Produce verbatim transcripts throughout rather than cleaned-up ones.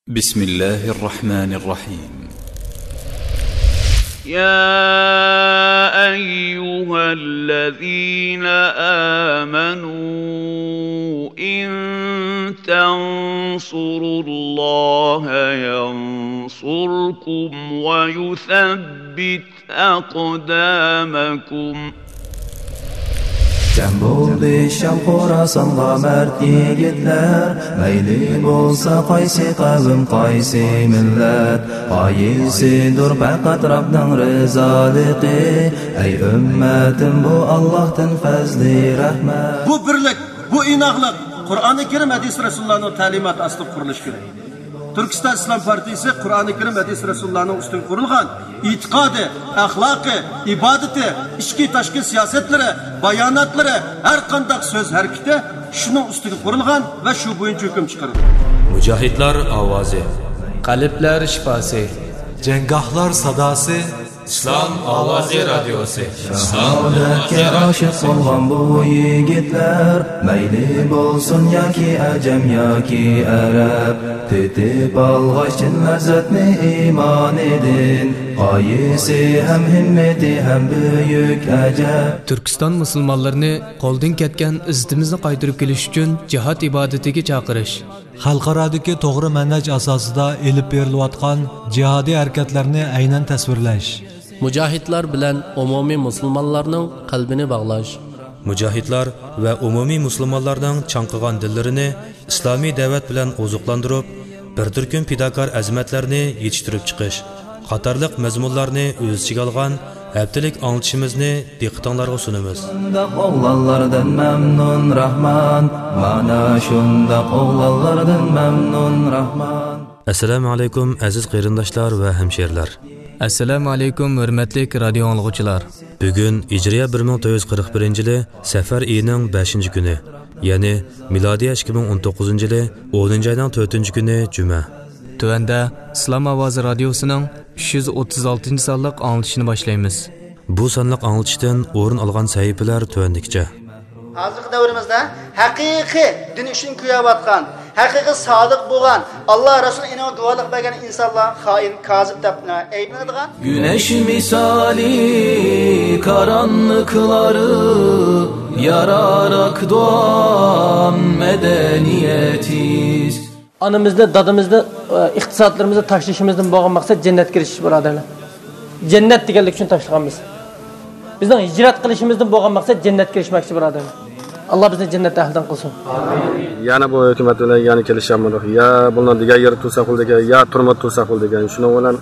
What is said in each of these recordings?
بسم الله الرحمن الرحيم. يا أيها الذين آمنوا إن تنصروا الله ينصركم ويثبت أقدامكم. جەم بولدى شام خوراسانغا مەرد يىگىتلەر، مەيلى بولسا قايسى قەۋم، قايسى مىللەت، غايىسىدۇر پەقەت رەبنىڭ رىزالىقى. ئەي ئۈممەتىم، بۇ ئاللاھتىن پەزلى رەھمەت. بۇ بىرلىك، بۇ ئىناقلىق قۇرئانى كەرىم، ھەدىس رەسۇلۇللانىڭ تەلىماتى ئاستىدا قۇرۇلۇشى كېرەك. تۈركىستان ئىسلام پارتىيىسى قۇرئانى كەرىم، ھەدىس رەسۇلۇللانىڭ ئۈستىگە قۇرۇلغان ئېتىقادى، ئەخلاقى، ئىبادىتى، ئىچكى، تاشقى سىياسەتلىرى، باياناتلىرى، ھەر قانداق سۆز ھەرىكىتى شۇنىڭ ئۈستىگە قۇرۇلغان ۋە شۇ بويىچە ھۆكۈم چىقىرىدۇ. مۇجاھىدلار ئاۋازى. قەلبلەر شىپاسى. جەڭگاھلار ساداسى. ئىسلام ئاۋازى رادىيوسى. شاھادەتكە ئاشىق بولغان بۇ يىگىتلەر، مەيلى بولسۇن ياكى ئەجەم ياكى ئەرەب، تېتىپ ئالغاچ چىن لەززەتنى ئىمانىدىن، غايىسى ھەم ھىممىتى ھەم بۈيۈك ئەجەب. تۈركىستان مۇسۇلمانلىرىنى قولدىن كەتكەن ئىززىتىمىزنى قايتۇرۇپ كېلىش ئۈچۈن جىھاد ئىبادىتىگە چاقىرىش. خەلقئارادىكى توغرا مەنھەج ئاساسىدا ئېلىپ بېرىلىۋاتقان جىھادىي ھەرىكەتلەرنى ئەينەن تەسۋىرلەش. مۇجاھىدلار بىلەن ئومۇمىي مۇسۇلمانلارنىڭ قەلبىنى باغلاش. مۇجاھىدلار ۋە ئومۇمىي مۇسۇلمانلارنىڭ چاڭقىغان دىللىرىنى ئىسلامىي دەۋەت بىلەن ئوزۇقلاندۇرۇپ، بىر تۈركۈم پىداكار ئەزىمەتلەرنى يېتىشتۈرۈپ چىقىش قاتارلىق مەزمۇنلارنى ئۆز ئىچىگە ئالغان ھەپتىلىك ئاڭلىتىشىمىزنى دىققىتىڭلارغا سۇنىمىز. شۇنداق ئوغلانلاردىن مەمنۇن راھمان، مانا شۇنداق ئوغلانلاردىن مەمنۇن راھمان. ئەسسالامۇ ئەلەيكۇم، ئەزىز قېرىنداشلار ۋە ھەمشېرىلەر. ئەسسالامۇ ئەلەيكۇم، ھۆرمەتلىك رادىيو ئاڭلىغۇچىلار. بۈگۈن ھىجرىيە بىر مىڭ تۆت يۈز قىرىق بىرىنچى يىلى سەفەر ئېيىنىڭ بەشىنچى كۈنى، يەنى مىلادىيە ئىككى مىڭ ئون توققۇزىنچى يىلى ئونىنچى ئاينىڭ تۆتىنچى كۈنى، جۈمە. تۆۋەندە ئىسلام ئاۋازى رادىيوسىنىڭ ئۈچ يۈز ئوتتۇز ئالتىنچى سانلىق ئاڭلىتىشىنى باشلايمىز. بۇ سانلىق ئاڭلىتىشتىن ئورۇن ئالغان سەھىپىلەر تۆۋەندىكىچە. ھازىرقى دەۋرىمىزدە ھەقىقىي دىن ئۈچۈن كۆيۈۋاتقان، ھەقىقىي سادىق بولغان، ئاللا رەسۇل ئېنىڭغا گۇۋاھلىق بەرگەن ئىنسانلار خائىن، كازىب دەپ ئەيىبلىنىدىغان. گۈنەش مىسالى قارانلىقلارغا يارار دۇئام مەدەنىيىتىز. ئانىمىزنى، دادىمىزنى، ئى، ئىقتىسادلىرىمىزنى تاشلىشىمىزدىن بولغان مەقسەت جەننەتكە ئېرىشىش، بۇرادەرلەر. جەننەت دېگەنلىك ئۈچۈن تاشلىغان بىز. بىزنىڭ ھىجرەت قىلىشىمىزدىن بولغان مەقسەت جەننەتكە ئېرىشمەكچى، بۇرادەرلەر. ئاللا بىزنى جەننەت ئەھلىدىن قىلسۇن. يەنە بۇ ھۆكۈمەت بىلەن يەنە كېلىشەلمىدۇق. يا بۇلارنى دېگەن يەردە تۇرساق بولىدىكەن، يا تۈرمىدە تۇرساق بولىدىكەن. شۇنىڭ بىلەن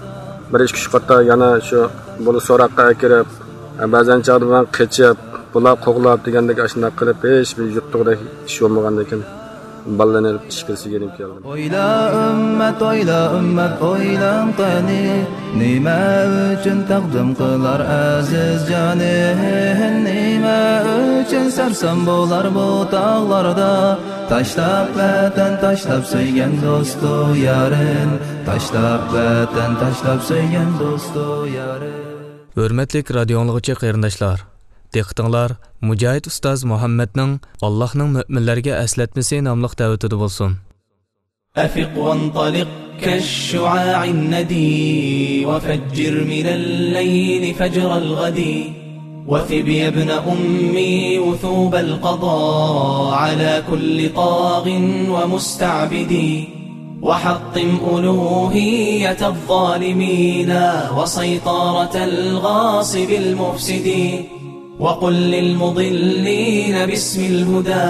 بىر ئىككى ئۈچ قېتىم يەنە شۇ بۇلار سوراققا ئەكىرىپ، بەزەن چاغدا مەن قېچىپ، بۇلار قوغلاپ دېگەندەك ئاشۇنداق قىلىپ، ھېچ بىر يۇتتۇقدەك ئىش بولمىغاندىكىن، بالىلارنى ئېلىپ ئىشكىلىسىگە يېنىپ كەلدىم. ئويلا ئۈممەت، ئويلا ئۈممەت، ئويلاڭ قېنى، نېمە ئۈچۈن تەقدىم قىلار ئەزىز جانى؟ نېمە ئۈچۈن سەرسان بولار بۇ تاغلاردا؟ تاشلاپ ۋەتەن، تاشلاپ سۆيگەن دوستۇ يارىن، تاشلاپ ۋەتەن، تاشلاپ سۆيگەن دوستۇ يارىن. ھۆرمەتلىك رادىيو ئاڭلىغۇچى قېرىنداشلار، دىققىتىڭلار مۇجاھىد ئۇستاز مۇھەممەدنىڭ «ئاللاھنىڭ مۆمىنلەرگە ئەسلەتمىسى» ناملىق دەۋىتىدە بولسۇن. أفق وانطلق كالشعاع الندي وفجر من الليل فجر الغد. وثب يا ابن أمي وثوب القضا على كل طاغ ومستعبد. وحطم ألوهية الظالمين وسيطرة الغاصب المفسد. وقل للمضلين باسم الهدى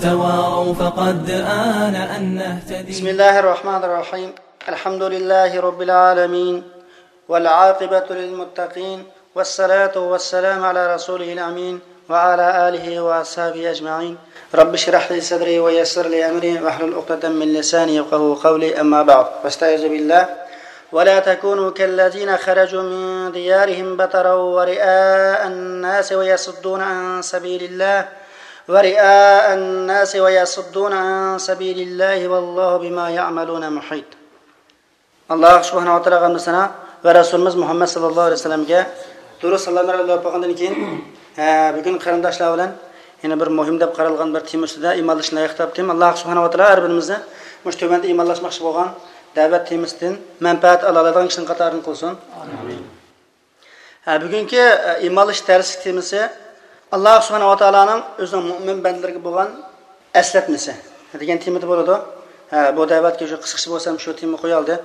تواروا فقد آن أن نهتدي. بسم الله الرحمن الرحيم. الحمد لله رب العالمين. والعاقبة للمتقين. والصلاة والسلام على رسوله الأمين وعلى آله وأصحابه أجمعين. رب اشرح لي صدري ويسر لي أمري واحلل عقدة من لساني يفقهوا قولي. أما بعد، فاستعيذ بالله. ولا تكونوا كالذين خرجوا من ديارهم بطرا ورئاء الناس ويصدون عن سبيل الله، ورئاء الناس ويصدون عن سبيل الله والله بما يعملون محيط. ئاللاھ سۇبھانەھۇ ۋە تائالاغا ھەمدۇ سانا ۋە رەسۇلىمىز مۇھەممەد ساللاللاھۇ ئەلەيھى ۋەسەللەمگە دۇرۇد سالاملار ئېلىپ بولغاندىن كېيىن، ھە، بۈگۈن قېرىنداشلار بىلەن يەنە بىر مۇھىم دەپ قارالغان بىر تېما ئۈستىدە ئىمانلىشىشنى لايىق تاپتىم. ئاللاھ سۇبھانەھۇ ۋە تائالا ھەر بىرىمىزنى مۇشۇ تۆۋەندە ئىمانلاشماقچى بولغان دەۋەت تېمىسىدىن مەنپەئەت ئالالايدىغان كىشىنىڭ قاتارىدىن قىلسۇن. ئامىن. ھە، بۈگۈنكى، ئە، ئىمانلىشىش دەرسلىك تېمىسى ئاللاھ سۇبھانەھۇ ۋە تائالانىڭ ئۆزىنىڭ مۆمىن بەندىلىرىگە بولغان ئەسلەتمىسى دېگەن تېمىدا بولىدۇ. ھە، بۇ دەۋەتكە شۇ قىسقىچە بولسام شۇ تېما قويالدى.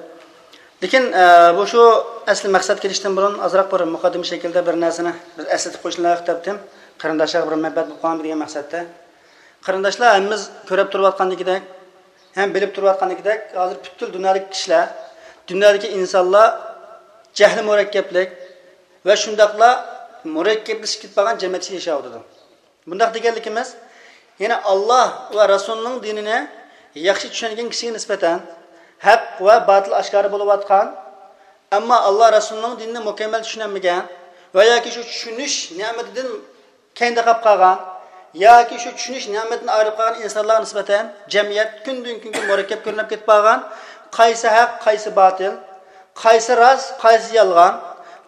لېكىن، ئە، بۇ شۇ ئەسلى مەقسەتكە كېلىشتىن بۇرۇن ئازراق بىر مۇقەددىمە شەكلىدە بىر نەرسىنى بىز ئەسلىتىپ قويۇشنى لايىق تاپتىم. قېرىنداشلارغا بىر مەنپەئەت بولۇپ قالغان دېگەن مەقسەتتە. قېرىنداشلار، ھەممىمىز كۆرۈپ تۇرۇۋاتقاندىكىدەك، ھەم بىلىپ تۇرۇۋاتقاندىكىدەك، ھازىر پۈتكۈل دۇنيادىكى كىشىلەر، دۇنيادىكى ئىنسانلار جەھلى مۇرەككەپلىك ۋە شۇنداقلا مۇرەككەپلىشىپ كېتىپ قالغان جەمئىيەت ئىچىدە ياشاۋاتىدۇ. بۇنداق دېگەنلىكىمىز، يەنى ئاللاھ ۋە رەسۇلنىڭ دىنىنى ياخشى چۈشەنگەن كىشىگە نىسبەتەن ھەق ۋە باتىل ئاشكارا بولۇۋاتقان، ئەمما ئاللاھ رەسۇلنىڭ دىنىنى مۇكەممەل چۈشىنەلمىگەن ۋە ياكى شۇ چۈشىنىش نېمىتىدىن كەينىدە قاپ قالغان ياكى شۇ چۈشىنىش نېمىتىدىن ئايرىلىپ قالغان ئىنسانلارغا نىسبەتەن جەمئىيەت كۈندىن-كۈنگە مۇرەككەپ كۆرۈنۈپ كېتىپ بارغان، قايسى ھەق، قايسى باتىل، قايسى راست، قايسى يالغان،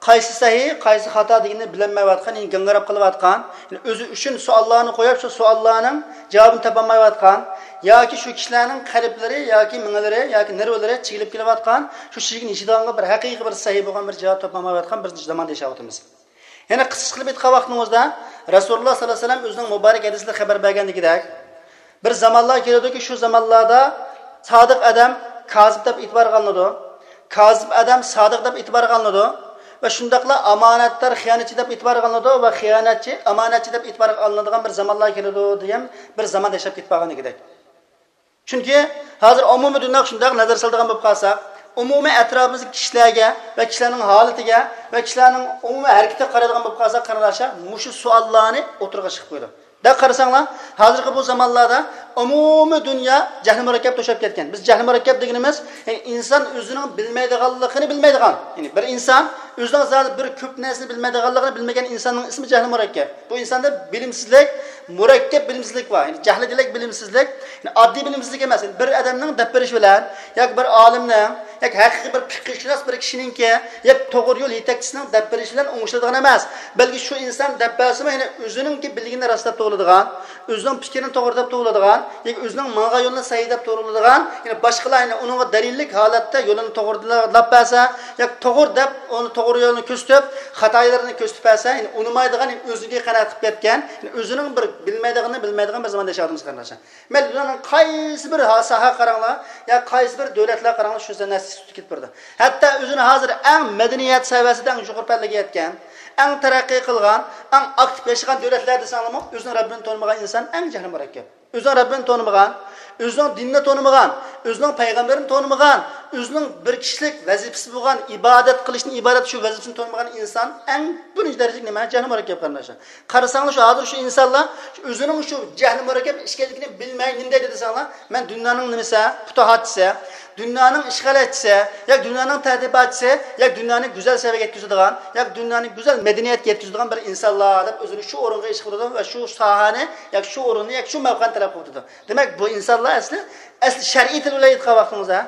قايسى سەھىھ، قايسى خاتا دېگىنىنى بىلەلمەيۋاتقان، يەنى گاڭگىراپ قېلىۋاتقان، يەنى ئۆزى ئۈچۈن سوئاللارنى قويۇپ، شۇ سوئاللارنىڭ جاۋابىنى تاپالمايۋاتقان ياكى شۇ كىشىلەرنىڭ قەلبلىرى ياكى مېڭىلىرى ياكى نېرۋىلىرى چىگىلىپ كېلىۋاتقان، شۇ چىگىگىنى يېشىدىغانغا بىر ھەقىقىي بىر سەھىھ بولغان بىر جاۋاب تاپالمايۋاتقان بىر زاماندا ياشاۋاتىمىز. يەنە قىسقىچە قىلىپ ئېيتقان ۋاقتىمىزدا، رەسۇلۇللاھ سەللەللاھۇ ئەلەيھى ۋەسەللەم ئۆزىنىڭ مۇبارەك ھەدىسىدە خەۋەر بەرگەندىكىدەك، بىر زامانلار كېلىدۇكى، شۇ زامانلاردا سادىق ئادەم كازىب دەپ ئېتىبارغا ئالىنىدۇ، كازىب ئادەم سادىق دەپ ئېتىبارغا ئالىنىدۇ ۋە شۇنداقلا ئامانەتدار خىيانەتچى دەپ ئېتىبارغا ئالىنىدۇ ۋە خىيانەتچى ئامانەتچى دەپ ئېتىبارغا ئالىنىدىغان بىر زامانلار كېلىدۇ دېگەن بىر زاماندا ياشاپ كېتىپ قالغاندىكىدەك. چۈنكى ھازىر ئومۇمىي دۇنياغا شۇنداق نەزەر سالىدىغان بولۇپ قالساق، ئومۇمىي ئەتراپىمىزدىكى كىشىلەرگە ۋە كىشىلەرنىڭ ھالىتىگە ۋە كىشىلەرنىڭ ئومۇمىي ھەرىكىتىگە قارايدىغان بولۇپ قالساق، قېرىنداشلار، مۇشۇ سوئاللارنى ئوتتۇرىغا چىقىپ قويىدۇ. دەپ قارىساڭلار، ھازىرقى بۇ زامانلاردا ئومۇمىي دۇنيا جەھلى مۇرەككەپ توشاپ كەتكەن. بىز جەھلى مۇرەككەپ دېگىنىمىز، يەنى ئىنسان ئۆزىنىڭ بىلمەيدىغانلىقىنى بىلمەيدىغان، يەنى بىر ئىنسان ئۆزىنىڭ زادى بىر كۆپ نەرسىنى بىلمەيدىغانلىقىنى بىلمىگەن ئىنساننىڭ ئىسمى جەھلى مۇرەككەپ. بۇ ئىنساندا بىلىمسىزلىك، مۇرەككەپ بىلىمسىزلىك بار. يەنى جەھلى دېگەنلىك بىلىمسىزلىك، يەنى ئاددىي بىلىمسىزلىك ئەمەس. يەنى بىر ئادەمنىڭ دەپ بېرىشى بىلەن ياكى بىر ئالىمنىڭ ياكى ھەقىقىي بىر پىقىھشۇناس بىر كىشىنىڭكى ياكى توغرا يول يېتەكچىسىنىڭ دەپ بېرىشى بىلەن ئوڭشىلىدىغان ئەمەس. بەلكى شۇ ئىنسان دەپ بەرسىمۇ، يەنى ئۆزىنىڭكى بىلگىنىنى راست دەپ توۋلىدىغان، ئۆزىنىڭ پىكرىنى توغرا دەپ توۋلىدىغان ياكى ئۆزىنىڭ ماڭغان يولىنى سەھىھ دەپ توغرىلىدىغان، يەنى باشقىلار يەنى ئۇنىڭغا دەلىللىك ھالەتتە يولىنى توغرىلاپ بەرسە ياكى توغرا دەپ ئۇنى توغرا يولنى كۆرسىتىپ، خاتا يوللىرىنى كۆرسىتىپ بەرسە، يەنى ئۇنىمايدىغان، يەنى ئۆزىگە قانائەت قىلىپ يەتكەن، يەنى ئۆزىنىڭ بىر بىلمەيدىغىنىنى بىلمەيدىغان بىر زاماندا ياشاۋاتىمىز، قېرىنداشلار. مەيلى دۇنيانىڭ قايسى بىر ھا-، ساھەگە قاراڭلار، يا قايسى بىر دۆلەتلەرگە قاراڭلار، شۇ نەرسە سۈتۈپ كېتىپ بارىدۇ. ھەتتا ئۆزىنى ھازىر ئەڭ مەدەنىيەت سەۋىيەسىدە ئەڭ يۇقىرى پەللىگە يەتكەن، ئەڭ تەرەققىي قىلغان، ئەڭ ئاكتىپ ياشىغان دۆلەتلەر دېسەڭلارمۇ، ئۆزىنىڭ رەببىنى تونۇمىغان ئىنسان ئەڭ جەھلى مۇرەككەپ. ئۆزىنىڭ رەببىنى تونۇمىغان، ئۆزىنىڭ دىنىنى تونۇمىغان، ئۆزىنىڭ پەيغەمبىرىنى تونۇمىغان، ئۆزىنىڭ بىر كىشىلىك ۋەزىپىسى بولغان، ئىبادەت قىلىشنى ئىبادەت شۇ ۋەزىپىسىنى تونۇمىغان ئىنسان ئەڭ بىرىنچى دەرىجىلىك نېمە؟ جەھلى مۇرەككەپ، قېرىنداشلار. قارىساڭلار، شۇ ھازىر شۇ ئىنسانلار شۇ ئۆزىنىڭ شۇ جەھلى مۇرەككەپ ئىكەنلىكىنى بىلمەي نېمە دەيدۇ دېسەڭلار، مەن دۇنيانىڭ نېمىسى، پۇتۇھاتچىسى، دۇنيانىڭ ئىشغالاتچىسى، ياكى دۇنيانىڭ تەدرىباتچىسى، ياكى دۇنيانى گۈزەل سەۋىيەگە يەتكۈزىدىغان، ياكى دۇنيانى گۈزەل مەدەنىيەتكە يەتكۈزىدىغان بىر ئىنسانلار دەپ ئۆزىنى شۇ ئورۇنغا ئىش قىلىدۇ ۋە شۇ ساھەنى، ياكى شۇ ئورۇننى، ياكى شۇ مەۋقەنى تەلەپ قىلىۋاتىدۇ. دېمەك، بۇ ئىنسانلار ئەسلى، ئەسلى شەرئىي تىل بىلەن ئېيتقان ۋاقتىڭىزدا،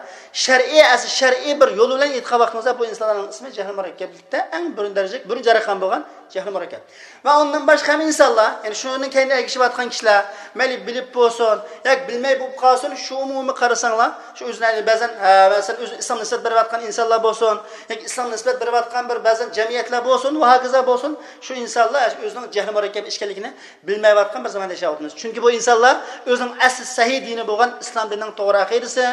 شەرئىي، ئەسلى شەرئىي بىر يول بىلەن ئېيتقان ۋاقتىڭىزدا، بۇ ئىنسانلارنىڭ ئىسمى جەھلى مۇرەككەپلىكتە ئەڭ بىرىنچى دەرىجىلىك، بىرىنچى جەريان بولغان جەھلى مۇرەككەپ. ۋە ئۇندىن باشقا ھەم ئىنسانلار، يەنى شۇنىڭ كەينىدە ئەگىشىۋاتقان كىشىلەر، مەيلى بىلىپ بولسۇن، ياكى بىلمەي بولۇپ قالسۇن، شۇ ئومۇمىي قارىساڭلار، شۇ ئۆزىنى بەزەن، ھە، مەسىلەن، ئۆزى ئىسلام نىسبەت بېرىۋاتقان ئىنسانلار بولسۇن، ياكى ئىسلام نىسبەت بېرىۋاتقان بىر بەزەن جەمئىيەتلەر بولسۇن ۋە ھاكازا بولسۇن، شۇ ئىنسانلار ئۆزىنىڭ جەھلى مۇرەككەپ ئىكەنلىكىنى بىلمەيۋاتقان بىر زاماندا ياشاۋاتىمىز. چۈنكى بۇ ئىنسانلار ئۆزىنىڭ ئەسلى سەھىھ دىنى بولغان ئىسلام دىنىنىڭ توغرا ئەقىدىسى،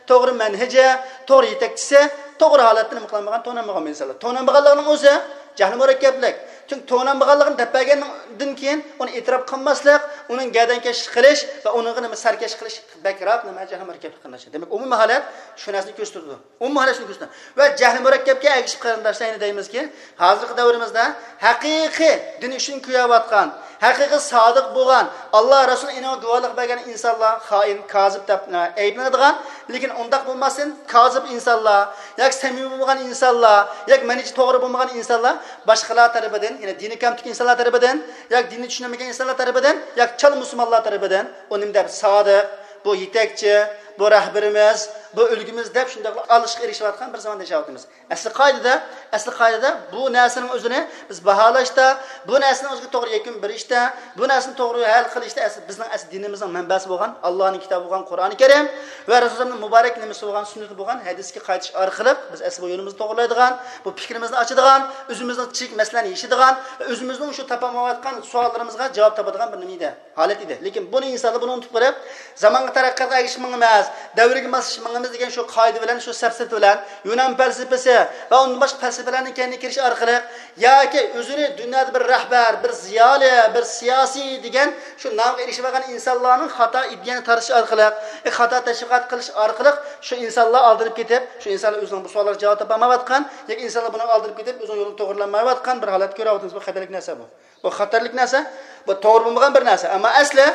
توغرا مەنھىجى، توغرا يېتەكچىسى، توغرا ھالەتتە نېمە قىلالمىغان، تونالمىغان بۇ ئىنسانلار. تونالمىغانلىقىنىڭ ئۆزى جەھلى مۇرەككەپلىك. چۈنكى تونالمىغانلىقىنى دەپ بەرگەندىن كېيىن ئۇنى ئېتىراپ قىلماسلىق، ئۇنىڭ گەردەنكەشلىك قىلىش ۋە ئۇنىڭغا نېمە سەركەشلىك قىلىش بەكرەك نېمە جەھلى مۇرەككەپلىك، قېرىنداشلار. دېمەك، ئومۇمىي ھالەت شۇ نەرسىنى كۆرسىتىدۇ. ئومۇمىي ھالەت شۇنى كۆرسىتىدۇ. ۋە جەھلى مۇرەككەپكە ئەگىشىپ، قېرىنداشلار، يەنە دەيمىزكى، ھازىرقى دەۋرىمىزدە ھەقىقىي دىن ئۈچۈن كۆيۈۋاتقان، ھەقىقىي سادىق بولغان، ئاللا رەسۇل ئېنىڭغا گۇۋاھلىق بەرگەن ئىنسانلار خائىن، كازىب دەپ، ئە، ئەيىبلىنىدىغان، لېكىن ئۇنداق بولماستىن، كازىب ئىنسانلار ياكى سەمىمىي بولمىغان ئىنسانلار ياكى مەنھىجى توغرا بولمىغان ئىنسانلار باشقىلار تەرىپىدىن، يەنى دىنى كەمتۈك ئىنسانلار تەرىپىدىن ياكى دىننى چۈشىنەلمىگەن ئىنسانلار تەرىپىدىن ياكى چالا مۇسۇلمانلار تەرىپىدىن ئۇ نېمە دەپ، سادىق، بۇ يېتەكچى، بۇ رەھبىرىمىز، بۇ ئۈلگىمىز دەپ شۇنداقلا ئالقىشقا ئېرىشىۋاتقان بىر زاماندا ياشاۋاتىمىز. ئەسلى قائىدىدە، ئەسلى قائىدىدە بۇ نەرسىنىڭ ئۆزىنى بىز باھالاشتا، بۇ نەرسىنىڭ ئۆزىگە توغرا يەكۈن بېرىشتە، بۇ نەرسىنى توغرا ھەل قىلىشتا ئەسلى بىزنىڭ ئەسلى دىنىمىزنىڭ مەنبەسى بولغان ئاللانىڭ كىتابى بولغان قۇرئانى كەرىم ۋە رەسۇلۇللانىڭ مۇبارەك نېمىسى بولغان سۈننىتى بولغان ھەدىسكە قايتىش ئارقىلىق بىز ئەسلى بۇ يولىمىزنى توغرىلايدىغان، بۇ پىكرىمىزنى ئاچىدىغان، ئۆزىمىزنىڭ چىك مەسىلىنى يېشىدىغان، ئۆزىمىزنىڭ شۇ تاپالمايۋاتقان سوئاللىرىمىزغا جاۋاب تاپىدىغان بىر نېمە ئىدى. ھالەت ئىدى. لېكىن بۇنى ئىنسانلار بۇنى ئۇنتۇپ قېلىپ، زامانغا تەرەققىياتقا ئەگىشىپ مېڭىمىز، دەۋرگە ماسلىشىپ مېڭىمىز دېگەن شۇ قائىدە بىلەن، شۇ سەپسەتە بىلەن، يۇنان پەلسەپىسى ۋە ئۇندىن باشقا پەلسەپىلەرنىڭ كەينىگە كىرىش ئارقىلىق ياكى ئۆزىنى دۇنيادا بىر رەھبەر، بىر زىيالىي، بىر سىياسىي دېگەن شۇ نامغا ئېرىشىۋالغان ئىنسانلارنىڭ خاتا ئىدىيەنى تارتىش ئارقىلىق، ئى، خاتا تەشۋىقات قىلىش ئارقىلىق شۇ ئىنسانلار ئالدىنىپ كېتىپ، شۇ ئىنسانلار ئۆزىنىڭ بۇ سوئاللارغا جاۋاب تاپالمايۋاتقان ياكى ئىنسانلار بۇنىڭغا ئالدىنىپ كېتىپ، ئۆزىنىڭ يولىنى توغرىلايالمايۋاتقان بىر ھالەتكە كۆرۈۋاتىمىز. بۇ خەتەرلىك نەرسە بۇ. بۇ خەتەرلىك نەرسە، بۇ توغرا بولمىغان بىر نەرسە. ئەمما ئەسلى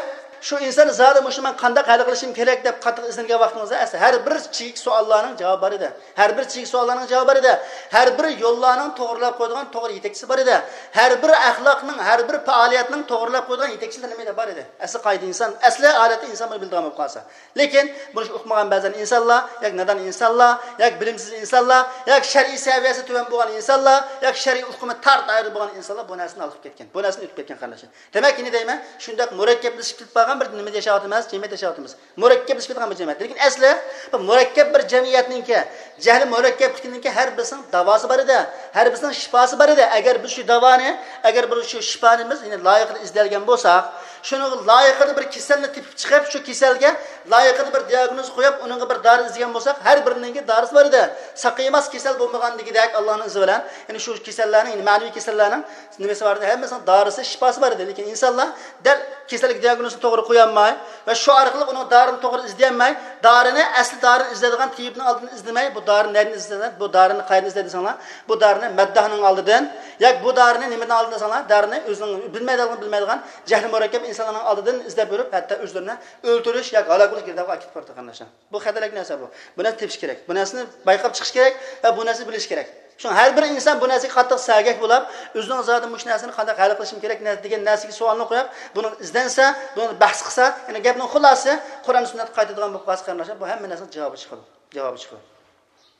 شۇ ئىنسان زادى مۇشۇنى مەن قانداق ھەل قىلىشىم كېرەك دەپ قاتتىق ئىزدەنگەن ۋاقتىڭىزدا، ئەسلى ھەر بىر چېكىت سوئاللارنىڭ جاۋابى بار ئىدى. ھەر بىر چېكىت سوئاللارنىڭ جاۋابى بار ئىدى. ھەر بىر يوللارنىڭ توغرىلاپ قويىدىغان توغرا يېتەكچىسى بار ئىدى. ھەر بىر ئەخلاقنىڭ، ھەر بىر پائالىيەتنىڭ توغرىلاپ قويىدىغان يېتەكچىلىرى نېمە بار ئىدى. ئەسلى قائىدە ئىنسان، ئەسلى ھالەتتە ئىنسان بۇنى بىلىدىغان بولۇپ قالسا. لېكىن بۇنى ئۇقمىغان بەزەن ئىنسانلار، ياكى نادان ئىنسانلار، ياكى بىلىمسىز ئىنسانلار، ياكى شەرئىي سەۋىيەسى تۆۋەن بولغان ئىنسانلار، ياكى شەرئىي ئۇقۇمى تار دائىرىدە بولغان ئىنسانلار بۇ نەرسىنى ھالقىپ كەتكەن، بۇ نەرسىنى ئۆتۈپ كەتكەن قېرىنداشلار. دېمەك، يەنە دەيمەن، شۇنداق مۇرەككەپلىشىپ كېتىپ قالغان بىر نېمىدە ياشاۋاتىمىز، جەمئىيەتتە ياشاۋاتىمىز. مۇرەككەپلىشىپ كېتىدىغان بىر جەمئىيەت. لېكىن ئەسلى بۇ مۇرەككەپ بىر جەمئىيەتنىڭكى، جەھلى مۇرەككەپلىكىنىڭكى ھەر بىرسىنىڭ داۋاسى بار ئىدى، ھەر بىرسىنىڭ شىپاسى بار ئىدى. ئەگەر بىز شۇ داۋانى، ئەگەر بىز شۇ شىپانى بىز يەنە لايىقىدا ئىزدەلگەن بولساق، شۇنىڭغا لايىقىدا بىر كېسەلنى تېپىپ چىقىپ، شۇ كېسەلگە لايىقىدا بىر دىئاگنوز قويۇپ، ئۇنىڭغا بىر دارى ئىزدىگەن بولساق، ھەر بىرىنىڭكى دارىسى بار ئىدى. ساقىيماس كېسەل بولمىغان دېگۈدەك، ئاللانىڭ ئىزنى بىلەن. يەنى شۇ كېسەللەرنىڭ، يەنى مەنىۋى كېسەللەرنىڭ نېمىسى بار ئىدى؟ ھەممىسىنىڭ دارىسى، شىپاسى بار ئىدى. لېكىن ئىنسانلار دەل كېسەلگە دىئاگنوزنى توغرا قويالماي ۋە شۇ ئارقىلىق ئۇنىڭ دارىنى توغرا ئىزدىيەلمەي، دارىنى، ئەسلى دارىنى ئىزدەيدىغان تېبىبنىڭ ئالدىدىن ئىزدىمەي، بۇ دارىنى نەدىن ئىزدەيدۇ؟ بۇ دارىنى قەيەردىن ئىزدەيدۇ دېسەڭلار، بۇ دارىنى مەدداھنىڭ ئالدىدىن، ياكى بۇ دارىنى نېمىدىن ئالدىدىن دېسەڭلار، دارىنى ئۆزىنىڭ بىلمەيدىغان، بىلمەيدىغان جەھلى مۇرەككەپ ئىنسانلارنىڭ ئالدىدىن ئىزدەپ يۈرۈپ، ھەتتا ئۆزلىرىنى ئۆلتۈرۈش ياكى ھالاك بولۇش گىردابىغا ئەكېتىپ بارىدۇ، قېرىنداشلار. بۇ خەتەرلىك نەرسە بۇ. بۇ نەرسىنى تېپىش كېرەك. بۇ نەرسىنى بايقاپ چىقىش كېرەك ۋە بۇ نەرسىنى بىلىش كېرەك. شۇڭا ھەر بىر ئىنسان بۇ نەرسىگە قاتتىق سەگەك بولۇپ، ئۆزىنىڭ زادى مۇشۇ نەرسىنى قانداق ھەل قىلىشىم كېرەك نە-، دېگەن نەرسىگە سوئالنى قويۇپ، بۇنى ئىزدەنسە، بۇنى بەھس قىلسا، يەنى گەپنىڭ خۇلاسىسى قۇرئان سۈننەتكە قايتىدىغان بولۇپ قالسا، قېرىنداشلار، بۇ ھەممە نەرسىنىڭ جاۋابى چىقىدۇ. جاۋابى چىقىدۇ.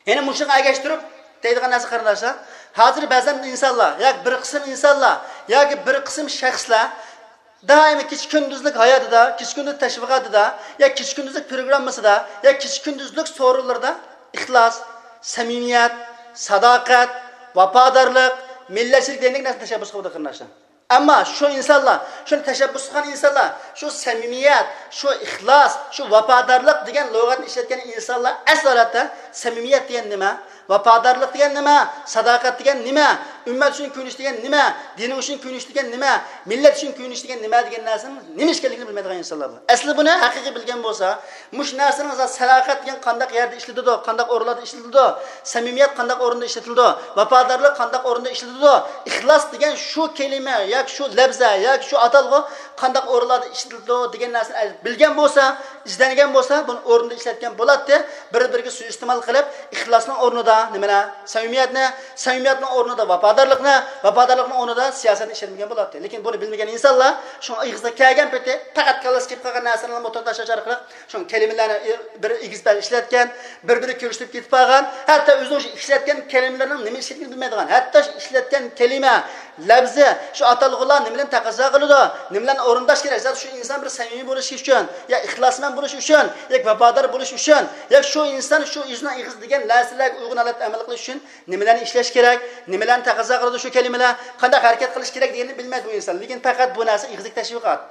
يەنە مۇشۇنى ئەگەشتۈرۈپ دەيدىغان نەرسە، قېرىنداشلار، ھازىر بەزەن ئىنسانلار ياكى بىر قىسىم ئىنسانلار ياكى بىر قىسىم شەخسلەر دائىم كېچە-كۈندۈزلۈك ھاياتىدا، كېچە-كۈندۈز تەشۋىقاتىدا يا كېچە-كۈندۈزلۈك پروگراممىسىدا يا كېچە-كۈندۈزلۈك سورۇنلىرىدا ئىخلاس، سەمىمىيەت، ساداقەت، ۋاپادارلىق، مىللەتچىلىك دېگەندەك نەرسىنى تەشەببۇس قىلىدۇ، قېرىنداشلار. ئەمما شۇ ئىنسانلار، شۇنى تەشەببۇس قىلغان ئىنسانلار، شۇ سەمىمىيەت، شۇ ئىخلاس، شۇ ۋاپادارلىق دېگەن لۇغەتنى ئىشلەتكەن ئىنسانلار ئەسلى ھالەتتە سەمىمىيەت دېگەن نېمە؟ ۋاپادارلىق دېگەن نېمە؟ ساداقەت دېگەن نېمە؟ ئۈممەت ئۈچۈن كۆيۈنۈش دېگەن نېمە؟ دىنىڭ ئۈچۈن كۆيۈنۈش دېگەن نېمە؟ مىللەت ئۈچۈن كۆيۈنۈش دېگەن نېمە دېگەن نەرسىنىڭ نېمە ئىكەنلىكىنى بىلمەيدىغان ئىنسانلار بۇ. ئەسلى بۇنى ھەقىقىي بىلگەن بولسا، مۇشۇ نەرسىنىڭ ساداقەت دېگەن قانداق يەردە ئىشلىتىلىدۇ، قانداق ئورۇنلاردا ئىشلىتىلىدۇ، سەمىمىيەت قانداق ئورۇندا ئىشلىتىلىدۇ، ۋاپادارلىق قانداق ئورۇندا ئىشلىتىلىدۇ، ئىخلاس دېگەن شۇ كەلىمە ياكى شۇ لەپزە ياكى شۇ ئاتالغۇ قانداق ئورۇنلاردا ئىشلىتىلىدۇ دېگەن نەرسىنى بىلگەن بولسا، ئىزدەنگەن بولسا، بۇنى ئورنىدا ئىشلەتكەن بولاتتى. بىر-بىرىگە سۇيىئىستېمال قىلىپ، ئىخلاسنىڭ ئورنىدا نېمىنى؟ سەمىمىيەتنى، سەمىمىيەتنىڭ ئورنىدا ۋاپادارلىقنى، ۋاپادارلىقنىڭ ئورنىدا سىياسەتنى ئىشلەتمىگەن بولاتتى. لېكىن بۇنى بىلمىگەن ئىنسانلار شۇڭا ئېغىزغا كەلگەن پېتى پەقەت كاللىسىغا كېلىپ قالغان نەرسىلەرنى موتور تاشلاش ئارقىلىق شۇ كەلىمىلەرنى بىر ئېگىز-پەس ئىشلەتكەن، بىر-بىرىگە كۆرسىتىپ كېتىپ قالغان، ھەتتا ئۆزىنىڭ شۇ ئىشلەتكەن كەلىمىلىرىنىڭ نېمە ئىكەنلىكىنى بىلمەيدىغان، ھەتتا شۇ ئىشلەتكەن كەلىمە، لەپزى، شۇ ئاتالغۇلار نېمىلەرنى تەقەززا قىلىدۇ، نېمىلەرنى ئورۇنداش كېرەك؟ زادى شۇ ئىنسان بىر سەمىمىي بولۇشى ئۈچۈن، يا ئىخلاسمەن بولۇشى ئۈچۈن، يا ۋاپادار بولۇشى ئۈچۈن، يا شۇ ئىنسان شۇ ئۆزىنىڭ ئېغىزىدا دېگەن نەرسىلەرگە ئۇيغۇن ھالەتتە ئەمەل قىلىش ئۈچۈن نېمىلەرنى ئىشلەش كېرەك، نېمىلەرنى تەقەززا قىلىدۇ شۇ كەلىمىلەر، قانداق ھەرىكەت قىلىش كېرەك دېگەننى بىلمەيدۇ بۇ ئىنسان. لېكىن پەقەت بۇ نەرسە ئېغىزلىك تەشۋىقات.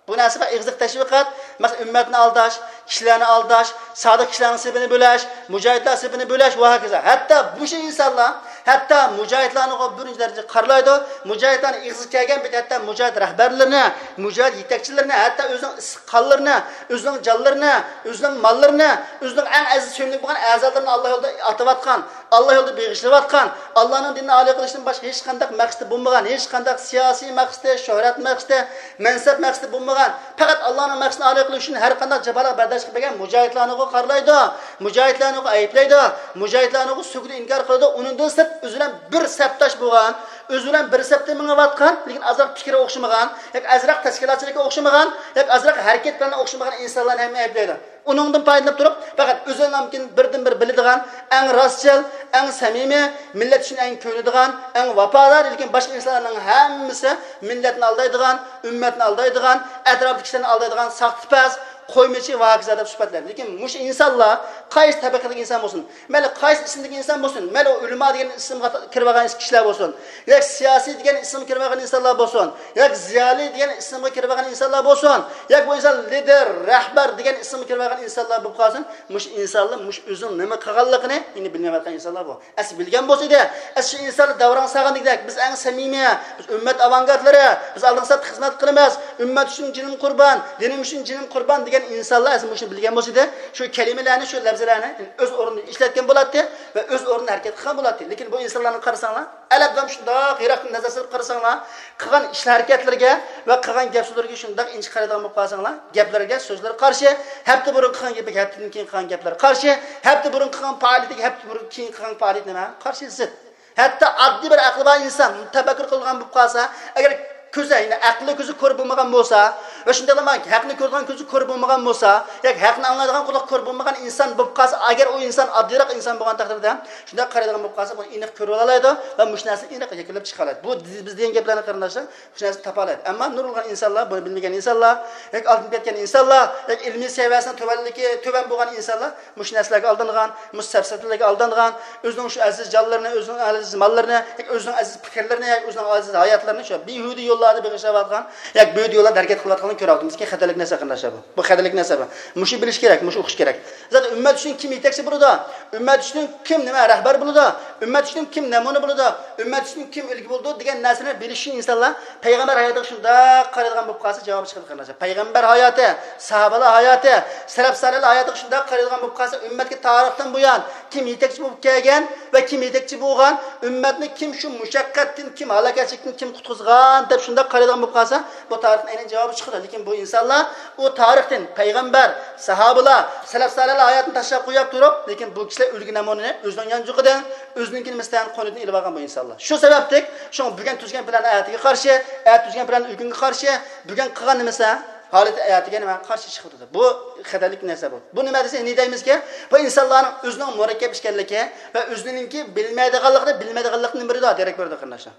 بۇ نەرسە بىر ئېغىزلىق تەشۋىقات، مەسىلەن، ئۈممەتنى ئالداش، كىشىلەرنى ئالداش، سادىق كىشىلەرنىڭ سېپىنى بۆلەش، مۇجاھىدلار سېپىنى بۆلەش ۋە ھاكازا. ھەتتا مۇشۇ ئىنسانلار، ھەتتا مۇجاھىدلارنىغۇ بىرىنچى دەرىجىدە قارىلايدۇ. مۇجاھىدلارنىڭ ئېغىزىغا كەلگەن پېتى ھەتتا مۇجاھىد رەھبەرلىرىنى، مۇجاھىد يېتەكچىلىرىنى، ھەتتا ئۆزىنىڭ ئىسسىق قانلىرىنى، ئۆزىنىڭ جانلىرىنى، ئۆزىنىڭ ماللىرىنى، ئۆزىنىڭ ئەڭ ئەزىز سۆيۈملۈك بولغان ئەزالىرىنى ئاللا يولىدا ئاتىۋاتقان، ئاللا يولىدا بېغىشلىۋاتقان، ئاللانىڭ دىنىنى ئالىي قىلىشتىن باشقا ھېچقانداق مەقسىتى بولمىغان، ھېچقانداق سىياسىي مەقسىتى، شۆھرەت مەقسىتى، مەنسەپ مەقسىتى بولمىغان، پەقەت ئاللانىڭ مەقسىتىنى ئالىي قىلىش ئۈچۈن ھەر قانداق جاپالارغا بەرداشلىق بەرگەن مۇجاھىدلارنىغۇ قارىلايدۇ، مۇجاھىدلارنىغۇ ئەيىبلەيدۇ، مۇجاھىدلارنىغۇ سۆكىدە ئىنكار قىلىدۇ. ئۇنىڭدىن سىرت، ئۆزى بىلەن بىر سەپداش بولغان، ئۆزى بىلەن بىر سەپتە مېڭىۋاتقان، لېكىن ئازراق پىكرى ئوخشىمىغان، ياكى ئازراق تەشكىلاتچىلىقى ئوخشىمىغان، ياكى ئازراق ھەرىكەت پىلانى ئوخشىمىغان ئىنسانلارنى ھەممە ئەيىبلەيدۇ. ئۇنىڭدىن پايدىلىنىپ تۇرۇپ، پەقەت ئۆزىنىڭكىن بىردىنبىر بىلىدىغان، ئەڭ راستچىل، ئەڭ سەمىمىي، مىللەت ئۈچۈن ئەڭ كۆيۈنىدىغان، ئەڭ ۋاپادار، لېكىن باشقا ئىنسانلارنىڭ ھەممىسى مىللەتنى ئالدايدىغان، ئۈممەتنى ئالدايدىغان، ئەتراپتىكى كىشىلەرنى ئالدايدىغان ساختىپەز، قويمىچى ۋە ھاكازا دەپ سۈپەتلەيدۇ. لېكىن مۇشۇ ئىنسانلار قايسى تەبىقىدىكى ئىنسان بولسۇن، مەيلى قايسى ئىسىمدىكى ئىنسان بولسۇن، مەيلى ئۇ ئۆلىما دېگەن ئىسىمغا كىرىۋالغان كىشىلەر بولسۇن، ياكى سىياسىي دېگەن ئىسىمغا كىرىۋالغان ئىنسانلار بولسۇن، ياكى زىيالىي دېگەن ئىسىمغا كىرىۋالغان ئىنسانلار بولسۇن، ياكى بۇ ئىنسان لىدېر، رەھبەر دېگەن ئىسىمغا كىرىۋالغان ئىنسانلار بولۇپ قالسۇن، مۇشۇ ئىنسانلار مۇشۇ ئۆزىنىڭ نېمە قىلغانلىقىنى ئېنىق بىلمەيۋاتقان ئىنسانلار بۇ. ئەسلى بىلگەن بولسا ئىدى، ئەسلى شۇ ئىنسانلار داۋراڭ سالغان دېگۈدەك، بىز ئەڭ سەمىمىي، بىز ئۈممەت ئاۋانگارتلىرى، بىز ئالدىنقى سەپتە خىزمەت قىلىمىز، ئۈممەت ئۈچۈن جېنىم قۇربان، دىنىم ئۈچۈن جېنىم قۇربان دېگەن ئىنسانلار ئەسلى مۇشۇنى بىلگەن بولسا ئىدى، شۇ كەلىمىلەرنى، شۇ لەپزىلەرنى ئۆز ئورنىدا ئىشلەتكەن بولاتتى ۋە ئۆز ئورنىدا ھەرىكەت قىلغان بولاتتى. لېكىن بۇ ئىنسانلارنى قارىساڭلار، ئەلەبدان شۇنداق يىراقتىن نەزەر سېلىپ قارىساڭلار، قىلغان ئىش ھەرىكەتلىرىگە ۋە قىلغان گەپ سۆزلىرىگە شۇنداق ئىنچىكە قارايدىغان بولۇپ قالساڭلار، گەپلىرىگە، سۆزلىرى قارشى، ھەپتە بۇرۇن قىلغان گېپىگە ھەپتىدىن كېيىن قىلغان گەپلىرى قارشى، ھەپتە بۇرۇن قىلغان پائالىيىتىگە ھەپتە بۇرۇن كېيىن قىلغان پائالىيىتى نېمە؟ قارشى، زىت. ھەتتا ئاددىي بىر ئەقلى بار ئىنسان تەپەككۇر قىلىدىغان بولۇپ قالسا، ئەگەر كۆزى، يەنى ئەقلى كۆزى كور بولمىغان بولسا ۋە شۇنداقلا ھەقنى كۆرىدىغان كۆزى كور بولمىغان بولسا، ياكى ھەقنى ئاڭلايدىغان قۇلاق كور بولمىغان ئىنسان بولۇپ قالسا، ئەگەر ئۇ ئىنسان ئاددىيراق ئىنسان بولغان تەقدىردە، شۇنداق قارايدىغان بولۇپ قالسا، بۇنى ئېنىق كۆرۈۋالالايدۇ ۋە مۇشۇ نەرسىنى ئېنىق يەكۈنلەپ چىقالايدۇ. بۇ بىز دېگەن گەپلەرنى، قېرىنداشلار، مۇشۇ نەرسىنى تاپالايدۇ. ئەمما نۇرغۇنلىغان ئىنسانلار، بۇنى بىلمىگەن ئىنسانلار، ياكى ئالدىنىپ كەتكەن ئىنسانلار، ياكى ئىلمىي سەۋىيەسىنىڭ تۆۋەنلىكى، تۆۋەن بولغان ئىنسانلار مۇشۇ نەرسىلەرگە ئالدانغان، مۇشۇ سەپسەتىلەرگە ئالدانغان، ئۆزىنىڭ شۇ ئەزىز جانلىرىنى، ئۆزىنىڭ ئەزىز ماللىرىنى، ياكى ئۆزىنىڭ ئەزىز پىكىرلىرىنى، ياكى ئۆزىنىڭ ئەزىز ھاياتلىرىنى شۇ بىھۇدە يوللاردا بېغىشلاۋاتقان، ياكى بىھۇدە يوللاردا ھەرىكەت قىلىۋاتقانلىقىنى كۆرۈۋاتىمىز. كېيىن خەتەرلىك نەرسە، قېرىنداشلار، بۇ. بۇ خەتەرلىك نەرسە بۇ. مۇشۇ بىلىش كېرەك، مۇشۇ ئوقۇش كېرەك. زادى ئۈممەت ئۈچۈن كىم يېتەكچى بولىدۇ؟ ئۈممەت ئۈچۈن كىم نېمە رەھبەر بولىدۇ؟ ئۈممەت ئۈچۈن كىم نەمۇنە بولىدۇ؟ ئۈممەت ئۈچۈن كىم ئۈلگە بولىدۇ؟ دېگەن نەرسىنى بىلىش ئۈچۈن ئىنسانلار پەيغەمبەر ھاياتىغا شۇنداق قارايدىغان بولۇپ قالسا جاۋاب چىقىدۇ، قېرىنداشلار. پەيغەمبەر ھاياتى، ساھابىلەر ھاياتى، سەلەپ سالىھلار ھاياتىغا شۇنداق قارايدىغان بولۇپ قالسا، ئۈممەتكە تارىختىن بۇيان كىم يېتەكچى بولۇپ كەلگەن ۋە كىم يېتەكچى بولغان، ئۈممەتنى كىم شۇ مۇشەققەتتىن، كىم ھالاكەتچىلىكتىن كىم قۇتقۇزغان دەپ شۇنداق قارايدىغان بولۇپ قالسا، بۇ تارىختىن ئەينەن جاۋابى چىقىدۇ. لېكىن بۇ ئىنسانلار ئۇ تارىختىن پەيغەمبەر، ساھابىلار، سەلەپ سالىھلار ھاياتىنى تاشلاپ قويۇپ تۇرۇپ، لېكىن بۇ كىشىلەر ئۈلگە نەمۇنىنى ئۆزىنىڭ يانچۇقىدىن، ئۆزىنىڭكىنى مىسلىھەت قونىدىن ئېلىپ ئالغان بۇ ئىنسانلار. شۇ سەۋەبلىك شۇڭا بۈگۈن تۈزگەن پىلان ئەتىگە قارشى، ئەتە تۈزگەن پىلان ئۆگۈنگە قارشى، بۈگۈن قىلغان نېمىسى ھالىتى ئەتىگە نېمە قارشى چىقىپ تۇرىدۇ. بۇ خەتەرلىك نەرسە بۇ. بۇ نېمە دېسە، نېمە دەيمىزكى؟ بۇ ئىنسانلارنىڭ ئۆزىنىڭ مۇرەككەپ ئىكەنلىكى ۋە ئۆزىنىڭكى بىلمەيدىغانلىقىنى بىلمەيدىغانلىقتىن بېرىدۇ، دېرەك بېرىدۇ، قېرىنداشلار.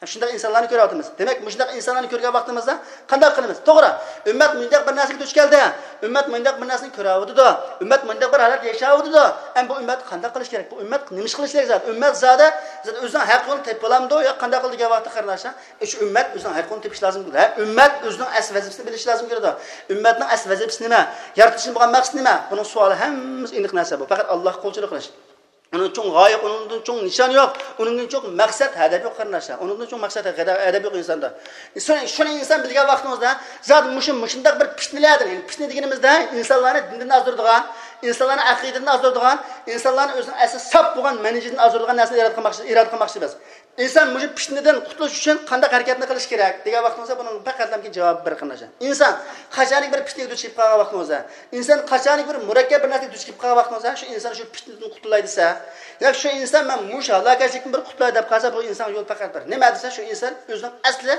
شۇنداق ئىنسانلارنى كۆرۈۋاتىمىز. دېمەك، مۇشۇنداق ئىنسانلارنى كۆرگەن ۋاقتىمىزدا قانداق قىلىمىز؟ توغرا، ئۈممەت مۇنداق بىر نەرسىگە دۇچ كەلدى. ئۈممەت مۇنداق بىر نەرسىنى كۆرۈۋاتىدۇ. ئۈممەت مۇنداق بىر ھالەتتە ياشاۋاتىدۇ. ئەمما بۇ ئۈممەت قانداق قىلىش كېرەك؟ بۇ ئۈممەت نېمە ئىش قىلىش كېرەك زادى؟ ئۈممەت زادى، زادى ئۆزىنىڭ ھەق يولىنى تېپىپ بولامدۇ يا قانداق قىلىدۇ دېگەن ۋاقىتتا، قېرىنداشلار، شۇ ئۈممەت ئۆزىنىڭ ھەق يولىنى تېپىشى لازىم كېلىدۇ. ھە، ئۈممەت ئۆزىنىڭ ئەسلى ۋەزىپىسىنى بىلىشى لازىم كېلىدۇ. ئۈممەتنىڭ ئەسلى ۋەزىپىسى نېمە؟ يارىتىلىشتىن بولغان مەقسىتى نېمە؟ بۇنىڭ سوئالى ھەممىسى ئېنىق نەرسە بۇ. پەقەت ئاللاھقا قۇلچىلىق قىلىش. ئۇنىڭدىن چوڭ غايە، ئۇنىڭدىن چوڭ نىشان يوق، ئۇنىڭدىن چوڭ مەقسەت، ھەدەپ يوق، قېرىنداشلار. ئۇنىڭدىن چوڭ مەقسەت، ھەدەپ يوق ئىنساندا. شۇنى، شۇنى ئىنسان بىلگەن ۋاقتىڭىزدا، زادى مۇشۇ، مۇشۇنداق بىر پىتنىلەردىن، يەنى پىتنە دېگىنىمىزدە ئىنسانلارنى دىندىن ئازدۇرىدىغان، ئىنسانلارنى ئەقىدىدىن ئازدۇرىدىغان، ئىنسانلارنى ئۆزىنىڭ ئەسلى ساپ بولغان مەنھىجىدىن ئازدۇرىدىغان نەرسىنى ئىرادە قىلماقچى، ئىرادە قىلماقچى بىز. ئىنسان مۇشۇ پىتنىدىن قۇتۇلۇش ئۈچۈن قانداق ھەرىكەتنى قىلىش كېرەك دېگەن ۋاقتىڭىزدا بۇنىڭ پەقەتلا جاۋابى بىر، قېرىنداشلار. ئىنسان قاچانكى بىر پىتنىگە دۇچ كېلىپ قالغان ۋاقتىڭىزدا، ئىنسان قاچانكى بىر مۇرەككەپ بىر نەرسىگە دۇچ كېلىپ قالغان ۋاقتىڭىزدا، شۇ ئىنسان شۇ پىتنىدىن قۇتۇلاي دېسە، ياكى شۇ ئىنسان مەن مۇشۇ ھالاكەتچىلىكتىن بىر قۇتۇلاي دەپ قالسا، بۇ ئىنسانغا يول پەقەت بىر. نېمە دېسە، شۇ ئىنسان ئۆزىنىڭ ئەسلى،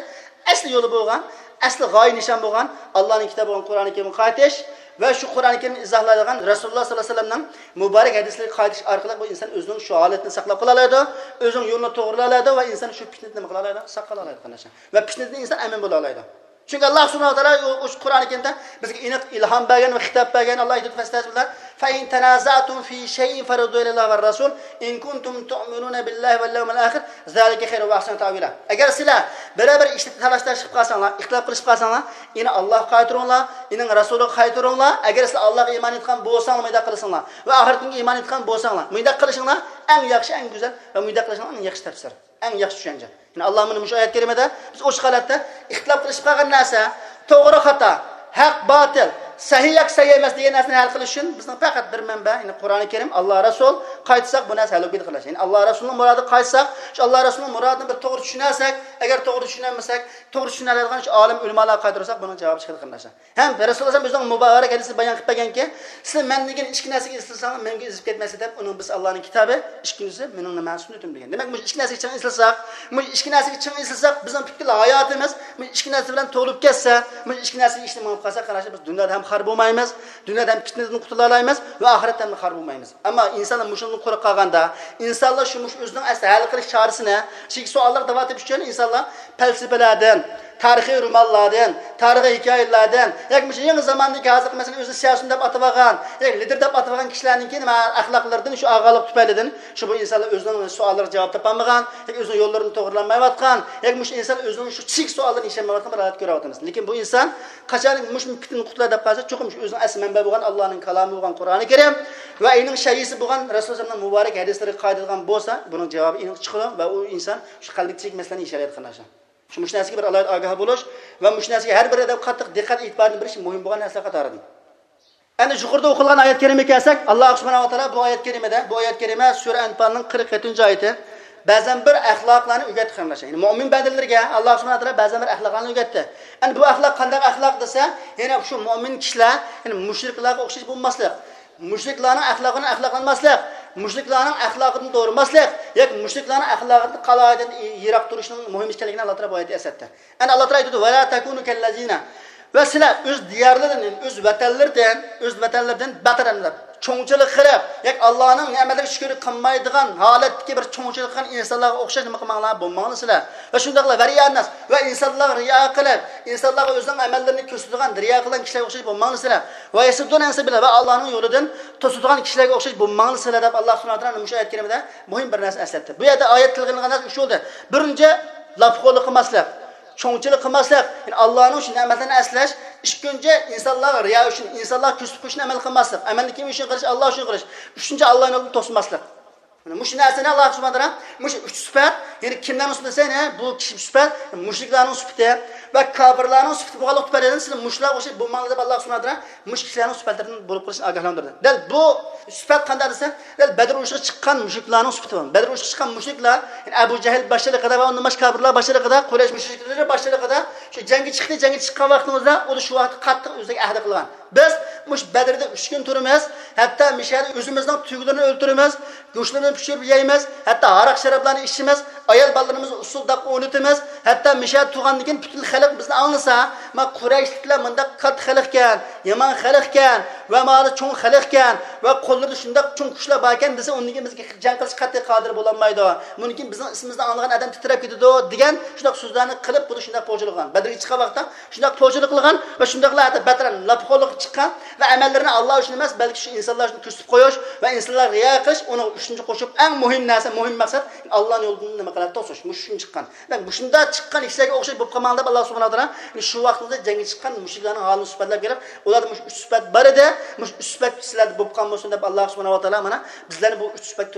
ئەسلى يولى بولغان، ئەسلى غايە نىشان بولغان ئاللانىڭ كىتابى بولغان قۇرئانى كەرىمگە قايتىش ۋە شۇ قۇرئانى كەرىمنى ئىزاھلايدىغان رەسۇلۇللا ساللاللاھۇ ئەلەيھى ۋەسەللەمنىڭ مۇبارەك ھەدىسلىرىگە قايتىش ئارقىلىق بۇ ئىنسان ئۆزىنىڭ شۇ ھالىتىنى ساقلاپ قالالايدۇ، ئۆزىنىڭ يولىنى توغرىلالايدۇ ۋە ئىنسان شۇ پىتنىدىن نېمە قىلالايدۇ؟ ساقلالالايدۇ، قېرىنداشلار. ۋە پىتنىدىن ئىنسان ئەمىن بولالايدۇ. چۈنكى ئاللا سۇبھانەھۇ ۋە تائالا ئۇ، ئۇ قۇرئانى كەرىمدە بىزگە ئېنىق ئىلھام بەرگەن ۋە خىتاب بەرگەن، ئاللا ئېيتىدۇ، فەستەئىز بىللە، فەئىن تەنازەئتۇم فى شەيئىن فەرۇددۇھۇ ئىلەللاھى ۋەررەسۇل ئىن كۇنتۇم تۇئمىنۇنە بىللاھى ۋەل يەۋمىل ئاخىر، زالىكە خەيرۇن ۋە ئەھسەنۇ تەئۋىلا. ئەگەر سىلەر بىرەر بىر ئىشتا تالاش-تارتىش قىلىپ قالساڭلار، ئىختىلاپ قىلىشىپ قالساڭلار، يەنى ئاللاغا قايتۇرۇڭلار، يەنى رەسۇلىغا قايتۇرۇڭلار. ئەگەر سىلەر ئاللاغا ئىمان ئېيتقان بولساڭلار، مۇنداق قىلساڭلار ۋە ئاخىرەت كۈنگە ئىمان ئېيتقان بولساڭلار، مۇنداق قىلىشىڭلار ئەڭ ياخشى، ئەڭ گۈزەل ۋە مۇنداق قىلىشىڭلار ئەڭ ياخشى تەپسىر، ئەڭ ياخشى چۈشەنچە. يەنى ئاللا مۇنى مۇشۇ ئايەت كەرىمىدە بىز ئوچۇق ھالەتتە ئىختىلاپ قىلىشىپ قالغان نەرسە، توغرا خاتا، ھەق باتىل، سەھىھ ياكى سەھىھ ئەمەس دېگەن نەرسىنى ھەل قىلىش ئۈچۈن بىزنىڭ پەقەت بىر مەنبە، يەنى قۇرئانى كەرىم، ئاللا، رەسۇل، قايتساق، بۇ نەرسە ھەل بولۇپ كېتىدۇ، قېرىنداشلار. يەنى ئاللا رەسۇلىنىڭ مۇرادىغا قايتساق، شۇ ئاللا رەسۇلىنىڭ مۇرادىنى بىر توغرا چۈشىنەلسەك، ئەگەر توغرا چۈشىنەلمىسەك، توغرا چۈشىنەلەيدىغان شۇ ئالىم ئۆلىمالارغا قايتۇرساق، بۇنىڭ جاۋابى چىقىدۇ، قېرىنداشلار. ھەم رەسۇلۇللا ئەلەيھىسسالام ئۆزىنىڭ مۇبارەك ھەدىسىدە بايان قىلىپ بەرگەنكى، سىلەر مەن دېگەن ئىككى نەرسىگە ئېسىلساڭلار، مەنگە ئېسىلىپ كەتمەسلەر دەپ، ئۇنىڭ بىرسى ئاللانىڭ كىتابى، ئىككىنچىسى مېنىڭ نېمە سۈننىتىم دېگەن. دېمەك، مۇشۇ ئىككى نەرسىگە چىڭ ئېسىلساق، مۇشۇ ئىككى نەرسىگە چىڭ ئېسىلساق، بىزنىڭ پۈتكۈل ھاياتىمىز مۇشۇ ئىككى نەرسە بىلەن تولۇپ كەتسە، مۇشۇ ئىككى نەرسىگە ئىشلىمەي قالساق، قېرىنداشلار، بىز دۇنيادا ھەم خار بولمايمىز، دۇنيادا ھەم پىتنىدىن قۇتۇلالايمىز ۋە ئاخىرەتتە ھەم خار بولمايمىز. ئەمما ئىنسانلار مۇشۇنىڭدىن قۇرۇق قالغاندا، ئىنسانلار شۇ مۇشۇ ئۆزىنىڭ ئەسلى ھەل قىلىش چارىسىنى، چۈنكى سوئاللارغا داۋام تېپىش ئۈچۈن ئىنسانلار پەلسەپىلەردىن، تارىخىي رومانلاردىن، تارىخىي ھېكايىلەردىن ياكى مۇشۇ يېڭى زاماندىكى ھازىرقى، مەسىلەن، ئۆزىنى سىياسىيون دەپ ئاتىۋالغان ياكى لىدېر دەپ ئاتىۋالغان كىشىلەرنىڭكى نېمە ئەخلاقلىرىدىن، شۇ ئاغالىق تۈپەيلىدىن شۇ بۇ ئىنسانلار ئۆزىنىڭ سوئاللىرىغا جاۋاب تاپالمىغان ياكى ئۆزىنىڭ يوللىرىنى توغرىلانمايۋاتقان ياكى مۇشۇ ئىنسان ئۆزىنىڭ شۇ چىگىك سوئاللىرىنى يېشەلمەيۋاتقان بىر ھالەت كۆرۈۋاتىمىز. لېكىن بۇ ئىنسان قاچان مۇشۇ پىتنىدىن قۇتۇلاي دەپ قالسا، چوقۇم شۇ ئۆزىنىڭ ئەسلى مەنبە بولغان ئاللانىڭ كالامى بولغان قۇرئانى كەرىم ۋە ئېنىڭ شەيئىسى بولغان رەسۇلۇللانىڭ مۇبارەك ھەدىسلىرىگە قايىدىغان بولسا، بۇنىڭ جاۋابى ئېنىق چىقىدۇ ۋە ئۇ ئىنسان شۇ قەلبىدىكى چىگىك مەسىلىنى يېشەلەيدۇ، قېرىنداشلار. شۇ، مۇشۇ نەرسىگە بىر ئالاھىدە ئاگاھ بولۇش ۋە مۇشۇ نەرسىگە ھەر بىر ئادەم قاتتىق دىققەت ئېتىبارنى بېرىش مۇھىم بولغان نەرسىلەر قاتارىدىن. ئەنە يۇقىرىدا ئوقۇلغان ئايەت كەرىمىگە كەلسەك، ئاللا سۇبھانەھۇ ۋە تائالا بۇ ئايەت كەرىمىدە، بۇ ئايەت كەرىمە سۈرە ئەنپالنىڭ قىرىق يەتتىنچى ئايىتى، بەزەن بىر ئەخلاقلارنى ئۆگەتتى، قېرىنداشلار. يەنى مۇئمىن بەندىلىرىگە ئاللا سۇبھانەھۇ ۋە تائالا بەزەن بىر ئەخلاقلارنى ئۆگەتتى. ئەنە بۇ ئەخلاق قانداق ئەخلاق دېسە، يەنە شۇ مۇئمىن كىشىلەر، يەنى مۇشرىكلارغا ئوخشاش بولماسلىق، مۇشرىكلارنىڭ ئەخلاقى بىلەن ئەخلاقلانماسلىق، مۇشرىكلارنىڭ ئەخلاقىدىن دورىماسلىق ياكى مۇشرىكلارنىڭ ئەخلاقىدىن قالايىدىن يىراق تۇرۇشنىڭ مۇھىم ئىكەنلىكىنى ئاللا تائالا بۇ ئايەتتە ئەسلەتتى. ئەنە ئاللا تائالا ئېيتىدۇ، «ۋەلا تەكۇنۇ كەللەزىنە.» ۋە سىلەر ئۆز دىيارلىرىدىن، ئۆز ۋەتەنلىرىدىن، ئۆز ۋەتەنلىرىدىن بەتەر ئەمدى چوڭچىلىق قىلىپ، ياكى ئاللانىڭ نېمەتلىرىگە شۈكۈر قىلمايدىغان ھالەتتىكى بىر چوڭچىلىق قىلغان ئىنسانلارغا ئوخشاش نېمە قىلماڭلار، بولماڭلار سىلەر. ۋە شۇنداقلا ۋەرىئەنناس، ۋە ئىنسانلارغا رىيا قىلىپ، ئىنسانلارغا ئۆزىنىڭ ئەمەللىرىنى كۆرسىتىدىغان، رىيا قىلغان كىشىلەرگە ئوخشاش بولماڭلار سىلەر. ۋە يەسۇددۇن ئەن سەبىلىللا، ۋە ئاللانىڭ يولىدىن توسىدىغان كىشىلەرگە ئوخشاش بولماڭلار سىلەر دەپ ئاللا سۇبھانەھۇ ۋە تائالا مۇشۇ ئايەت كەرىمىدە مۇھىم بىر نەرسە ئەسلەتتى. بۇ يەردە ئايەت تىلغا ئېلىنغان نەرسە ئۈچ بولدى. بىرىنچى، لاپخورلۇق قىلماسلىق، چوڭچىلىق قىلماسلىق، يەنى ئاللانىڭ شۇ نېمەتلىرىنى ئەسلەش. ئىككىنچى، ئىنسانلارغا رىيا ئۈچۈن، ئىنسانلارغا كۆرسىتىپ قويۇش ئۈچۈن ئەمەل قىلماسلىق. ئەمەلنى كىم ئۈچۈن قىلىش؟ ئاللا ئۈچۈن قىلىش. ئۈچىنچى، ئاللانىڭ يولىدىن توسماسلىق. مانا مۇشۇ نەرسىنى ئاللا سۇبھانەھۇ ۋە تائالا، مۇشۇ ئۈچ سۈپەت، يەنى كىملەرنىڭ سۈپىتى دېسە، يەنە بۇ كىشى سۈپەت، مۇشرىكلارنىڭ سۈپىتى ۋە كاپىرلارنىڭ سۈپىتى بولغانلىقى تۈپەيلىدىن، سىلەر مۇشۇلارغا ئوخشاش بولماڭلار دەپ ئاللا سۇبھانەھۇ ۋە تائالا مۇشۇ كىشىلەرنىڭ سۈپەتلىرىدىن بولۇپ قېلىشنى ئاگاھلاندۇردى. دەل بۇ سۈپەت قانداق دېسە، دەل بەدر ئۇرۇشىغا چىققان مۇشرىكلارنىڭ سۈپىتى بار. بەدر ئۇرۇشىغا چىققان مۇشرىكلار، يەنى ئەبۇ جەھىل باشچىلىقىدا ۋە ئۇندىن باشقا كاپىرلار باشچىلىقىدا، قۇرەيش مۇشرىكلىرى باشچىلىقىدا شۇ جەڭگە چىقتى، جەڭگە چىققان ۋاقتىمىزدا ئۇ شۇ ۋاقىتتا قاتتىق ئۆزىگە ئەھدە قىلغان. بىز مۇشۇ بەدردە ئۈچ كۈن تۇرىمىز، ھەتتا مۇشۇ يەردە ئۆزىمىزنىڭ تۈگىلىرىنى ئۆلتۈرىمىز، گۆشلىرىنى پىشۇرۇپ يەيمىز، ھەتتا ھاراق شارابلارنى ئىچىمىز، ئايال بالىلىرىمىزنى ئۇسسۇل داغقا ئوينىتىمىز، ھەتتا مۇشۇ يەردە تۇرغاندىن كېيىن پۈتۈن خەلق بىزنى ئاڭلىسا، ما قۇرەيشلىكلەر مۇنداق كاتتا خەلقكەن، يامان خەلقكەن ۋە مانا چوڭ خەلقكەن ۋە قوللىرىدا شۇنداق چوڭ كۈچلەر باركەن دېسە، ئۇندىن كېيىن بىزگە جەڭ قىلىشقا قەتئىي قادىر بولالمايدۇ. بۇندىن كېيىن بىزنىڭ ئىسمىمىزنى ئاڭلىغان ئادەم تىترەپ كېتىدۇ دېگەن شۇنداق سۆزلەرنى قىلىپ، بۇنى شۇنداق پوچىلىغان. بەدرگە چىققان ۋاقىتتا شۇنداق پوچىلىق قىلغان ۋە شۇنداقلا ھەتتا بەتەر لاپخورلۇققا چىققان ۋە ئەمەللىرىنى ئاللا ئۈچۈن ئەمەس، بەلكى شۇ ئىنسانلار ئۈچۈن كۆرسىتىپ قويۇش ۋە ئىنسانلارغا رىيا قىلىش، ئۇنىڭغا ئۈچىنچى قوشۇپ، ئەڭ مۇھىم نەرسە، مۇھىم مەقسەت، ئاللانىڭ يولىدىن نېمە قىلىپ توسۇش. مۇشۇ ئۈچۈن چىققان. دېمەك، مۇشۇنداق چىققان كىشىلەرگە ئوخشاش بولۇپ قالماڭ دەپ، ئاللا سۇبھانەھۇ ۋە تائالا شۇ ۋاقتىڭىزدا جەڭگە چىققان مۇشرىكلارنىڭ ھالىنى سۈپەتلەپ بېرىپ، ئۇلاردا مۇشۇ ئۈچ سۈپەت بار ئىدى، مۇشۇ ئۈچ سۈپەت سىلەردە بولۇپ قالمىسۇن دەپ، ئاللا سۇبھانەھۇ ۋە تائالا مانا بىزلەرنى بۇ ئۈچ سۈپەت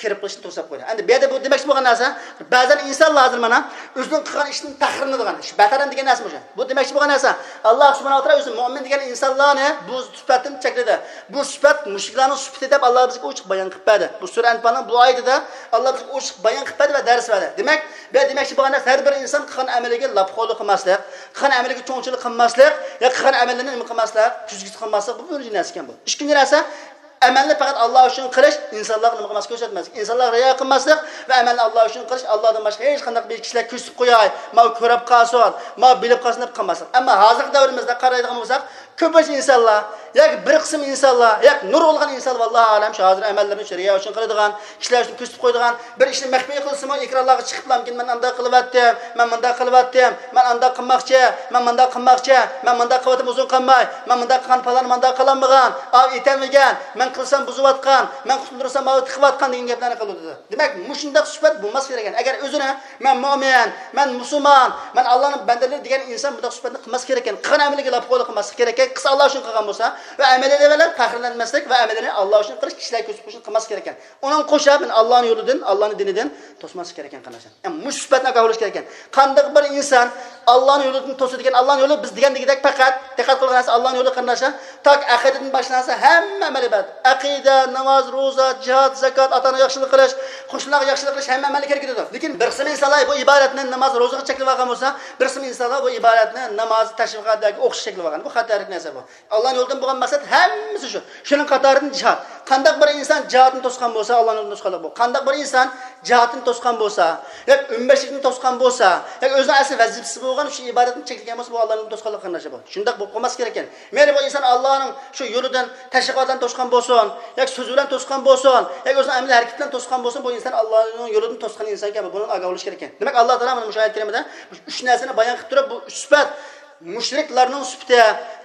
كىرىپ قېلىشتىن توساپ قويدى. ئەمدى بۇ يەردە بۇ دېمەكچى بولغان نەرسە، بەزەن ئىنسانلار ھازىر مانا ئۆزىنىڭ قىلغان ئىشىدىن پەخىرلىنىدىغان، شۇ بەتەر ئەمدى دېگەن نەرسە مۇشۇ. بۇ دېمەكچى بولغان نەرسە، ئاللا سۇبھانەھۇ ۋە تائالا ئۆزى مۇئمىن دېگەن ئىنسانلارنى بۇ سۈپەتتىن چەكلىدى. بۇ سۈپەت مۇشرىكلارنىڭ سۈپىتى دەپ ئاللا بىزگە ئوچۇق بايان قىلىپ بەردى. بۇ سۈرە ئەنپالنىڭ بۇ ئايىتىدە ئاللا بىزگە ئوچۇق بايان قىلىپ بەردى ۋە دەرس بەردى. دېمەك، بۇ يەردە دېمەكچى بولغان نەرسە، ھەر بىر ئىنسان قىلغان ئەمىلىگە لاپخورلۇق قىلماسلىق، قىلغان ئەمىلىگە چوڭچىلىق قىلماسلىق، يا قىلغان ئەمەللىرىنى نېمە قىلماسلىق، كۈزگىسى قىلماسلىق، بۇ بىرىنچى نەرسە ئىكەن بۇ. ئىككىنچى نەرسە، ئەمەلنى پەقەت ئاللا ئۈچۈن قىلىش، ئىنسانلارغا نېمە قىلماسلىق، كۆرسەتمەسلىك. ئىنسانلارغا رىيا قىلماسلىق ۋە ئەمەلنى ئاللا ئۈچۈن قىلىش، ئاللادىن باشقا ھېچقانداق بىر كىشىلەر كۆرسىتىپ قوياي، ماۋۇ كۆرۈپ قالسۇن، ماۋۇ بىلىپ قالسۇن دەپ قىلماسلىق. ئەمما ھازىرقى دەۋرىمىزدە قارايدىغان بولساق، كۆپىنچە ئىنسانلار ياكى بىر قىسىم ئىنسانلار ياكى نۇرغۇنلىغان ئىنسانلار، ۋاللاھۇ ئەلەم، شۇ ھازىر ئەمەللىرىنى شۇ رىيا ئۈچۈن قىلىدىغان، كىشىلەر ئۈچۈن كۆرسىتىپ قويىدىغان، بىر ئىشنى مەخپىي قىلسىمۇ، ئېكرانلارغا چىقىپلا، مەن مۇنداق قىلىۋەتتىم، مەن مۇنداق قىلىۋەتتىم، مەن ئانداق قىلماقچى، مەن مۇنداق قىلماقچى، مەن مۇنداق قىلىۋاتىمەن ئۇزۇن قالماي، مەن مۇنداق قىلغان پالان مۇنداق قىلالمىغان، ئاۋۇ ئېتەلمىگەن، مەن قىلسام بۇزۇۋاتقان، مەن قۇتۇلدۇرسام ئاۋۇ تىقىۋاتقان دېگەن گەپلەرنى قىلىدۇ. دېمەك، مۇشۇنداق سۈپەت بولماسلىقى كېرەك ئىكەن. ئەگەر ئۆزىنى، مەن مۆمىن، مەن مۇسۇلمان، مەن ئاللانىڭ بەندىلىرى دېگەن ئىنسان بۇنداق سۈپەتنى قىلماسلىقى كېرەك ئىكەن. قىلغان ئەمىلىگە لاپخورلۇق قىلماسلىقى كېرەك ئىكەن. قىلسا ئاللا ئۈچۈن قىلغان بولسا ۋە ئەمەللىرى بىلەن پەخىرلەنمەسلىك ۋە ئەمەللىرىنى ئاللا ئۈچۈن قىلىش، كىشىلەرگە كۆرسىتىپ قويۇشنى قىلماسلىقى كېرەك ئىكەن. ئۇنىڭغا قوشۇپ، مەن ئاللانىڭ يولىدىن، ئاللانىڭ دىنىدىن توسماسلىق كېرەك ئىكەن، قېرىنداشلار. يەنى مۇشۇ سۈپەتنى ئاگاھ بولۇش كېرەك ئىكەن. قانداق بىر ئىنسان ئاللانىڭ يولىدىن توسىدىكەن، ئاللانىڭ يولى بىز دېگەندىكىدەك پەقەت، دىققەت قىلغان نەرسە ئاللانىڭ يولى، قېرىنداشلار، تاكى ئەقىدىدىن باشلانسا، ھەممە ئەمەل ئىبادەت. ئەقىدە، ناماز، روزا، جىھاد، زاكات، ئاتا-ئانىغا ياخشىلىق قىلىش، قوشنىلارغا ياخشىلىق قىلىش، ھەممە ئەمەلنى كىرگۈزىدۇ. لېكىن بىر قىسىم ئىنسانلار بۇ ئىبادەتنى، ناماز، روزىغا چەكلىۋالغان بولسا، بىر قىسىم ئىنسانلار بۇ ئىبادەتنى ناماز، تەشۋىقات ياكى ئوقۇشقا چەكلىۋالغان. بۇ خەتەرلىك نەرسە بۇ. ئاللانىڭ يولىدىن بولغان مەقسەت ھەممىسى شۇ. شۇنىڭ قاتارىدىن جىھاد. قانداق بىر ئىنسان جىھادنى توسقان بولسا، ئاللانىڭ يولىدىن توسقانلىق بۇ. قانداق بىر ئىنسان جىھادنى توسقان بولسا، ياكى ئۆمبەشلىكنى توسقان بولسا، ياكى ئۆزىنىڭ ئەسلى ۋەزىپىسى بولغان شۇ ئىبادەتنى چەكلىگەن بولسا، بۇ ئاللانىڭ يولىدىن توسقانلىق قېرىنداشلار بۇ. شۇنداق بولۇپ قالماسلىق كېرەككەن. مەيلى بۇ ئىنسان ئاللانىڭ شۇ يولىدىن تەشۋىقات بىلەن توسقان بولسۇن، ياكى سۆز بىلەن توسقان بولسۇن، ياكى ئۆزىنىڭ ئەمەلىي ھەرىكىتى بىلەن توسقان بولسۇن، بۇ ئىنسان ئاللانىڭ يولىدىن توسقان ئىنسان ئىكەن، بۇنىڭ ئاگاھ بولۇش كېرەككەن. دېمەك، ئاللا تائالا مانا مۇشۇ ئايەت كەرىمىدە ئۈچ نەرسىنى بايان قىلىپ تۇرۇپ، بۇ ئۈچ سۈپەت مۇشرىكلارنىڭ سۈپىتى،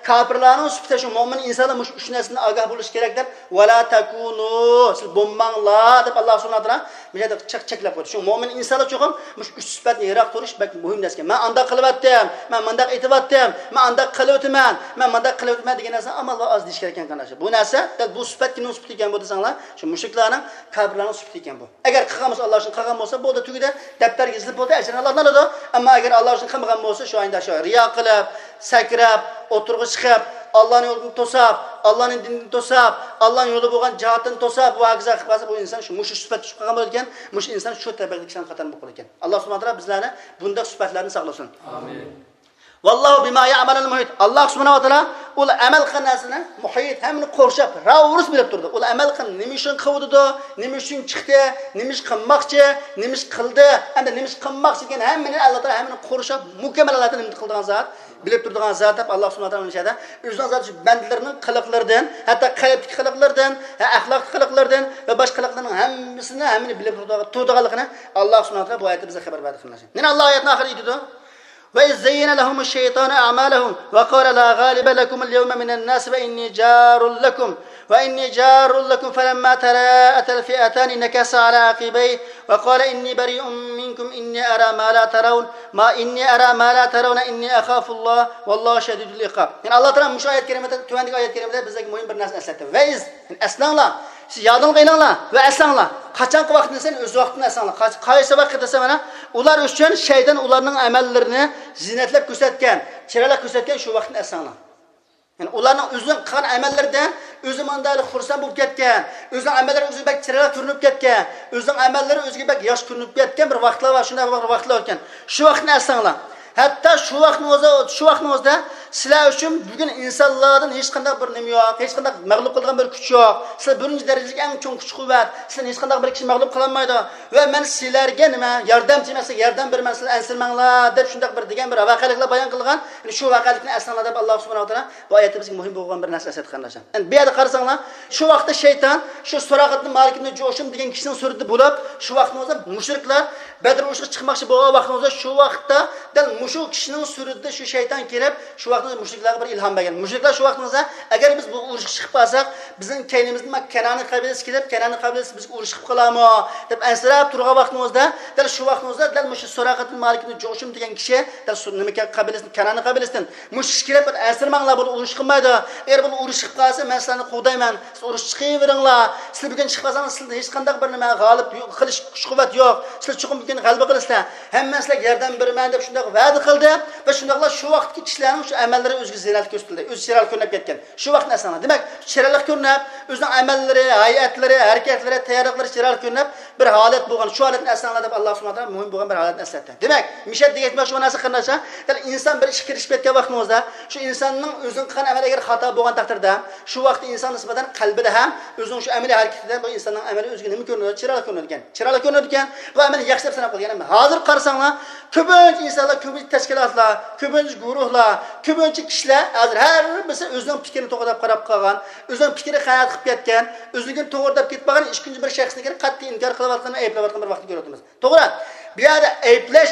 كاپىرلارنىڭ سۈپىتى، شۇ مۆمىن ئىنسانلار مۇشۇ ئۈچ نەرسىدىن ئاگاھ بولۇشى كېرەك دەپ، «ۋەلا تەكۇنۇ»، سىز بولماڭلار دەپ، ئاللا سۇبھانەھۇ ۋە تائالا مۇشۇ يەردە چەك-، چەكلەپ قويدى. شۇ مۆمىن ئىنسانلار چوقۇم مۇشۇ ئۈچ سۈپەتتىن يىراق تۇرۇش بەك مۇھىم نەرسە. مەن ئانداق قىلىۋەتتىم، مەن مانداق ئېتىۋەتتىم، مەن ئانداق قىلىۋېتىمەن، مەن مانداق قىلىۋېتىمەن دېگەن نەرسە ئامال ئاز دېيىش كېرەك ئىكەن، قېرىنداشلار. بۇ نەرسە دەل بۇ سۈپەت كىمنىڭ سۈپىتى ئىكەن بۇ دېسەڭلار، شۇ مۇشرىكلارنىڭ، كاپىرلارنىڭ سۈپىتى ئىكەن بۇ. ئەگەر قىلغان بولسا، ئاللا ئۈچۈن قىلغان بولسا، بولدى، تۈگىدى، دەپتەرگە يېزىلىپ بولدى، ئەجرىنى ئاللا ئالىدۇ. ئەمما ئەگەر ئاللا ئۈچۈن قىلمىغان بولسا، شۇ ئايدا شۇ رىيا قىلىپ، سەكرەپ، ئوتتۇرىغا چىقىپ، ئاللانىڭ يولىدىن توساپ، ئاللانىڭ دىنىدىن توساپ، ئاللانىڭ يولى بولغان جىھادتىن توساپ، ۋە ھاكازا قىلىپ قالسا، بۇ ئىنسان شۇ، مۇشۇ سۈپەتتە چۈشۈپ قالغان بولىدىكەن، مۇشۇ ئىنسان شۇ تەبىقىدىكى كىشىلەرنىڭ قاتارىدا بولۇپ قالىدىكەن. ئاللا سۇبھانەھۇ ۋە تائالا بىزلەرنى بۇنداق سۈپەتلەردىن ساقلىسۇن. ئامىن. ۋاللاھۇ بىما يەئمەلۇنە مۇھىت. ئاللا سۇبھانەھۇ ۋە تائالا ئۇلار ئەمەل قىلغان نەرسىنى مۇھىت، ھەممىنى قورشاپ، راۋۇرۇس بىلىپ تۇرىدۇ. ئۇلار ئەمەل قىلغان، نېمە ئۈچۈن قىلىۋاتىدۇ، نېمە ئۈچۈن چىقتى، نېمە ئىش قىلماقچى، نېمە ئىش قىلدى، ئەمدى نېمە ئىش قىلماقچى دېگەن ھەممىنى ئاللا تائالا ھەممىنى قورشاپ، مۇكەممەل ھالەتتە نېمە قىلىدىغان زات، بىلىپ تۇرىدىغان زات دەپ، ئاللا سۇبھانەھۇ ۋە تائالا مۇشۇ يەردە ئۆزىنىڭ زاتى شۇ بەندىلىرىنىڭ قىلىقلىرىدىن، ھەتتا قەلبتىكى قىلىقلىرىدىن، ھە، ئەخلاقتىكى قىلىقلىرىدىن ۋە باشقا قىلىقلىرىنىڭ ھەممىسىنى، ھەممىنى بىلىپ تۇرىدىغانلىقىنى ئاللا سۇبھانەھۇ ۋە تائالا بۇ ئايەتتە بىزگە خەۋەر بەردى، قېرىنداشلار. يەنە ئاللا ئايەتنىڭ ئاخىرىدا ئېيتىدۇ. وإذ زين لهم الشيطان أعمالهم وقال لا غالب لكم اليوم من الناس وإني جار لكم، وإني جار لكم فلما تراءت الفئتان نكص على عقبيه وقال إني بريء منكم إني أرى ما لا ترون، ما إني أرى ما لا ترون إني أخاف الله والله شديد العقاب. يەنى ئاللا تائالا مۇشۇ ئايەت كەرىمىدە، تۆۋەندىكى ئايەت كەرىمىدە بىزگە مۇھىم بىر نەرسىنى ئەسلەتتى. ۋەئىز، يەنى ئەسلەڭلار، سىز يادىڭلارغا ئېلىڭلار ۋە ئەسلەڭلار. قاچانقى ۋاقىتنى دېسەڭ، ئۆز ۋاقتىنى ئەسلەڭلار. قاچ-، قايسى ۋاقىت دېسە، مانا، ئۇلار ئۈچۈن شەيتان ئۇلارنىڭ ئەمەللىرىنى زىننەتلەپ كۆرسەتكەن، چىرايلىق كۆرسەتكەن شۇ ۋاقىتنى ئەسلەڭلار. يەنى ئۇلارنىڭ ئۆزىنىڭ قىلغان ئەمەللىرىدىن ئۆزى مانداق خۇرسەن بولۇپ كەتكەن، ئۆزىنىڭ ئەمەللىرى ئۆزىگە بەك چىرايلىق كۆرۈنۈپ كەتكەن، ئۆزىنىڭ ئەمەللىرى ئۆزىگە بەك ياخشى كۆرۈنۈپ كەتكەن بىر ۋاقىتلار بار، شۇنداق بىر ۋاقىتلار ئۆتكەن. شۇ ۋاقىتنى ئەسلەڭلار. ھەتتا شۇ ۋاقىتنىڭ ئۆزى، شۇ ۋاقىتنىڭ ئۆزىدە سىلەر ئۈچۈن بۈگۈن ئىنسانلاردىن ھېچقانداق بىر نېمە يوق، ھېچقانداق مەغلۇپ قىلىدىغان بىر كۈچ يوق. سىلەر بىرىنچى دەرىجىلىك ئەڭ چوڭ كۈچ-قۇۋۋەت، سىلەرنى ھېچقانداق بىر كىشى مەغلۇپ قىلالمايدۇ. ۋە مەن سىلەرگە نېمە، ياردەمچى، مەن سىلەرگە ياردەم بېرىمەن، سىلەر ئەنسىرىمەڭلار دەپ شۇنداق بىر دېگەن بىر ۋەقەلىكلەر بايان قىلغان. يەنى شۇ ۋەقەلىكنى ئەسلەڭلار دەپ ئاللا سۇبھانەھۇ ۋە تائالا بۇ ئايەتتە بىزگە مۇھىم بولغان بىر نەرسە ئەسلەتتى، قېرىنداشلار. يەنى بۇ يەردە قارىساڭلار، شۇ ۋاقىتتا شەيتان شۇ سۇراقەتنى مالىك ئىبنى جۇشۇم دېگەن كىشىنىڭ سۈرىتىدە بولۇپ، شۇ ۋاقىتنىڭ ئۆزىدە مۇشرىكلار بەدر ئۇرۇشىغا چىقماقچى بولغان ۋاقىتنىڭ ئۆزىدە، شۇ ۋاقىتتا دەل مۇشۇ كىشىنىڭ سۈرىتىدە شۇ شەيتان كېلىپ، شۇ ۋاقىتنىڭ ئۆزىدە مۇشرىكلارغا بىر ئىلھام بەرگەن. مۇشرىكلار شۇ ۋاقىتنىڭ ئۆزىدە، ئەگەر بىز بۇ ئۇرۇشقا چىقىپ قالساق، بىزنىڭ كەينىمىزدىن كەنئانىي قەبىلىسى كېلىپ، كەنئانىي قەبىلىسى بىزگە ئۇرۇش قىلىپ قالارمۇ دەپ ئەنسىرەپ تۇرغان ۋاقتىمىزدا، دەل شۇ ۋاقتىمىزدا دەل مۇشۇ سۇراقەتىل مالىك ئىبنى جۇشۇم دېگەن كىشى، دەل شۇ نېمە كەنئانىي قەبىلىسىدىن، كەنئانىي قەبىلىسىدىن مۇشۇ كىشى كېلىپ، ئەنسىرىمەڭلار، بۇلار ئۇرۇش قىلمايدۇ. ئەگەر بۇلار ئۇرۇش قىلىپ قالسا، مەن سىلەرنى قوغدايمەن. سىز ئۇرۇشقا چىقىۋېرىڭلار. سىلەر بۈگۈن چىقىپ قالساڭلار، سىلەردە ھېچقانداق بىر نېمە، غالىب يو-، قىلىش كۈچ-قۇۋۋەت يوق. سىلەر چوقۇم بۈگۈن غەلىبە قىلىسىلەر. ھەممە سىلەرگە ياردەم بېرىمەن دەپ شۇنداق ۋەدە قىلدى. ۋە شۇنداقلا شۇ ۋاقىتتىكى كىشىلەرنىڭ شۇ ئەمەللىرى ئۆزىگە زىننەتلىك كۆرسىتىلدى. ئۆزى چىرايلىق كۆرۈنۈپ كەتكەن. شۇ ۋاقىتنى ئەسلەڭلار. دېمەك، چىرايلىق كۆرۈنۈپ، ئۆزىنىڭ ئەمەللىرى، ھەيئەتلىرى، ھەرىكەتلىرى، تەييارلىقلىرى چىرايلىق كۆرۈنۈپ، بىر ھالەت بولغان، شۇ ھالەتنى ئەسلەڭلار دەپ، ئاللا سۇبھانەھۇ ۋە تائالا مۇھىم بولغان بىر ھالەتنى ئەسلەتتى. دېمەك، مىشەت دېگەن شۇ نەرسە، قېرىنداشلار، دەل ئىنسان بىر ئىشقا كىرىشىپ كەتكەن ۋاقتىڭىزدا، شۇ ئىنساننىڭ ئۆزىنىڭ قىلغان ئەمەلى ئەگەر خاتا بولغان تەقدىردە، شۇ ۋاقىتتا ئىنسان نىسبەتەن قەلبىدە ھەم ئۆزىنىڭ شۇ ئەمەلىي ھەرىكىتىدە بۇ ئىنساننىڭ ئەمەلى ئۆزىگە نېمە كۆرۈنىدۇ؟ چىرايلىق كۆرۈنىدىكەن. چىرايلىق كۆرۈنىدىكەن. بۇ ئەمەلنى ياخشى دەپ ساناپ قالىدىكەن. ئەمما ھازىر قارىساڭلار، كۆپىنچە ئىنسانلار، كۆپىنچە تەشكىلاتلار، كۆپىنچە گۇرۇھلار، كۆپىنچە كىشىلەر ھازىر ھەر بىرسى ئۆزىنىڭ پىكرىنى توغرا دەپ قاراپ قالغان، ئۆزىنىڭ پىكرى قانائەت قىلىپ كەتكەن، ئۆزىنىڭكىنى توغرا دەپ كېتىپ قالغان، ئىككىنچى بىر شەخسنىڭكىنى قەتئىي ئىنكار قىلىۋاتقان ۋە ئەيىبلەۋاتقان بىر ۋاقىتنى كۆرۈۋاتىمىز. توغرا. بۇ يەردە ئەيىبلەش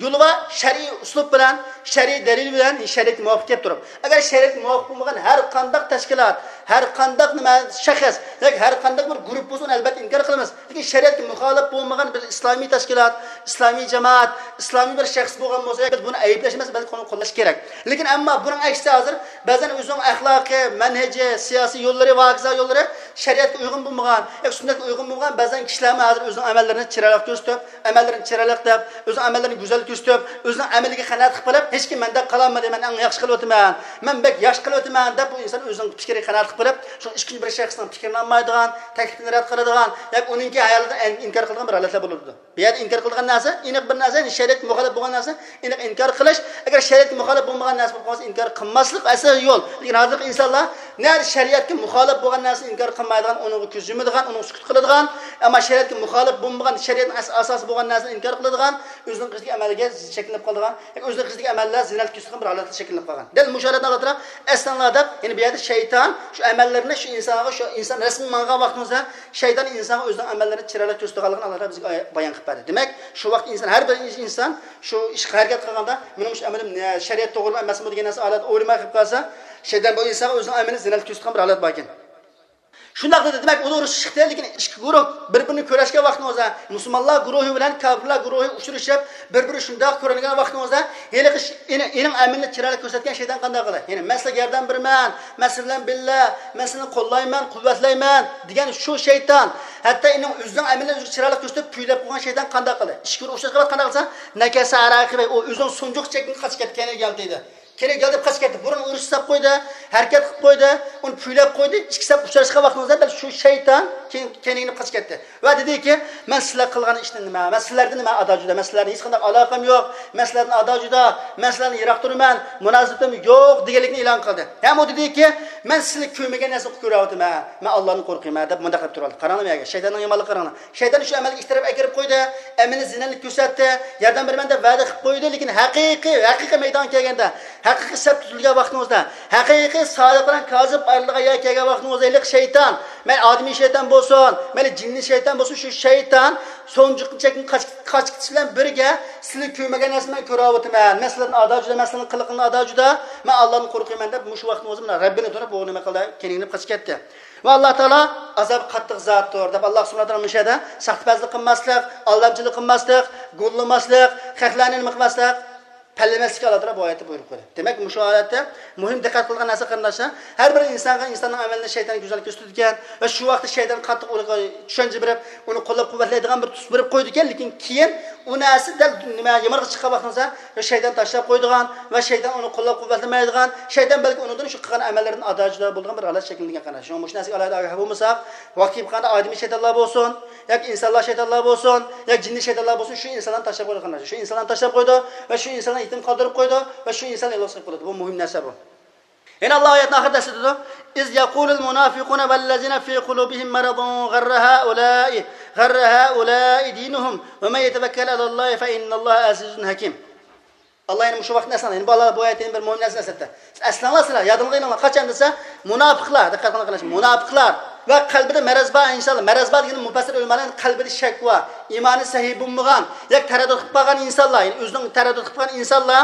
يولى بار، شەرئىي ئۇسلۇب بىلەن، شەرئىي دەلىل بىلەن، شەرىئەتكە مۇۋاپىق كېلىپ تۇرۇپ. ئەگەر شەرىئەتكە مۇۋاپىق بولمىغان ھەر قانداق تەشكىلات، ھەر قانداق نېمە شەخس ياكى ھەر قانداق بىر گۇرۇپپا بولسا، ئۇنى ئەلۋەتتە ئىنكار قىلىمىز. لېكىن شەرىئەتكە مۇخالىپ بولمىغان بىر ئىسلامىي تەشكىلات، ئىسلامىي جامائەت، ئىسلامىي بىر شەخس بولغان بولسا، بىز بۇنى ئەيىبلەش ئەمەس، بەلكى ئۇنى قوللاش كېرەك. لېكىن ئەمما بۇنىڭ ئەكسىچە ھازىر بەزەن ئۆزىنىڭ ئەخلاقى، مەنھىجى، سىياسىي يوللىرى ۋە ھاكازا يوللىرى شەرىئەتكە ئۇيغۇن بولمىغان، ياكى سۈننەتكە ئۇيغۇن بولمىغان بەزەن كىشىلەرمۇ ھازىر ئۆزىنىڭ ئەمەللىرىنى چىرايلىق كۆرسىتىپ، ئەمەللىرىنى چىرايلىق دەپ، ئۆزىنىڭ ئەمەللىرىنى گۈزەل كۆرسىتىپ، ئۆزىنىڭ ئەمىلىگە قانائەت قىلىپ قېلىپ، ھېچكىم مەندەك قىلالمىدى، مەن ئەڭ ياخشى قىلىۋاتىمەن، مەن بەك ياخشى قىلىۋاتىمەن دەپ، بۇ ئىنسان ئۆزىنىڭ پىكرىگە قانائەت قىلىپ قېلىپ، شۇ ئىككىنچى بىر شەخسنىڭ پىكرىنى ئالمايدىغان، تەكلىپىنى رەت قىلىدىغان، ياكى ئۇنىڭكى ھايالىدىن ئىنكار قىلىدىغان بىر ھالەتلەر بولىدۇ. بۇ يەردە ئىنكار قىلىدىغان نەرسە، ئېنىق بىر نەرسە، يەنى شەرىئەتكە مۇخالىپ بولغان نەرسە، ئېنىق ئىنكار قىلىش. ئەگەر شەرىئەتكە مۇخالىپ بولمىغان نەرسە بولۇپ قالسا، ئىنكار قىلماسلىق ئەسلى يول. لېكىن ھازىرقى ئىنسانلار نەدە شەرىئەتكە مۇخالىپ بولغان نەرسىنى ئىنكار قىلمايدىغان، ئۇنىڭغا كۆز يۇمىدىغان، ئۇنىڭغا سۈكۈت قىلىدىغان، ئەمما شەرىئەتكە مۇخالىپ بولمىغان، شەرىئەتنىڭ ئەس-، ئاساسى بولغان نەرسىنى ئىنكار قىلىدىغان، ئۆزىنىڭ قىلىشىدىكى ئەمەلگە شەكلىنىپ قالىدىغان، ياكى ئۆزىنىڭ قىلىشىدىكى ئەمەللەر زىننەتكە كۆرسىتىدىغان بىر ھالەتتە شەكلىنىپ قالغان. دەل مۇشۇ ھالەتنى ئاللا تائالا ئەسلىڭلار دەپ، يەنى بۇ يەردە شەيتان شۇ ئەمەللىرىنى شۇ ئىنسانغا، شۇ ئىنسان رەسمىي ماڭغان ۋاقتىڭىزدا، شەيتان ئىنسانغا ئۆزىنىڭ ئەمەللىرىنى چىرايلىق كۆرسىتىدىغانلىقىنى ئاللا تائالا بىزگە ئاي-، بايان قىلىپ بەردى. دېمەك، شۇ ۋاقىت ئىنسان، ھەر بىر ئىنسان شۇ ئىشقا ھەرىكەت قىلغاندا، مېنىڭ شۇ ئەمىلىم نە-، شەرىئەت توغرىمۇ ئەمەسمۇ دېگەن نەرسە ئاللا تائالا ئويلىماي قېلىپ قالسا، شەيتان بۇ ئىنسانغا ئۆزىنىڭ ئەمىلىنى زىننەتكە كۆرسىتىدىغان بىر ھالەت باركەن. شۇنداق دېدى. دېمەك، ئۇلار ئۇرۇشۇپ چىقتى، لېكىن ئىككى گۇرۇھ بىر-بىرىنى كۆرۈشكەن ۋاقتىڭىزدا، مۇسۇلمانلار گۇرۇھى بىلەن كاپىرلار گۇرۇھى ئۇچرىشىپ، بىر-بىرى شۇنداق كۆرۈنگەن ۋاقتىڭىزدا، ھېلىقى ئىش-، ئېنىڭ، ئېنىڭ ئەمىلىنى چىرايلىق كۆرسەتكەن شەيتان قانداق قىلدى؟ يەنى، مەن سىلەرگە ياردەم بېرىمەن، مەن سىلەر بىلەن بىللە، مەن سىلەرنى قوللايمەن، قۇۋۋەتلەيمەن دېگەن شۇ شەيتان، ھەتتا ئېنىڭ ئۆزىنىڭ ئەمىلىنى ئۆزىگە چىرايلىق كۆرسىتىپ، كۈيلەپ قويغان شەيتان قانداق قىلدى؟ ئىككى گۇرۇھ ئۇچراشقان ۋاقىت قانداق قىلسا، نەكەسە ئەلا ئەقىبەيھى، ئۇ ئۆزىنىڭ سونجۇقىچە چەكتىن قاچىپ كەتتى، كەينىگە يالتىيدى. كېرەك گەپ قېچىپ كەتتى. بۇرۇن ئۇرۇش ساپ قويدى، ھەرىكەت قىلىپ قويدى، ئۇنى پۈۋلەپ قويدى. ئىككىسى ئۇچراشقان ۋاقتىڭىزدا دەل شۇ شەيتان كەينىگە قېچىپ كەتتى. ۋە دېدىكى، مەن سىلەر قىلغان ئىشنى نېمە؟ مەن سىلەردىن نېمە ئادا جۇدا؟ مەن سىلەردىن ھېچقانداق ئالاقەم يوق. مەن سىلەردىن ئادا جۇدا. مەن سىلەردىن يىراق تۇرىمەن. مۇناسىۋىتىم يوق دېگەنلىكنى ئېلان قىلدى. ھەم ئۇ دېدىكى، مەن سىلەر كۆرمىگەن نەرسىنى كۆرۈۋاتىمەن. مەن ئاللادىن قورقىمەن دەپ مۇنداق دەپ تۇرۇۋالدى. قاراڭلار بۇ يەرگە. شەيتاننىڭ يامانلىقىغا قاراڭلار. شەيتان شۇ ئەمەلگە ئىككى تەرەپ ئەكىرىپ قويدى. ئەمىلى زىننەتلىك كۆرسەتتى. ياردەم بېرىمەن دەپ ۋەدە قىلىپ قويدى، لېكىن ھەقىقىي، ھەقىقىي مەيدانغا كەلگەندە، ھەقىقىي سەپ تۇتۇلگەن ۋاقتىڭىزدا، ھەقىقىي سادىق بىلەن كازىب ئايرىلىدىغان يەرگە كەلگەن ۋاقتىڭىزدا، ھېلىقى شەيتان، مەيلى ئادىمىي شەيتان بولسۇن، مەيلى جىننىي شەيتان بولسۇن، شۇ شەيتان سونجۇقنىڭ چەكتىن قاچ-، قاچىپ كېتىش بىلەن بىرگە، سىلەر كۆرمىگەن نەرسىنى مەن كۆرۈۋاتىمەن. مەن سىلەردىن ئادا جۇدا، مەن سىلەرنىڭ قىلىقىڭدىن ئادا جۇدا، مەن ئاللادىن قورقىمەن دەپ، مۇشۇ ۋاقتىڭىزدا مانا رەببىنى تونۇپ، بۇ نېمە قىلدى؟ كېيىنىگە قاچىپ كەتتى. ۋە ئاللا تائالا ئازابى قاتتىق زاتتۇر دەپ، ئاللا سۇبھانەھۇ ۋە تائالا مۇشۇ يەردە ساختىپەزلىك قىلماسلىق، ئالدامچىلىق قىلماسلىق، گۇللىماسلىق، خەقلەرنى نېمە قىلماسلىق، پەللىمەسلىككە ئاللا تائالا بۇ ئايەتتە بۇيرۇق بەردى. دېمەك، مۇشۇ ھالەتتە مۇھىم دىققەت قىلىدىغان نەرسە، قېرىنداشلار، ھەر بىر ئىنسانغا ئىنساننىڭ ئەمەلىنى شەيتان گۈزەل كۆرسىتىدىكەن ۋە شۇ ۋاقىتتا شەيتان قاتتىق ئۇنىڭغا چۈشەنچە بېرىپ، ئۇنى قوللاپ قۇۋۋەتلەيدىغان بىر تۈس بېرىپ قويىدىكەن، لېكىن كېيىن ئۇ نەرسە دەل نېمە، يامانلىققا چىققان ۋاقتىڭىزدا شەيتان تاشلاپ قويىدىغان ۋە شەيتان ئۇنى قوللاپ قۇۋۋەتلىمەيدىغان، شەيتان بەلكى ئۇنىڭدىن شۇ قىلغان ئەمەللىرىدىن ئادا جۇدا بولىدىغان بىر ھالەت شەكىللەنگەن، قېرىنداش. شۇڭا مۇشۇ نەرسىگە ئالاھىدە ئاگاھ بولمىساق، ۋاقتى كېلىپ قالغاندا ئادىمىي شەيتانلار بولسۇن، ياكى ئىنسانلار شەيتانلار بولسۇن، ياكى جىننىي شەيتانلار بولسۇن، شۇ ئىنسانلارنى تاشلاپ قويىدۇ، قېرىنداش. شۇ ئىنسانلارنى تاشلاپ قويىدۇ ۋە شۇ ئىنسانلارنى يېتىم قالدۇرۇپ قويىدۇ ۋە شۇ ئىنسانلار يالغۇز قېلىپ قالىدۇ. بۇ مۇھىم نەرسە بۇ. يەنە ئاللا ئايەتنىڭ ئاخىرىدا ئەسلىتىدۇ، إذ يقول المنافقون والذين في قلوبهم مرض غر هؤلاء، غر هؤلاء دينهم، ومن يتوكل على الله فإن الله عزيز حكيم. ئاللا يەنە مۇشۇ ۋاقىتنى ئەسلەڭلار. يەنە بۇ ئاللا بۇ ئايەتتە يەنە بىر مۇھىم نەرسىنى ئەسلەتتى. ئەسلەڭلار سىلەر، يادىڭلارغا ئېلىڭلار. قاچان دېسە، مۇناپىقلار، دىققەت قىلىڭلار، قېرىنداش، مۇناپىقلار ۋە قەلبىدە مەرەز بار ئىنسانلار. مەرەز بار دېگىنى مۇپەسسىر ئۆلىمالار، يەنى قەلبىدە شەك بار، ئىمانى سەھىھ بولمىغان، ياكى تەرەددۇت قىلىپ قالغان ئىنسانلار، يەنى ئۆزىنىڭ تەرەددۇت قىلىپ قالغان ئىنسانلار،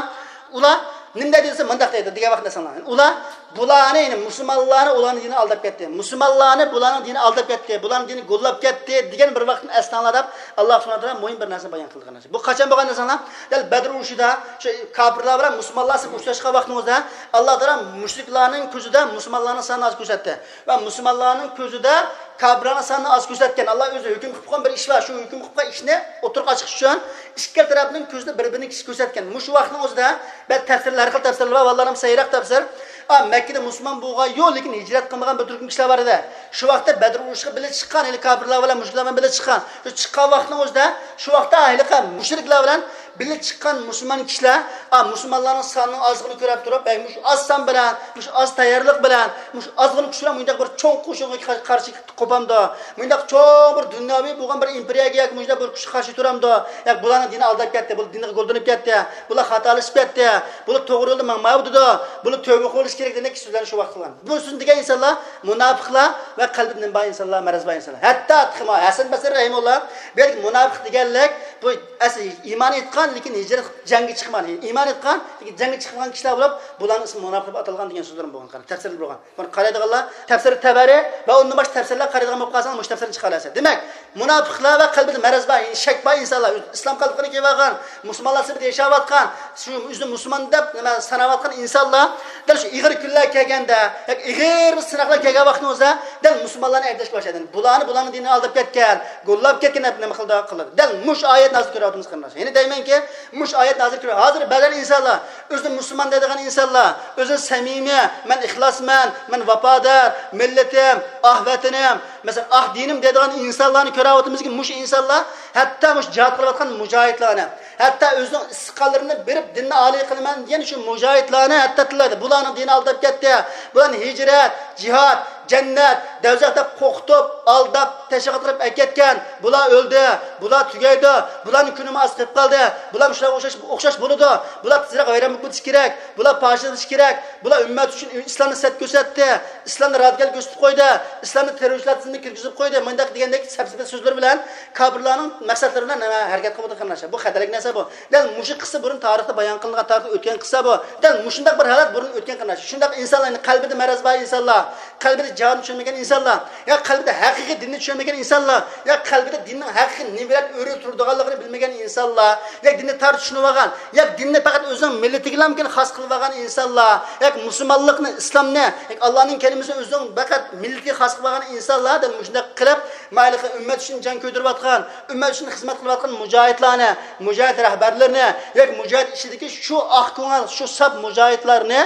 ئۇلار نېمە دەيدۇ دېسە، مۇنداق دەيدۇ دېگەن ۋاقىتتا ئەسلەڭلار. يەنى ئۇلار بۇلارنى، يەنى مۇسۇلمانلارنى ئۇلارنىڭ دىنى ئالداپ كەتتى. مۇسۇلمانلارنى بۇلارنىڭ دىنى ئالداپ كەتتى، بۇلارنىڭ دىنى گوللاپ كەتتى دېگەن بىر ۋاقىتنى ئەسلەڭلار دەپ، ئاللا سۇبھانەھۇ ۋە تائالا مۇھىم بىر نەرسىنى بايان قىلدى، قېرىنداشلار. بۇ قاچان بولغان دېسەڭلار، دەل بەدر ئۇرۇشىدا شۇ كاپىرلار بىلەن مۇسۇلمانلار سىز ئۇچراشقان ۋاقتىڭىزدا، ئاللا تائالا مۇشرىكلارنىڭ كۆزىدە مۇسۇلمانلارنىڭ سانىنى ئاز كۆرسەتتى ۋە مۇسۇلمانلارنىڭ كۆزىدە كاپىرلارنىڭ سانىنى ئاز كۆرسەتكەن. ئاللا ئۆزى ھۆكۈم قىلىپ قويغان بىر ئىش بار، شۇ ھۆكۈم قىلىپ قويغان ئىشنى ئوتتۇرىغا ئاچىقىش ئۈچۈن ئىككى تەرەپنىڭ كۆزىدە بىر-بىرىنى كىشى كۆرسەتكەن. مۇشۇ ۋاقىتنىڭ ئۆزىدە بەزى تەپسىرلەر، ھەر خىل تەپسىرلەر بار، ئاللانىڭ سەھىھراق تەپسىر. ئا، مەككىدە مۇسۇلمان بولغان يوق، لېكىن ھىجرەت قىلمىغان بىر تۈركۈم كىشىلەر بار ئىدى. شۇ ۋاقىتتا بەدر ئۇرۇشىغا بىللە چىققان، ھېلى كاپىرلار بىلەن مۇشرىكلار بىلەن بىللە چىققان. شۇ چىققان ۋاقىتنىڭ ئۆزىدە، شۇ ۋاقىتتا ھېلىقى مۇشرىكلار بىلەن بىللە چىققان مۇسۇلمان كىشىلەر، ئا، مۇسۇلمانلارنىڭ سانىنىڭ ئازلىقىنى كۆرۈپ تۇرۇپ، ئەي، مۇشۇ ئاز سان بىلەن، مۇشۇ ئاز تەييارلىق بىلەن، مۇشۇ ئازغىنا كۈچ بىلەن مۇنداق بىر چوڭ قوشۇنغا قارشى قوپامدۇ؟ مۇنداق چوڭ بىر دۇنياۋى بولغان بىر ئىمپېرىيەگە ياكى مۇشۇنداق بىر كۈچكە قارشى تۇرامدۇ؟ ياكى بۇلارنىڭ دىنى ئالداپ كەتتى، بۇلار دىنىغا گولدىنىپ كەتتى، بۇلار خاتالىشىپ كەتتى، بۇلار توغرا يولدا ماڭمايۋاتىدۇ، بۇلار تۆبە قىلىش كېرەك دېگەندەك سۆزلەرنى شۇ ۋاقىت قىلغان. بۇ سۆزنى دېگەن ئىنسانلار مۇناپىقلار ۋە قەلبىدە نېمە بار ئىنسانلار، مەرەز بار ئىنسانلار. ھەتتا تېخىمۇ ھەسەن بەسرى رەھىمۇللا بۇ يەردىكى مۇناپىق دېگەنلىك بۇ ئەسلى ئىمان ئېيتقان، لېكىن ھىجرەت، جەڭگە چىقمىغان. ئىمان ئېيتقان، لېكىن جەڭگە چىقمىغان كىشىلەر بولۇپ، بۇلارنىڭ ئىسمى مۇناپىق دەپ ئاتالغان دېگەن سۆزلىرىم بولغان. قاراڭ، تەپسىرلەر بولغان. بۇنى قارايدىغانلار تەپسىرى تەبەرى ۋە ئۇندىن باشقا تەپسىرلەر قارايدىغان بولۇپ قالساڭ، مۇشۇ تەپسىرنى چىقىرىۋالىسەن. دېمەك، مۇناپىقلار ۋە قەلبىدە مەرەز بار، شەك بار ئىنسانلار، ئىسلام قەلبىنى كىيىۋالغان، مۇسۇلمانلار سۈپىتىدە ياشاۋاتقان، شۇ ئۆزىنى مۇسۇلمان دەپ نېمە ساناۋاتقان ئىنسانلار دەل شۇ ئېغىر كۈنلەر كەلگەندە، ياكى ئېغىر سىناقلار كەلگەن ۋاقتىمىزدا دەل مۇسۇلمانلارنى ئەيىبلەشكە باشلايدۇ. بۇلارنى، بۇلارنىڭ دىنىنى ئالداپ كەتكەن، گوللاپ كەتكەن دەپ نېمە قىلىدۇ، قىلىدۇ. دەل مۇشۇ ئايەت نازىل كۆرۈۋاتىمىز، قېرىنداشلار. يەنە دەيمەنكى، مۇشۇ ئايەت نازىل كۆرۈۋاتىمىز. ھازىر بەزەن ئىنسانلار ئۆزىنى مۇسۇلمان دەيدىغان ئىنسانلار، ئۆزىنى سەمىمىي، مەن ئىخلاسمەن، مەن ۋاپادار، مىللىتىم، ئاھ ۋەتىنىم، مەسىلەن، ئاھ دىنىم دەيدىغان ئىنسانلارنى كۆرۈۋاتىمىزكى، مۇشۇ ئىنسانلار ھەتتا مۇشۇ جىھاد قىلىۋاتقان مۇجاھىدلارنى، ھەتتا ئۆزىنىڭ ئىسسىق قانلىرىنى بېرىپ دىننى ئالىي قىلىمەن دېگەن شۇ مۇجاھىدلارنى ھەتتا تىللايدۇ. بۇلارنىڭ دىنى ئالداپ كەتتى. بۇلارنى ھىجرەت، جىھاد، جەننەت، دەۋزەخ دەپ قورقۇتۇپ، ئالداپ، تەشۋىق قىلىپ ئەكەتكەن. بۇلار ئۆلدى، بۇلار تۈگەيدۇ، بۇلارنىڭ كۈنى ئاز قېلىپ قالدى، بۇلار مۇشۇلارغا ئوخشاش، ئوخشاش بولىدۇ، بۇلار تېزرەك ۋەيران بولۇپ كېتىشى كېرەك، بۇلار پاشىلىشى كېرەك، بۇلار ئۈممەت ئۈچۈن ئىسلامنى سەت كۆرسەتتى، ئىسلامنى رادىكال كۆرسىتىپ قويدى، ئىسلامنى تېررورچىلار تىزىمىگە كىرگۈزۈپ قويدى، مۇنداق دېگەندەك سەپسەتە سۆزلىرى بىلەن كاپىرلارنىڭ مەقسەتلىرى بىلەن نېمە ھەرىكەت قىلىۋاتىدۇ، قېرىنداشلار. بۇ خەتەرلىك نەرسە بۇ. دەل مۇشۇ قىسسە بۇرۇن تارىختا بايان قىلىنغان، تارىختا ئۆتكەن قىسسە بۇ. دەل مۇشۇنداق بىر ھالەت بۇرۇن ئۆتكەن، قېرىنداشلار. شۇنداق ئىنسانلارنى، قەلبىدە مەرەز بار ئىنسانلار، قەلبىدە جىھادنى چۈشەنمىگەن ئىنسانلار، يا قەلبىدە ھەقىقىي دىننى چۈشەنمىگەن ئىنسانلار، يا قەلبىدە دىننىڭ ھەقىقىي نېمە بىلەن ئۆرە تۇرىدىغانلىقىنى بىلمىگەن ئىنسانلار، يا دىننى تار چۈشىنىۋالغان، يا دىننى پەقەت ئۆزىنىڭ مىللىتىگىلا خاس قىلىۋالغان ئىنسانلار، يا مۇسۇلمانلىقنى، ئىسلامنى، يا ئاللانىڭ كەلىمىسىنى ئۆزىنىڭ پەقەت مىللىتىگە خاس قىلىۋالغان ئىنسانلار دەل مۇشۇنداق قىلىپ، مايلىقى ئۈممەت ئۈچۈن جان كۆيدۈرۈۋاتقان، ئۈممەت ئۈچۈن خىزمەت قىلىۋاتقان مۇجاھىدلارنى، مۇجاھىد رەھبەرلىرىنى، ياكى مۇجاھىد ئىچىدىكى شۇ ئاق كۆڭۈل، شۇ ساپ مۇجاھىدلارنى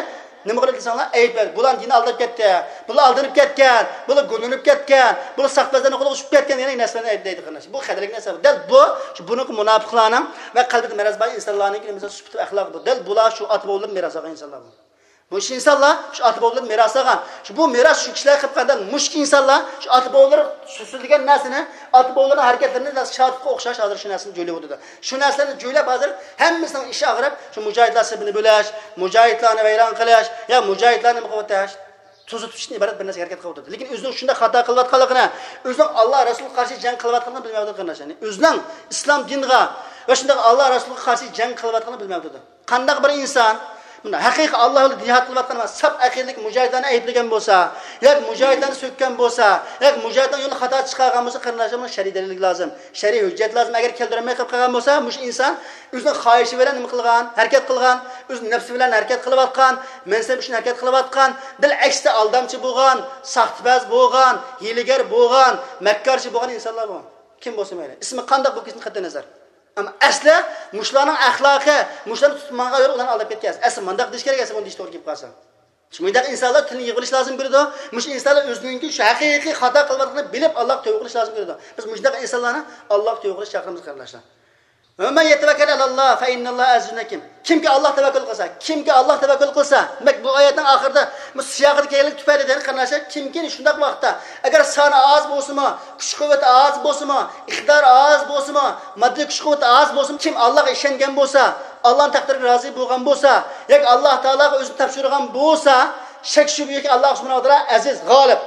نېمە قىلدى دېسەڭلار، ئەيىبلەيدۇ. بۇلار دىنى ئالداپ كەتتى، بۇلار ئالدىنىپ كەتكەن، بۇلار گۇللىنىپ كەتكەن، بۇلار ساختىپەزلەرنىڭ قولىغا چۈشۈپ كەتكەن، يەنە نەرسىلەرنى ئەيىبلەيدۇ، قېرىنداش. بۇ خەتەرلىك نەرسە. دەل بۇ، شۇ بۇنىڭكى مۇناپىقلارنىڭ ۋە قەلبىدە مەرەز بار ئىنسانلارنىڭكى نېمىسى، سۈپىتى، ئەخلاقى بۇ. دەل بۇلار شۇ ئاتا بوۋىلىرىدىن مىراس ئالغان ئىنسانلار بۇ. مۇشۇ ئىنسانلار شۇ ئاتا بوۋىلىرىدىن مىراس ئالغان. شۇ بۇ مىراس شۇ كىشىلەر قىلىپ قالغان. مۇشۇ ئىنسانلار شۇ ئاتا بوۋىلىرى سۆزلىگەن نەرسىنى، ئاتا بوۋىلىرىنىڭ ھەرىكەتلىرىنى شاتۇتقا ئوخشاش ھازىر شۇ نەرسىنى جۆيلەۋاتىدۇ. شۇ نەرسىلەرنى جۆيلەپ ھازىر ھەممىسىنىڭ ئىشى ئاغرىپ، شۇ مۇجاھىدلار سېپىنى بۆلۈش، مۇجاھىدلارنى ۋەيران قىلىش، يا مۇجاھىدلارنى نېمە قىلىۋېتىش، توزۇتۇشتىن ئىبارەت بىر نەرسىگە ھەرىكەت قىلىۋاتىدۇ. لېكىن ئۆزىنىڭ شۇنداق خاتا قىلىۋاتقانلىقىنى، ئۆزىنىڭ ئاللا رەسۇلغا قارشى جەڭ قىلىۋاتقانلىقىنى بىلمەيۋاتىدۇ، قېرىنداشلار. يەنى ئۆزىنىڭ ئىسلام دىنىغا ۋە شۇنداق ئاللا رەسۇلغا قارشى جەڭ قىلىۋاتقانلىقىنى بىلمەيۋاتىدۇ. قانداق بىر ئىنسان مۇنداق ھەقىقىي ئاللا يولىدا جىھاد قىلىۋاتقان ۋە ساپ ئەقىدىدىكى مۇجاھىدلارنى ئەيىبلىگەن بولسا، ياكى مۇجاھىدلارنى سۆككەن بولسا، ياكى مۇجاھىدلارنىڭ يولىنى خاتا چىقارغان بولسا، قېرىنداشلار، بۇنىڭ شەرئىي دەلىل لازىم، شەرئىي ھۆججەت لازىم. ئەگەر كەلتۈرەلمەي قېلىپ قالغان بولسا، مۇشۇ ئىنسان ئۆزىنىڭ خاھىشى بىلەن نېمە قىلغان، ھەرىكەت قىلغان، ئۆز نەپسى بىلەن ھەرىكەت قىلىۋاتقان، مەنسەپ ئۈچۈن ھەرىكەت قىلىۋاتقان، بىلئەكسىچە ئالدامچى بولغان، ساختىپەز بولغان، ھىيلىگەر بولغان، مەككارچى بولغان ئىنسانلار بۇ. كىم بولسا مەيلى، ئىسمى قانداق بولۇپ كەتسۇن، قەتئىي نەزەر. ئەمما ئەسلى مۇشۇلارنىڭ ئەخلاقى، مۇشۇلارنى تۇتۇپ ماڭغان يول ئۇلارنى ئالداپ كەتكەن. ئەسلى مۇنداق دېيىش كېرەك، ئەسلى بۇنى دېيىش توغرا كېلىپ قالسا. شۇ مۇنداق ئىنسانلار تىلنى يىغىۋېلىش لازىم كېلىدۇ. مۇشۇ ئىنسانلار ئۆزىنىڭكى شۇ ھەقىقىي خاتا قىلىۋاتقىنىنى بىلىپ، ئاللاغا تەۋبە قىلىش لازىم كېلىدۇ. بىز مۇشۇنداق ئىنسانلارنى ئاللاغا تەۋبە قىلىش چاقىرىمىز، قېرىنداشلار. ۋە مەن يەتەۋەككەل ئەلەللا فەئىننەللاھە ئەزىزۇن ھەكىم. كىمكى ئاللاغا تەۋەككۈل قىلسا، كىمكى ئاللاغا تەۋەككۈل قىلسا، دېمەك، بۇ ئايەتنىڭ ئاخىرىدا، بۇ سىياقىدا كەلگەنلىك تۈپەيلى دەيدۇ، قېرىنداشلار، كىمكى شۇنداق ۋاقىتتا، ئەگەر سانى ئاز بولسىمۇ، كۈچ قۇۋۋىتى ئاز بولسىمۇ، ئىقتىدارى ئاز بولسىمۇ، ماددىي كۈچ قۇۋۋىتى ئاز بولسىمۇ، كىم ئاللاغا ئىشەنگەن بولسا، ئاللانىڭ تەقدىرىگە رازى بولغان بولسا، ياكى ئاللا تائالاغا ئۆزىنى تاپشۇرغان بولسا، شەك شۈبھە يوقكى، ئاللا سۇبھانەھۇ ۋە تائالا ئەزىز، غالىب.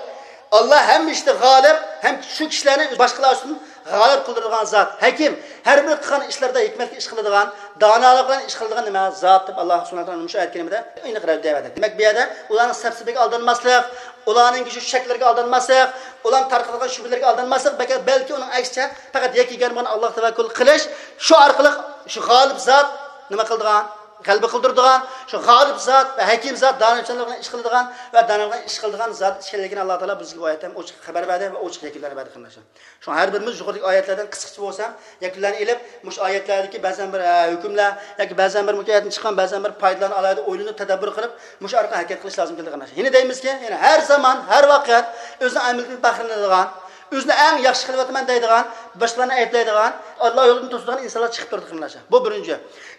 ئاللا ھەممە ئىشتا غالىب ھەم شۇ كىشىلەرنى باشقىلار ئۈستىدىن غالىب قىلدۇرىدىغان زات. ھەكىم، ھەر بىر قىلغان ئىشلىرىدا ھېكمەتلىك ئىش قىلىدىغان، دانالىق بىلەن ئىش قىلىدىغان نېمە زات دەپ، ئاللا سۇبھانەھۇ ۋە تائالا مۇشۇ ئايەت كەرىمىدە ئېنىق رەددىيە بەردى. دېمەك، بۇ يەردە ئۇلارنىڭ سەپسېتىگە ئالدانماسلىق، ئۇلارنىڭكى شۇ شەكلىرىگە ئالدانماسلىق، ئۇلارنىڭ تارقىتىدىغان شۈبھىلىرىگە ئالدانماسلىق، بەلكى، بەلكى ئۇنىڭ ئەكسىچە پەقەت يەككە يېگەن بولغان ئاللاغا تەۋەككۈل قىلىش، شۇ ئارقىلىق شۇ غالىب زات نېمە قىلىدىغان، غەلىبە قىلدۇرىدىغان، شۇ غالىب زات ۋە ھەكىم زات، دانىشمەنلىق بىلەن ئىش قىلىدىغان ۋە دانىش بىلەن ئىش قىلىدىغان زات ئىكەنلىكىنى ئاللا تائالا بىزگە بۇ ئايەتتە ھەم ئوچۇق خەۋەر بەردى ۋە ئوچۇق يەكۈنلەرنى بەردى، قېرىنداشلار. شۇڭا ھەر بىرىمىز يۇقىرىدىكى ئايەتلەردىن قىسقىچە بولسا يەكۈنلەرنى ئېلىپ، مۇشۇ ئايەتلەردىكى بەزەن بىر، ئە، ھۆكۈملەر ياكى بەزەن بىر مۇشۇ ئايەتتىن چىققان بەزەن بىر پايدىلارنى ئالاھىدە ئويلىنىپ، تەدەببۇر قىلىپ، مۇشۇ ئارقىلىق ھەرىكەت قىلىش لازىم كېلىدۇ، قېرىنداشلار. يەنە دەيمىزكى، يەنە ھەر زامان، ھەر ۋاقىت ئۆزىنىڭ ئەمىلىدىن پەخىرلىنىدىغان، ئۆزىنى ئەڭ ياخشى قىلىۋاتىمەن دەيدىغان، باشقىلارنى ئەيىبلەيدىغان، ئاللا يولىدىن توسىدىغان ئىنسانلار چىقىپ تۇرىدۇ، قېرىنداشلار. بۇ بىرىنچى.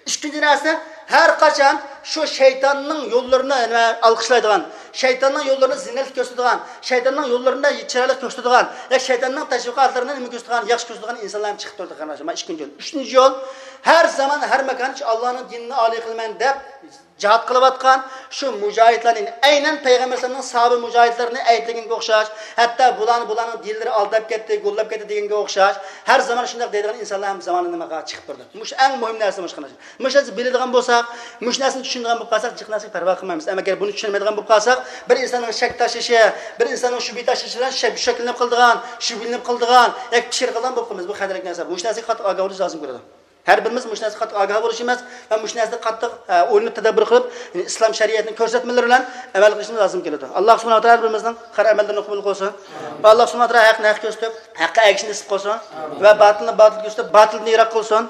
ئىككىنچى نەرسە، ھەر قاچان شۇ شەيتاننىڭ يوللىرىنى، نېمە، ئالقىشلايدىغان، شەيتاننىڭ يوللىرىنى زىننەتلىك كۆرسىتىدىغان، شەيتاننىڭ يوللىرىنى چىرايلىق كۆرسىتىدىغان، يا شەيتاننىڭ تەشۋىقاتلىرىنى نېمە كۆرسىتىدىغان، ياخشى كۆرسىتىدىغان ئىنسانلار ھەم چىقىپ تۇرىدۇ، قېرىنداشلار. مانا ئىككىنچى يول. ئۈچىنچى يول، ھەر زامان، ھەر ماكان شۇ ئاللانىڭ دىنىنى ئالىي قىلىمەن دەپ، جىھاد قىلىۋاتقان شۇ مۇجاھىدلارنى، ئەينەن پەيغەمبەر ئەلەيھىسسالامنىڭ ساھابە مۇجاھىدلىرىنى ئەيىبلىگەنگە ئوخشاش، ھەتتا بۇلارنى، بۇلارنىڭ دىنلىرى ئالداپ كەتتى، گوللاپ كەتتى دېگەنگە ئوخشاش، ھەر زامان شۇنداق دەيدىغان ئىنسانلار ھەم زامانىدا نېمىغا چىقىپ تۇرىدۇ. مۇشۇ ئەڭ مۇھىم نەرسە، مۇشۇ قېرىنداشلار. مۇشۇ نەرسىنى بىلىدىغان بولساق، مۇشۇ نەرسىنى چۈشىنىدىغان بولۇپ قالساق، جىق نەرسىگە پەرۋا قىلمايمىز. ئەمما ئەگەر بۇنى چۈشەنمەيدىغان بولۇپ قالساق، بىر ئىنساننىڭ شەك تاشلىشى، بىر ئىنساننىڭ شۈبھە تاشلىشى بىلەن شەك-، شەكلىنىپ قالىدىغان، شۈبھىلىنىپ قالىدىغان ياكى پىكىر قىلىدىغان بولۇپ قالىمىز. بۇ خەتەرلىك نەرسە. مۇشۇ نەرسىگە قاتتىق ئاگاھ بولۇش لازىم كېلىدۇ. ھەر بىرىمىز مۇشۇ نەرسىگە قاتتىق ئاگاھ بولۇشىمىز ۋە مۇشۇ نەرسىدە قاتتىق، ئە، ئويلىنىپ تەدبىر قىلىپ، يەنى ئىسلام شەرىئەتنىڭ كۆرسەتمىلىرى بىلەن ئەمەل قىلىشىمىز لازىم كېلىدۇ. ئاللاھ سۇبھانەھۇ ۋە تائالا ھەر بىرىمىزنىڭ قىلغان ئەمەللىرىنى قوبۇل قىلسۇن. ۋە ئاللاھ سۇبھانەھۇ ۋە تائالا ھەقنى ھەق كۆرسىتىپ، ھەققە ئەگىشىشنى نېسىپ قىلسۇن. ۋە باتىلنى باتىل كۆرسىتىپ، باتىلدىن يىراق قىلسۇن.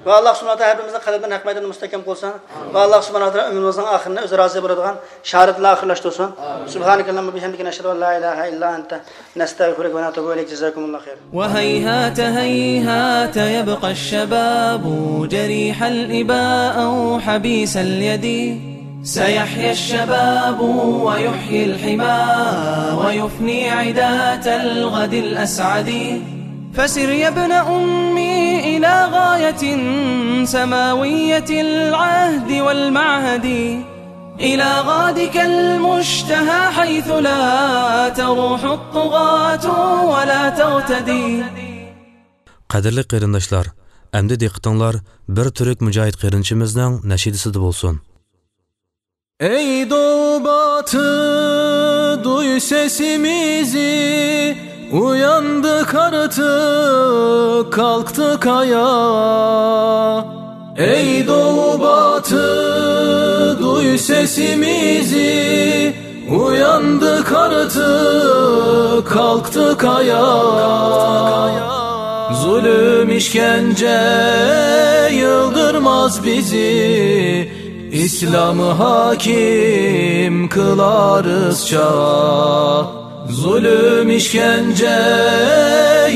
ۋە ئاللاھ سۇبھانەھۇ ۋە تائالا ھەر بىرىمىزنىڭ قەلبىنى ھەق مەيداندا مۇستەھكەم قىلسۇن. ۋە ئاللاھ سۇبھانەھۇ ۋە تائالا ئۆمرىمىزنىڭ ئاخىرىنى ئۆزى رازى بولىدىغان شاھادەت بىلەن ئاخىرلاشتۇرسۇن. سۇبھانەكەللاھۇممە ۋە بىھەمدىكە، نەشھەدۇ ئەن لا ئىلاھە ئىللا ئەنتە، نەستەغفىرۇكە ۋە نەتۇبۇ ئىلەيك. جازاكۇمۇللاھۇ خەيرەن. وهيهات هيهات يبقى الشباب جريح الإباء أو حبيس اليد. سيحيا الشباب ويحيي الحمى ويفني عداة الغد الأسعد. فسر يا ابن أمي إلى غاية سماوية العهد والمعهد. إلى غادك المشتهى حيث لا تروح الطغاة ولا تغتدي. قەدىرلىك قېرىنداشلار، ئەمدى دىققىتىڭلار بىر تۈرك مۇجاھىد قېرىندىشىمىزنىڭ نەشىدىسىدە بولسۇن. Ey doğu batı, duy sesimizi, uyandık artık, kalktık ayağa. Ey doğu batı, duy sesimizi, uyandık artık, kalktık ayağa. Zulüm, işkence yıldırmaz bizi, İslam'ı hakim kılarız çağa. Zulüm, işkence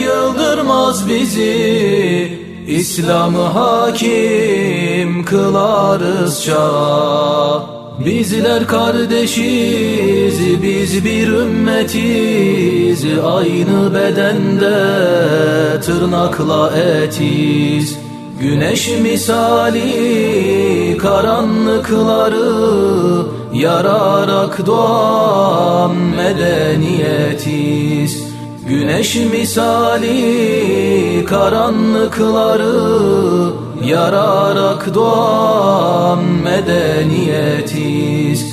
yıldırmaz bizi, İslam'ı hakim kılarız çağa. Bizler kardeşiz, biz bir ümmetiz, aynı bedende tırnakla etiz. Güneş misali karanlıkları yararak doğan medeniyetiz. Güneş misali karanlıkları yararak doğan medeniyetiz.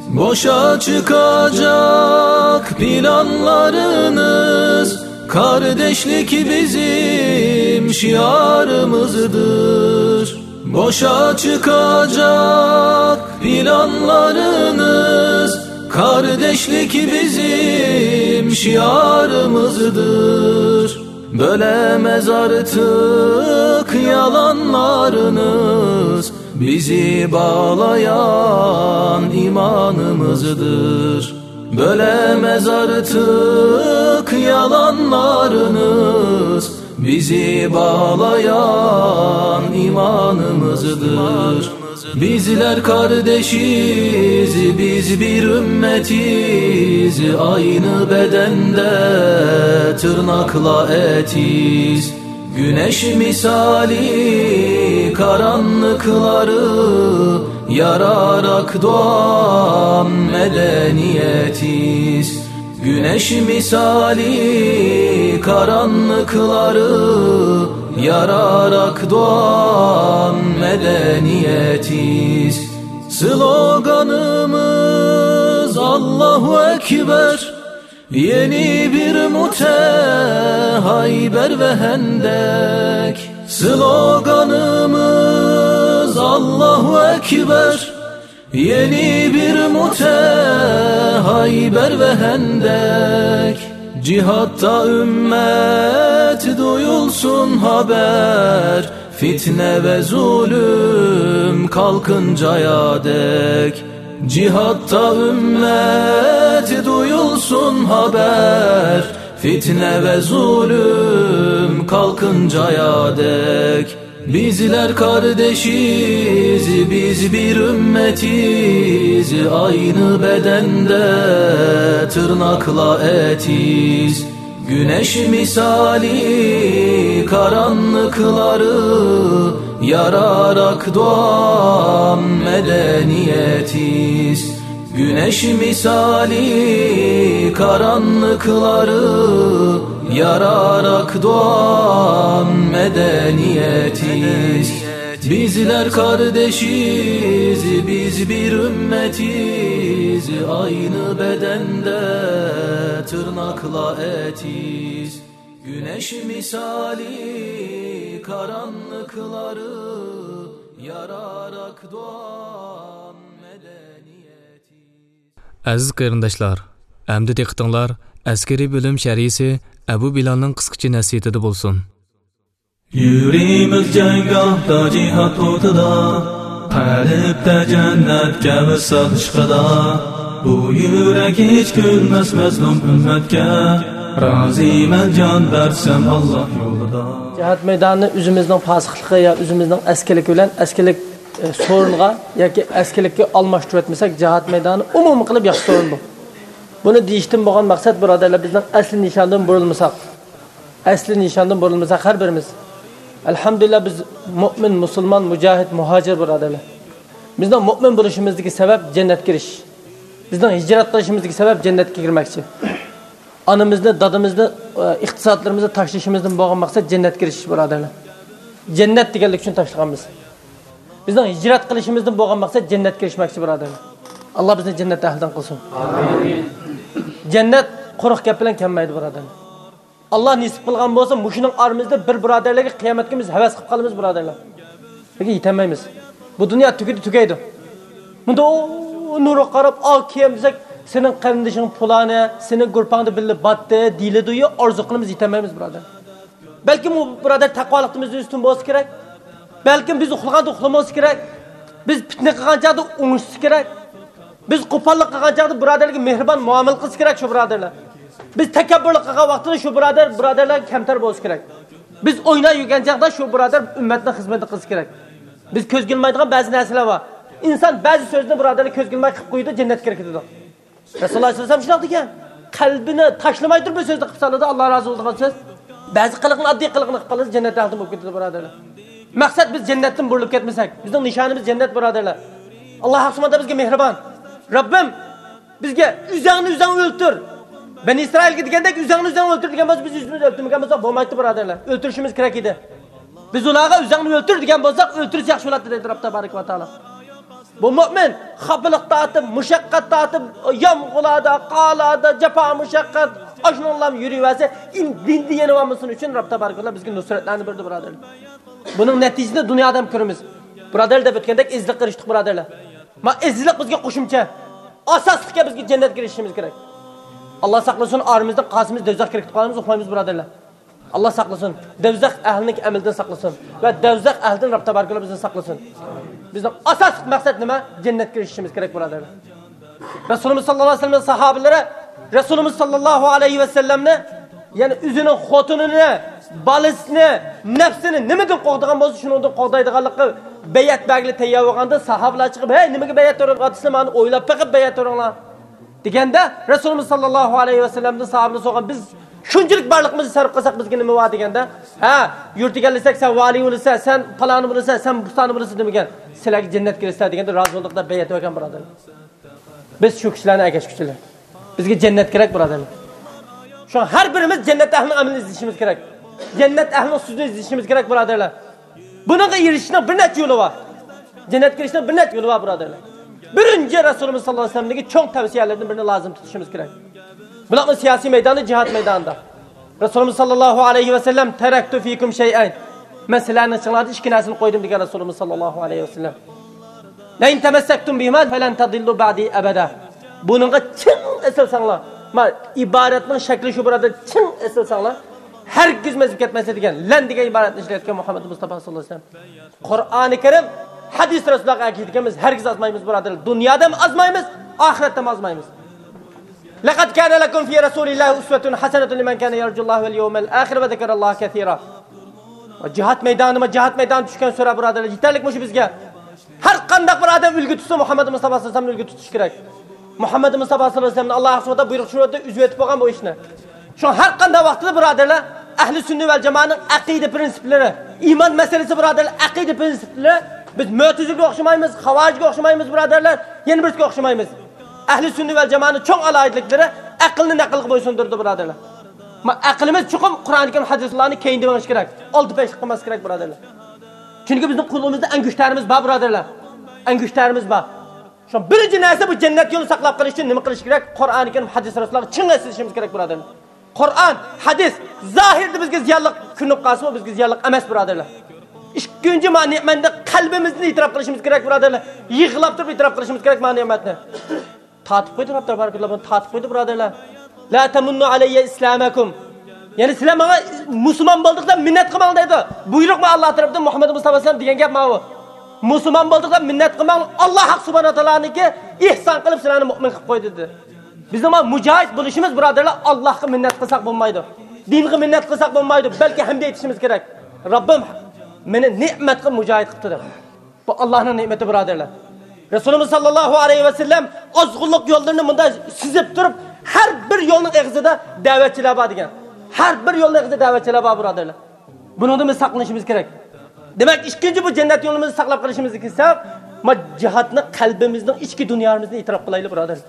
Boşa çıkacak planlarınız, kardeşlik bizim şiarımızdır. Boşa çıkacak planlarınız, kardeşlik bizim şiarımızdır. Bölemez artık yalanlarınız, bizi bağlayan imanımızdır. Bölemez artık yalanlarınız, bizi bağlayan imanımızdır. Bizler kardeşiz, biz bir ümmetiz, aynı bedende tırnakla etiz. Güneş misali karanlıkları yararak doğan medeniyetiz. Güneş misali karanlıkları yararak doğan medeniyetiz. Sloganımız Allahu Ekber. Yeni bir Mute, Hayber ve Hendek. Sloganımız Allahu Ekber. Yeni bir Mute, Hayber ve Hendek. Cihatta ümmet duyulsun haber. Fitne ve zulüm kalkıncaya dek. Cihatta ümmet duyulsun haber. Fitne ve zulüm kalkıncaya dek. Bizler kardeşiz, biz bir ümmetiz, aynı bedende tırnakla etiz. Güneş misali karanlıkları Yararak doğan medeniyetiz, güneş misali karanlıkları yararak doğan medeniyetiz. Bizler kardeşiz, biz bir ümmetiz, aynı bedende tırnakla etiz. Güneş misali karanlıkları yararak doğan medeniyetiz. ئەزىز قېرىنداشلار، ئەمدى دىققىتىڭلار ئەسكىرىي بۆلۈم شەرھچىسى ئەبۇ بىلالنىڭ قىسقىچە نەسىھىتىدە بولسۇن. يۈرىمىز جەڭگاھتا جىھاد ئوتىدا، قەلبتە جەننەتكە ۋىسال ئىشقىدا. بۇ يۈرەك ھېچ كۈلمەس مەزلۇم ئۈممەتكە، رازىمەن جان بەرسەم ئاللاھ يولىدا. جىھاد مەيدانى ئۆزىمىزنىڭ پاسىقلىقى يا ئۆزىمىزنىڭ ئەسكىلىكى بىلەن ئەسكىلىك، ئە، سورۇنغا ياكى ئەسكىلىككە ئالماشتۇرۇۋەتمىسەك، جىھاد مەيدانى ئومۇمىي قىلىپ ياخشى سورۇن بۇ. بۇنى دېيىشتىن بولغان مەقسەت، بۇرادەرلەر، بىزنىڭ ئەسلى نىشاندىن بۇرۇلمىساق، ئەسلى نىشاندىن بۇرۇلمىساق ھەر بىرىمىز. ئەلھەمدۇلىللا، بىز مۆمىن، مۇسۇلمان، مۇجاھىد، مۇھاجىر بۇرادەرلەر. بىزنىڭ مۆمىن بولۇشىمىزدىكى سەۋەب جەننەتكە كىرىش. بىزنىڭ ھىجرەت قىلىشىمىزدىكى سەۋەب جەننەتكە كىرمەكچى. ئانىمىزنى، دادىمىزنى، ئە، ئىقتىسادلىرىمىزنى تاشلىشىمىزدىن بولغان مەقسەت جەننەتكە كىرىش، بۇرادەرلەر. جەننەت دېگەنلىك ئۈچۈن تاشلىغان بىز. بىزنىڭ ھىجرەت قىلىشىمىزدىن بولغان مەقسەت جەننەتكە كىرىشمەكچى، بۇرادەرلەر. ئاللا بىزنى جەننەت ئەھلىدىن قىلسۇن. ئامىن. جەننەت قۇرۇق گەپ بىلەن كەلمەيدۇ، بۇرادەرلەر. ئاللا نېسىپ قىلغان بولسا، مۇشۇنىڭ ئارىمىزدا بىر بۇرادەرلەرگە قىيامەت كۈنى بىز ھەۋەس قىلىپ قالىمىز، بۇرادەرلەر. لېكىن يېتەلمەيمىز. بۇ دۇنيا تۈگىدى، تۈگەيدۇ. مۇنداق نۇرغا قاراپ، ئا، كىيەم دېسەك، سېنىڭ قېرىندىشىڭ پۇلانى، سېنىڭ گۇرپاڭدا بىللە باتتى، دېيىلىدۇ، ئارزۇ قىلىمىز، يېتەلمەيمىز، بۇرادەر. بەلكىم ئۇ بۇرادەر تەقۋالىقتا بىزدىن ئۈستۈن بولسا كېرەك. بەلكىم بىز ئۇخلىغاندا ئۇخلىمىسا كېرەك. بىز پىتنە قىلغان چاغدا ئوڭشىسا كېرەك. بىز قوپاللىق قىلغان چاغدا بۇرادەرلەرگە مېھرىبان مۇئامىلە قىلسا كېرەك شۇ بۇرادەرلەر. بىز تەكەببۇرلۇق قىلغان ۋاقتىدا شۇ بۇرادەر بۇرادەرلەرگە كەمتەر بولسا كېرەك. بىز ئويناپ يۈرگەن چاغدا شۇ بۇرادەر ئۈممەتنىڭ خىزمىتىنى قىلسا كېرەك. بىز كۆزگە ئىلمايدىغان بەزى نەرسىلەر بار. ئىنسان بەزى سۆزنى بۇرادەرلەر كۆزگە ئىلماي قىلىپ قويىدۇ، جەننەتكە كىرىپ كېتىدۇ. رەسۇلۇللا ئەلەيھىسسالام شۇنداق دېگەن. قەلبىنى تاشلىماي تۇرۇپ بىر سۆزنى قىلىپ سالىدۇ، ئاللا رازى بولىدىغان سۆز. بەزى قىلىقنى، ئاددىي قىلىقنى قىلىپ قالىدۇ، جەننەت ئەھلىدىن بولۇپ كېتىدۇ، بۇرادەرلەر. مەقسەت بىز جەننەتتىن بۇرۇلۇپ كەتمىسەك، بىزنىڭ نىشانىمىز جەننەت، بۇرادەرلەر. ئاللا ھەق سۇبھانەھۇ بىزگە مېھرىبان. رەببىم، بىزگە ئۆزۈڭنى ئۆزۈڭ ئۆلتۈر. بەنى ئىسرائىلگە دېگەندەك ئۆزۈڭنى ئۆزۈڭ ئۆلتۈر دېگەن بولسا، بىز ئۆزىمىزنى ئۆلتۈرمىگەن بولساق بولمايتتى، بۇرادەرلەر. ئۆلتۈرۈشىمىز كېرەك ئىدى. بىز ئۇلارغا ئۆزۈڭنى ئۆلتۈر دېگەن بولساق، ئۆلتۈرسە ياخشى بولاتتى دەيدۇ رەب تابارەك ۋە تائالا. بۇ مۆمىن خاپىلىق تارتىپ، مۇشەققەت تارتىپ، يامغۇرلاردا، قارلاردا، جاپا مۇشەققەت، ئاشۇنىڭلام يۈرۈۋەرسە، ئىن-، دىندا يېنىۋالمىسۇن ئۈچۈن رەب تابارەك ۋە تائالا بىزگە نۇسرەتلەرنى بەردى، بۇرادەرلەر. بۇنىڭ نەتىجىسىنى دۇنيادا ھەم كۆرىمىز. بۇرادەرلەر دەپ ئۆتكەندەك ئېزىزلىققا ئېرىشتۇق، بۇرادەرلەر. ما ئېزىزلىق بىزگە قوشۇمچە. ئاساسلىقكە بىزگە جەننەتكە ئېرىشىشىمىز كېرەك. ئاللا ساقلىسۇن، ئارىمىزدىن قالسىمىز دوزاخقا كىرىپ قالىمىز، ئۇقمايمىز، بۇرادەرلەر. ئاللا ساقلىسۇن. دوزاخ ئەھلىنىڭ ئەمىلىدىن ساقلىسۇن. ۋە دوزاخ ئەھلىدىن رەب تابارەك ۋە تائالا بىزنى ساقلىسۇن. بىزنىڭ ئاساسلىق مەقسەت نېمە؟ جەننەتكە ئېرىشىشىمىز كېرەك، بۇرادەرلەر. رەسۇلىمىز ساللاللاھۇ ئەلەيھى ۋەسەللەمنىڭ ساھابىلىرى رەسۇلىمىز ساللاللاھۇ ئەلەيھى ۋەسەللەمنى، يەنى ئۆزىنىڭ خوتۇنىنى، بالىسىنى، نەپسىنى نېمىدىن قوغدىغان بولسا، شۇنىڭدىن قوغدايدىغانلىققا بەيئەت بەرگىلى تەييار بولغاندا، ساھابىلار چىقىپ، ھەي، نېمىگە بەيئەت بېرىۋاتىسىلەر؟ مانا ئويلاپ بېقىپ بەيئەت بېرىڭلار. دېگەندە، رەسۇلىمىز ساللاللاھۇ ئەلەيھى ۋەسەللەمدىن ساھابىلار سورىغان، بىز شۇنچىلىك بارلىقىمىزنى سەرپ قىلساق، بىزگە نېمە بار؟ دېگەندە، ھە، يۇرت ئىگىلىسەك، سەن ۋالىي بولىسەن، سەن پالانى بولىسەن، سەن پۇستانى بولىسەن دېمىگەن. سىلەرگە جەننەت كىرىسىلەر دېگەندە، رازى بولدۇق دەپ بەيئەت بەرگەن، بۇرادەرلەر. بىز شۇ كىشىلەرنى ئەگەشكۈچىلەر. بىزگە جەننەت كېرەك، بۇرادەرلەر. شۇڭا ھەر بىرىمىز جەننەت ئەھلىنىڭ ئەمىلىنى ئىزدىشىمىز كېرەك. جەننەت ئەھلىنىڭ سۆزىنى ئىزدىشىمىز كېرەك، بۇرادەرلەر. بۇنىڭغا ئېرىشىشنىڭ بىر نەچچە يولى بار. جەننەتكە كىرىشنىڭ بىر نەچچە يولى بار، بۇرادەرلەر. بىرىنچى، رەسۇلىمىز ساللاللاھۇ ئەلەيھى ۋەسەللەمدىكى چوڭ تەۋسىيەلەردىن بىرىنى لازىم تۇتۇشىمىز كېرەك. بۇلارنىڭ سىياسىي مەيدانى، جىھاد مەيدانىدا. رەسۇلىمىز ساللاللاھۇ ئەلەيھى ۋەسەللەم، «تەرەكتۇ فىكۇم شەيئەينى.» مەن سىلەرنىڭ ئىچىڭلاردا ئىككى نەرسىنى قويدۇم، دېگەن رەسۇلىمىز ساللاللاھۇ ئەلەيھى ۋەسەللەم. «لەئىن تەمەسسەكتۇم بىھىما فەلەن تەزىللۇ بەئدى ئەبەدا.» بۇنىڭغا چىڭ ئېسىلساڭلار، ما، ئىبارەتنىڭ شەكلى شۇ، بۇرادەر، چىڭ ئېسىلساڭلار، ھەرگىز ئېزىپ كەتمەيسىلەر، دېگەن، «لەن» دېگەن ئىبارەتنى ئىشلەتكەن مۇھەممەد مۇستافا ساللاللاھۇ ئەلەيھى ۋەسەللەم. قۇرئانى كەرىم، ھەدىس رەسۇللارغا ئەگىشىدىكەنمىز، ھەرگىز ئازمايمىز، بۇرادەرلەر. دۇنيادىمۇ ئازمايمىز، ئاخىرەتتىمۇ ئازمايمىز. لەقەد كانە لەكۇم فى رەسۇلىللاھى ئۇسۋەتۇن ھەسەنەتۇن لىمەن كانە يەرجۇللاھە ۋەل يەۋمەل ئاخىرە ۋە زەكەرەللاھە كەسىرا. جىھاد مەيدانىما، جىھاد مەيدانى چۈشكەن سۈرە، بۇرادەرلەر، يېتەرلىك مۇشۇ بىزگە. ھەر قانداق بىر ئادەم ئۈلگە تۇتسا، مۇھەممەد مۇستافا ساللاللاھۇ ئەلەيھى ۋەسەللەمنى ئۈلگە تۇتۇش كېرەك. مۇھەممەد مۇستافا ساللاللاھۇ ئەلەيھى ۋەسەللەمنى ئاللا سۇبھانەھۇ ۋە تائالا بۇيرۇق چۈشۈرۈۋەتتى، ئۈزۈۋېتىپ بولغان بۇ ئىشنى. شۇڭا ھەر قانداق ۋاقىتتا، بۇرادەرلەر، ئەھلى سۈننە ۋەل جامائەنىڭ ئەقىدە پىرىنسىپلىرى، ئىمان مەسىلىسى، بۇرادەرلەر، ئەقىدە پىرىنسىپلىرى، بىز مۆتىزىلىگە ئوخشىمايمىز، خاۋارىجگە ئوخشىمايمىز، بۇرادەرلەر، يەنە بىرسىگە ئوخشىمايمىز. ئەھلى سۈننە ۋەل جامائەتنىڭ چوڭ ئالاھىدىلىكلىرى ئەقىلنى نەقىلگە بويسۇندۇرىدۇ، بۇرادەرلەر. ما، ئەقلىمىز چوقۇم قۇرئان كەرىم، ھەدىسلەرنى كەينىدە مېڭىش كېرەك. ئالدى پەشلىق قىلماسلىق كېرەك، بۇرادەرلەر. چۈنكى بىزنىڭ قولىمىزدا ئەڭگۈشتەرىمىز بار، بۇرادەرلەر. ئەڭگۈشتەرىمىز بار. شۇ بىرىنچى نەرسە، بۇ جەننەت يولىنى ساقلاپ قېلىش ئۈچۈن نېمە قىلىش كېرەك؟ قۇرئان كەرىم، ھەدىس، رەسۇللارغا چىڭ ئېسىلىشىمىز كېرەك، بۇرادەرلەر. قۇرئان، ھەدىس زاھىردا بىزگە زىيانلىق كۆرۈنۈپ قالسىمۇ، بىزگە زىيانلىق ئەمەس، بۇرادەرلەر. ئىككىنچى، ما نېمەتنى قەلبىمىزدىن ئېتىراپ قىلىشىمىز كېرەك، بۇرادەرلەر. يىغلاپ تۇرۇپ ئېتىراپ قىلىشىمىز كېرەك ما نېمەتنى. تارتىپ قويدى، رەب تەبارەكەللا بۇنى تارتىپ قويدى، بۇرادەرلەر. لا تمنوا علي إسلامكم. يەنى سىلەر ماڭا مۇسۇلمان بولدۇق دەپ مىننەت قىلماڭ دەيدۇ. بۇيرۇق ما ئاللا تەرەپتىن، مۇھەممەد مۇستافا ئەلەيھىسسالام دېگەن گەپ ماۋۇ. مۇسۇلمان بولدۇق دەپ مىننەت قىلماڭ. ئاللا ھەق سۇبھانەھۇ ۋە تائالانىڭكى ئېھسان قىلىپ سىلەرنى مۇئمىن قىلىپ قويدى دېدى. بىزنىڭ ما مۇجاھىد بولۇشىمىز، بۇرادەرلەر، ئاللاھقا مىننەت قىلساق بولمايدۇ. دىنغا مىننەت قىلساق بولمايدۇ، بەلكى ھەمدە ئېيتىشىمىز كېرەك. رەببىم مېنى نېمەت قىلىپ مۇجاھىد قىپتۇ دەپ. بۇ ئاللاھنىڭ نېمىتى، بۇرادەرلەر. رەسۇلىمىز ساللاللاھۇ ئەلەيھى ۋەسەللەم ئازغۇنلۇق يوللىرىنى مۇنداق سۈزۈپ تۇرۇپ، ھەر بىر يولنىڭ ئېغىزىدا دەۋەتچىلەر بار دېگەن. ھەر بىر يولنىڭ ئېغىزىدا دەۋەتچىلەر بار، بۇرادەرلەر. بۇنىڭدىن بىز ساقلىنىشىمىز كېرەك. دېمەك، ئىككىنچى، بۇ جەننەت يولىمىزنى ساقلاپ قېلىشىمىزنى كېسەك، ما جىھادنى قەلبىمىزنىڭ ئىچكى دۇنيامىزنى ئېتىراپ قىلايلى، بۇرادەرلەر.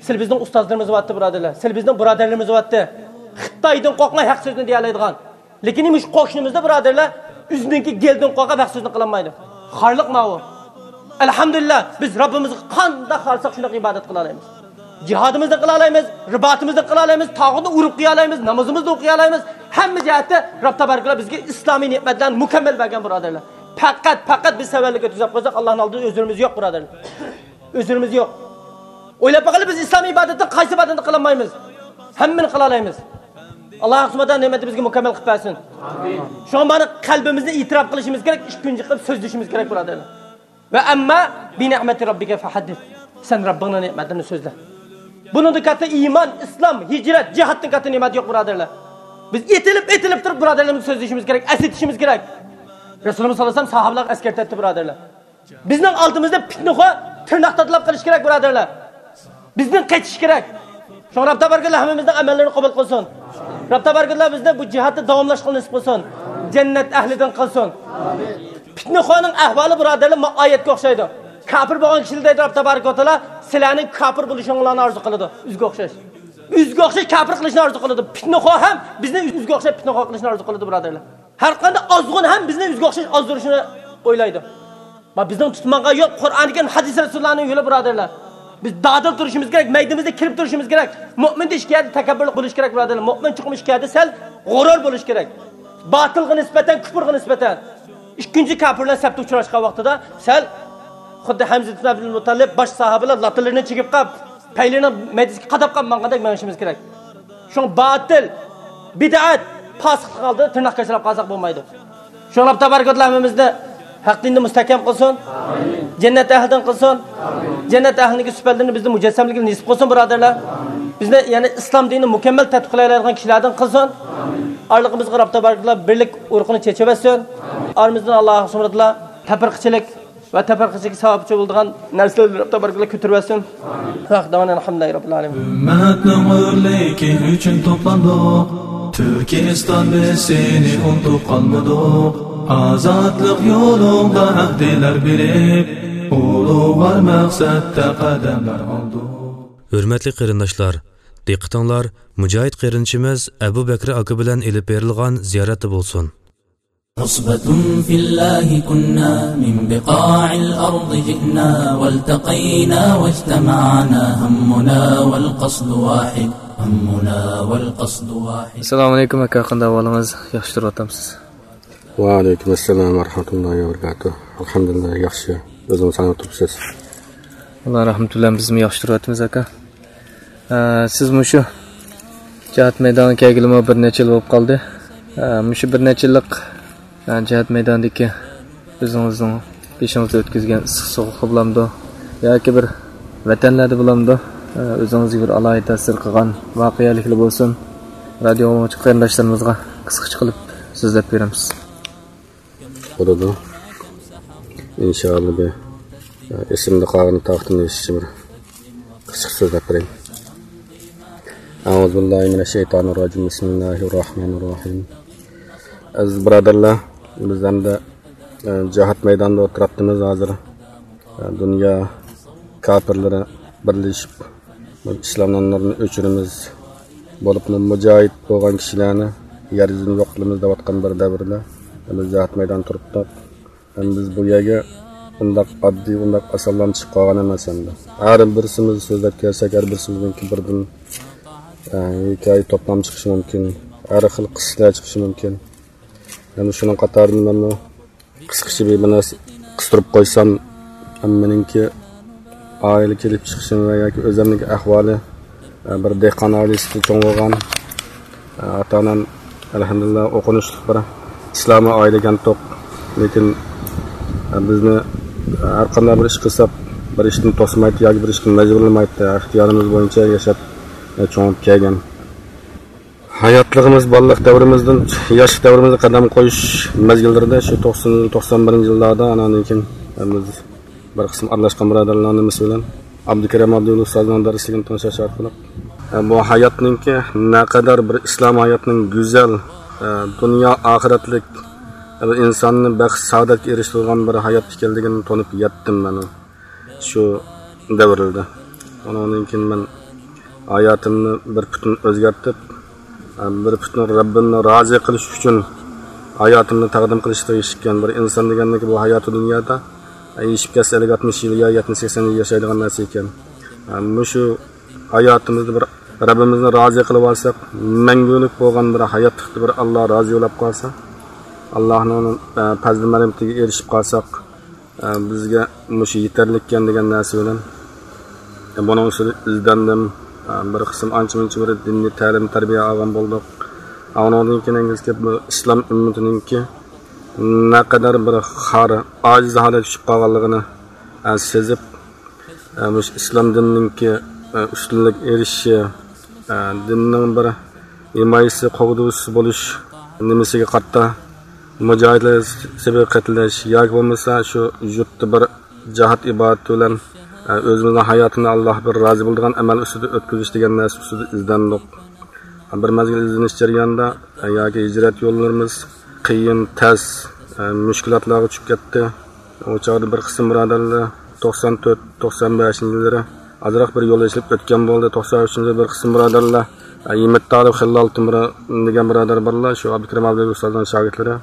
سىلى بىزنىڭ ئۇستازلىرىمىز بارتتى، بۇرادەرلەر. سىلى بىزنىڭ بۇرادەرلىرىمىز بارتتى. خىتايدىن قورقماي ھەق سۆزنى دېيەلەيدىغان. لېكىن مۇشۇ قوشنىمىزدا، بۇرادەرلەر، ئۆزىنىڭكى گېلىدىن قورقۇپ ھەق سۆزنى قىلالمايدۇ. خارلىق ماۋۇ. ئەلھەمدۇلىللا، بىز رەببىمىزگە قانداق خالىساق شۇنداق ئىبادەت قىلالايمىز. جىھادىمىزنى قىلالايمىز، رىباتىمىزنى قىلالايمىز، تاغۇتنى ئۇرۇپ قويالايمىز، نامىزىمىزنى ئوقۇيالايمىز. ھەممە جەھەتتە رەب تەبارەكەللا بىزگە ئىسلامىي نېمەتلەرنى مۇكەممەل بەرگەن، بۇرادەرلەر. پەقەت، پەقەت بىز سەۋەنلىك ئۆتكۈزۈپ قويساق، ئاللانىڭ ئالدىدا ئۆزرىمىز يوق، بۇرادەرلەر. ئۆزرىمىز يوق. ئويلاپ باقايلى، بىز ئىسلام ئىبادەتتە قايسى ئىبادەتنى قىلالمايمىز؟ ھەممىنى قىلالايمىز. ئاللا سۇبھانەھۇ نېمەتنى بىزگە مۇكەممەل قىلىپ بەرسۇن. شۇڭا مانا قەلبىمىزنى ئېتىراپ قىلىشىمىز كېرەك، ئىككى كۈنچە قىلىپ سۆزلىشىمىز كېرەك، بۇرادەرلەر. ۋە ئەمما بىنىئمەتى رەببىكە فەھەددىس. سەن رەببىڭنىڭ نېمەتلىرىنى سۆزلە. بۇنىڭدىن كاتتا ئىمان، ئىسلام، ھىجرەت، جىھادتىن كاتتا نېمەت يوق، بۇرادەرلەر. بىز ئېتىلىپ، ئېتىلىپ تۇرۇپ بۇرادەرلىرىمىزنى سۆزلىشىمىز كېرەك، ئەسلىتىشىمىز كېرەك. رەسۇلىمىز ساللاللاھۇ ئەلەيھى ۋەسەللەم ساھابىلەرگە ئەسكەرتەتتى، بۇرادەرلەر. بىزنىڭ ئالدىمىزدا پىتنىخور تىرناق تاتىلاپ قېلىش كېرەك، بۇرادەرلەر. بىزدىن قېچىش كېرەك. شۇڭا رەب تەبارەكەللا ھەممىمىزنىڭ ئەمەللىرىنى قوبۇل قىلسۇن. رەب تەبارەكەللا بىزنى بۇ جىھادتا داۋاملاشقىلى نېسىپ قىلسۇن. جەننەت ئەھلىدىن قىلسۇن. پىتنىخورنىڭ ئەھۋالى، بۇرادەرلەر، ما ئايەتكە ئوخشايدۇ. كاپىر بولغان كىشىلەر دەيدۇ رەب تەبارەكەۋە تائالا، سىلەرنىڭ كاپىر بولۇشۇڭلارنى ئارزۇ قىلىدۇ. ئۆزىگە ئوخشاش. ئۆزىگە ئوخشاش كاپىر قىلىشنى ئارزۇ قىلىدۇ. پىتنىخور ھەم بىزنى ئۆزىگە ئوخشاش پىتنىخور قىلىشنى ئارزۇ قىلىدۇ، بۇرادەرلەر. ھەر قانداق ئازغۇن ھەم بىزنى ئۆزىگە ئوخشاش ئازدۇرۇشنى ئويلايدۇ. ما بىزنىڭ تۇتماققا يول قۇرئان كەرىم، ھەدىس رەسۇلۇللانىڭ يولى، بۇرادەرلەر. بىز دادىل تۇرۇشىمىز كېرەك، مەيدىمىزدە كېلىپ تۇرۇشىمىز كېرەك. مۆمىندا ئىككى يەردە تەكەببۇرلۇق بولۇشى كېرەك، بۇرادەرلەر. مۆمىن چوقۇم ئىككى يەردە سەل غۇرۇر بولۇشى كېرەك. باتىلغا نىسبەتەن، كۇپۇرغا نىسبەتەن. ئىككىنچى كاپىرلار سەپتە ئۇچراشقان ۋاقتىدا سەل خۇددى ھەمزە ئىبن ئابدۇل مۇتتەلىپ باش ساھابىلەر لاتىلىرىنى چىگىپ قاپ، پەيلىرىنى مەدىسىگە قاداپ قاپ ماڭغاندەك مېڭىشىمىز كېرەك. شۇڭا باتىل، بىدئەت، پاسىقلىق ئالدىدا تىرناق كاشىلاپ قالساق بولمايدۇ. شۇڭا رەب تەبارەكەۋە تائالا ھەممىمىزنى ھەق دىندا مۇستەھكەم قىلسۇن. جەننەت ئەھلىدىن قىلسۇن. جەننەت ئەھلىنىڭكى سۈپەتلىرىنى بىزدە مۇجەسسەملىكىنى نېسىپ قىلسۇن، بۇرادەرلەر. بىزنى، يەنى ئىسلام دىنىنى مۇكەممەل تەتبىقلىيالايدىغان كىشىلەردىن قىلسۇن. ئارىلىقىمىزغا رەب تەبارەكەۋە تائالا بىرلىك ئۇرۇقىنى چېچىۋەتسۇن. ئارىمىزدىن ئاللا سۇبھانەھۇ ۋە تائالا تەپرىقىچىلىك ۋە تەپرىقىچىلىككە سەۋەبچى بولىدىغان نەرسىلەرنى رەب تەبارەكەۋە تائالا كۆتۈرۈۋەتسۇن. ۋە ئاخىرۇ دەئۋانا ئەلھەمدۇلىللاھى رەببىل ئالەمىن. ئۈممەتنىڭ ئۆرلۈكى ئۈچۈن توپلاندۇق. تۈركىستان، بىز سېنى ئۇنتۇپ قالمىدۇق. ئازادلىق يولۇڭدا ئەھدىلەر بېرىپ، ئۇلۇغۋار مەقسەتتە قەدەملەر ئالدۇق. ھۆرمەتلىك قېرىنداشلار، دىققىتىڭلار مۇجاھىد قېرىندىشىمىز ئەبۇ بەكرى ئاكا بىلەن ئېلىپ بېرىلغان زىيارەتتە بولسۇن. عصبة في الله كنا، من بقاع الأرض جئنا، والتقينا واجتمعنا، همنا والقصد واحد، همنا والقصد واحد. ئەسسالامۇ ئەلەيكۇم ئاكا، قانداق ئەھۋالىڭىز؟ ياخشى تۇرۇۋاتامسىز؟ ۋەئەلەيكۇم ئەسسالام ۋە رەھمەتۇللاھى ۋە بەرىكاتۇھ. ئەلھەمدۇلىللا، ياخشى. ئۆزىڭىز قانداق تۇرۇپسىز؟ ئاللا رەھمىتى بىلەن بىزمۇ ياخشى تۇرۇۋاتىمىز، ئاكا. ئە، سىز مۇشۇ جىھاد مەيدانىغا كەلگىلىمۇ بىر نەچچە يىل بولۇپ قالدى. ئە، مۇشۇ بىر نەچچە يىللىق، ئە، جىھاد مەيدانىدىكى ئۆزىڭىزنىڭ بېشىڭىزدا ئۆتكۈزگەن ئىسسىق سوغۇقى بولامدۇ ياكى بىر ۋەتەنلەردە بولامدۇ، ئە، ئۆزىڭىزگە بىر ئالاھىدە تەسىر قىلغان ۋەقەلىكلەر بولسۇن، رادىيو ئاڭلىغۇچى قېرىنداشلىرىمىزغا قىسقىچە قىلىپ سۆزلەپ بېرەمسىز؟ بولىدۇ. ئىنشائاللا، بىر، ئە، ئېسىمدە قالغىنى تاقىتىمدە يېشىشىچە بىر قىسقىچە سۆزلەپ بېرەي. ئەئۇزۇ بىللاھى مىنەششەيتانىرراجىم. بىسمىللاھىرراھمانىرراھىم. ئەزىز بۇرادەرلەر، بىز ئەمدى، ئە، جىھاد مەيدانىدا ئولتۇرۇپتىمىز ھازىر. ئە، دۇنيا كاپىرلىرى بىرلىشىپ، بۇ ئىسلامنىڭ نۇرىنى ئۆچۈرىمىز بولۇپمۇ مۇجاھىد بولغان كىشىلەرنى يەر يۈزىدىن يوق قىلىمىز دەۋاتقان بىر دەۋردە بىز جىھاد مەيدانىدا تۇرۇپتۇق. ھەم بىز بۇ يەرگە ئۇنداق ئاددىي، ئۇنداق ئاسانلام چىقىپ قالغان ئەمەس ئەمدى. ھەر بىرسىمىز سۆزلەپ كەلسەك، ھەر بىرسىمىزنىڭكى بىردىن، ئە، ھېكايە توپلام چىقىشى مۇمكىن. ھەر خىل قىسسىلار چىقىشى مۇمكىن. يەنە شۇنىڭ قاتارىدا مەنمۇ قىسقىچە بىر نەرسە قىستۇرۇپ قويسام، مېنىڭكى ئائىلە كېلىپ چىقىشىم ۋە ياكى ئۆزۈمنىڭكى ئەھۋالى، ئە، بىر دېھقان ئائىلىسىدە چوڭ بولغان، ئاتا-ئانام ئەلھەمدۇلىللا ئوقۇنۇشلۇق بىر ئىسلامىي ئائىلە ئىكەنتۇق. لېكىن بىزنى ھەر قانداق بىر ئىش قىلساق، بىر ئىشتىن توسمايتتى ياكى بىر ئىشقا مەجبۇرلىمايتتى. ئىختىيارىمىز بويىچە ياشاپ، چوڭىيىپ كەلگەن. ھاياتلىقىمىز بالىلىق دەۋرىمىزدىن، ياشلىق دەۋرىمىزدە قەدەم قويۇش مەزگىللىرىدە، شۇ توقسان، توقسان بىرىنچى يىللاردا، ئانان كېيىن بىز بىر قىسىم ئارىلاشقان بۇرادەرلەرنىڭ نېمىسى بىلەن ئابدۇكېرىم ئابدۇللا ئۇستازنىڭ دەرسلىكىنى تىڭشاش ئارقىلىق، ئە، بۇ ھاياتنىڭكى نەقەدەر بىر ئىسلام ھاياتنىڭ گۈزەل، ئە، دۇنيا ئاخىرەتلىك، ئە، بىر ئىنساننى بەخت سائادەتكە ئېرىشتۈرىدىغان بىر ھايات ئىكەنلىكىنى تونۇپ يەتتىم مەن شۇ دەۋرلەردە. ئۇنىڭدىن كېيىن مەن ھاياتىمنى بىر پۈتۈن ئۆزگەرتىپ، ئە، بىر پۈتۈن رەببىمنى رازى قىلىش ئۈچۈن ھاياتىمنى تەقدىم قىلىشقا تېگىشلىككەن. بىر ئىنسان دېگەننىكى بۇ ھاياتى دۇنيادا، ئە، يېشىپ كەتسە ئەللىك، ئاتمىش يىل يا يەتمىش، سەكسەن يىل ياشايدىغان نەرسە ئىكەن. ئە، مۇشۇ ھاياتىمىزدا بىر رەببىمىزنى رازى قىلىپ ئالساق، مەڭگۈلۈك بولغان بىر ھاياتلىقتا بىر ئاللا رازى بولۇپ قالسا، ئاللانىڭ، ئە، پەزلى مەرھىمىتىگە ئېرىشىپ قالساق، ئە، بىزگە مۇشۇ يېتەرلىككەن دېگەن نەرسە بىلەن، ئە، بۇنىڭ ئۈستىدە ئىزدەندىم. ئە، بىر قىسىم ئانچە-مۇنچە بىر دىنىي تەلىم، تەربىيە ئالغان بولدۇق. ئە، ئۇنىڭدىن كېيىن ئىنگلىزچە گەپ، بۇ ئىسلام ئۈممىتىنىڭكى نەقەدەر بىر خار، ئاجىز ھالەتكە چۈشۈپ قالغانلىقىنى، ئە، سېزىپ، ئە، مۇشۇ ئىسلام دىنىنىڭكى، ئە، ئۈستۈنلۈك ئېرىشىشى، ئە، دىننىڭ بىر ھىمايىسى، قوغدىغۇچىسى بولۇش نېمىسىگە قارىتا مۇجاھىدلار سېپىگە قېتىلىش ياكى بولمىسا شۇ يۇرتتا بىر جىھاد ئىبادىتى بىلەن، ئە، ئۆزىمىزنىڭ ھاياتىنى ئاللا بىر رازى بولىدىغان ئەمەل ئۈستىدە ئۆتكۈزۈش دېگەن نەرسە ئۈستىدە ئىزدەندۇق. بىر مەزگىل ئىزدىنىش جەريانىدا، ئە، ياكى ھىجرەت يوللىرىمىز قىيىن، تەس، ئە، مۈشكۈلاتلارغا چۈشۈپ كەتتى. ئۇ چاغدا بىر قىسىم بۇرادەرلەر توقسان تۆت، توقسان بەشىنچى يىللىرى ئازراق بىر يول ئېچىلىپ ئۆتكەن بولدى. توقسان ئۈچىنچى يىلى بىر قىسىم بۇرادەرلەر، ئە، ھىممەت تالىپ خېلىل ئالتۇن بىر دېگەن بۇرادەر بارلار، شۇ ئابدۇكېرىم ئابدۇللا ئۇستازنىڭ شاگىرتلىرى.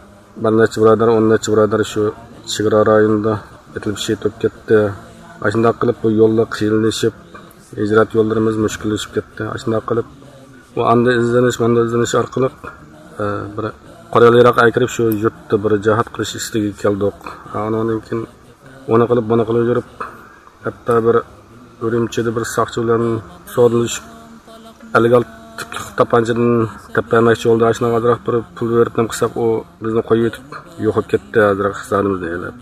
بىر نەچچە بۇرادەر، ئون نەچچە بۇرادەر شۇ چېگرا رايونىدا ئېتىلىپ شېھىت بولۇپ كەتتى. ئاشۇنداق قىلىپ بۇ يولدا قىيىنلىشىپ، ھىجرەت يوللىرىمىز مۈشكۈللىشىپ كەتتى. ئاشۇنداق قىلىپ، ئۇ ئاندا ئىزدىنىش، ماندا ئىزدىنىش ئارقىلىق، ئە، بىر قورال-ياراغ ئەكىرىپ، شۇ يۇرتتا بىر جىھاد قىلىش ئىستىكىگە كەلدۇق. ئە، ئۇنىڭدىن كېيىن ئۇنى قىلىپ، بۇنى قىلىپ يۈرۈپ، ھەتتا بىر ئۈرۈمچىدە بىر ساقچى بىلەن سودىلىشىپ، ئەللىك ئالتە تۈپلۈك تاپانچىدىن تېپىپ بەرمەكچى بولدى. ئاشۇنىڭغا ئازراق بىر پۇل بېرىپ نېمە قىلساق، ئۇ بىزنى قويۇۋېتىپ يوقاپ كەتتى، ئازراق زادىمىزنى ئېلىپ.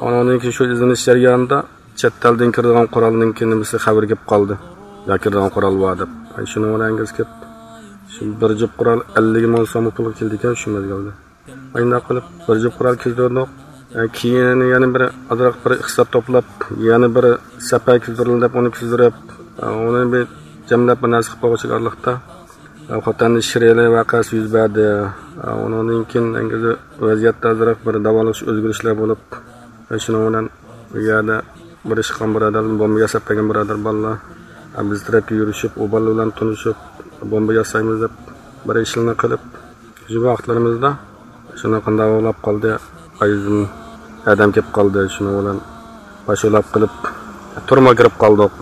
ئۇنىڭدىن كېيىن شۇ ئىزدىنىش جەريانىدا چەت ئەلدىن كىرىدىغان قورالنىڭكى نېمىسى خەۋىرى كېلىپ قالدى. يا كىرىدىغان قورال بار دەپ. شۇنىڭ بىلەن ئەنگىز كېلىپ، شۇ بىر جۈپ قورال ئەللىك مىڭ سوم پۇلغا كېلىدىكەن شۇ مەزگىلدە. ئاينداق قىلىپ بىر جۈپ قورال كىيدۈردۇق. ئە، كېيىن يەنە بىر ئازراق بىر ئىقتىساد توپلاپ، يەنە بىر سەپەر كىيدۈرۈلدى دەپ ئۇنى كىيدۈرۈپ، ئە، ئۇنى بىر جەملەپ بىر نەرسە قىلىپ بولغۇچە ئارىلىقتا، ئە، خوتەندە شىرئېلى ۋەقەسى يۈز بەردى. ئە، ئۇنىڭدىن كېيىن ئەنگىزى ۋەزىيەتتە ئازراق بىر داۋالغۇش ئۆزگىرىشلەر بولۇپ، ئە، شۇنىڭ بىلەن ئۇ يەردە بىر ئىش قىلغان بۇرادەر، بومبا ياساپ بەرگەن بۇرادەر بالىلار، ئە، بىز تەرەپكە يۈرۈشۈپ، ئۇ بالىلار بىلەن تونۇشۇپ، بومبا ياسايمىز دەپ بىر ئىشلارنى قىلىپ، شۇ ۋاقىتلىرىمىزدا شۇنداق قانداق بولاپ قالدى، ئايدىن ئادەم كېلىپ قالدى، شۇنىڭ بىلەن پاشۇلاپ قىلىپ تۈرمىگە كىرىپ قالدۇق.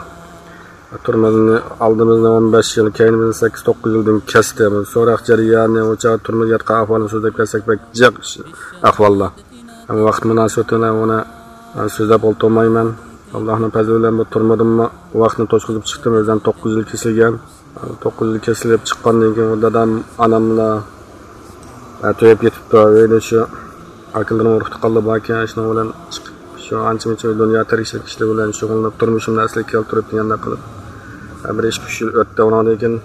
تۈرمىدىن ئالدىمىزنى ئون بەش يىل، كەينىمىزنى سەككىز توققۇز يىلدىن كەستى. سوراق جەريانى، ئۇ چاغ تۈرمىدە ياتقان ئەھۋالنى سۆزلەپ كەلسەك بەك جىق ئەھۋاللار. ئەمما ۋاقىت مۇناسىۋىتى بىلەن ئۇنى، ئە، سۆزلەپ ئولتۇرمايمەن. ئاللانىڭ پەزلى بىلەن بۇ تۈرمىدىنمۇ ۋاقىتنى توشقۇزۇپ چىقتىم. ئۆزۈم توققۇز يىل كېسىلگەن. توققۇز يىل كېسىلىپ چىققاندىن كېيىن دادام، ئاناملا، ئە، تۈگەپ كېتىپتۇ. ئۆيدە شۇ ئاكىلىرىم، ئۇرۇق-تۇغقانلار باركەن، شۇنىڭ بىلەن چىقىپ، شۇ ئانچە-مۇنچە دۇنيا تىرىكچىلىك ئىشلىرى بىلەن شۇغۇللىنىپ، تۇرمۇشۇمنى ئەسلىگە كەلتۈرۈپ دېگەندەك قىلىپ، ئە، بىر ئىككى ئۈچ يىل ئۆتتى. ئۇنىڭدىن كېيىن،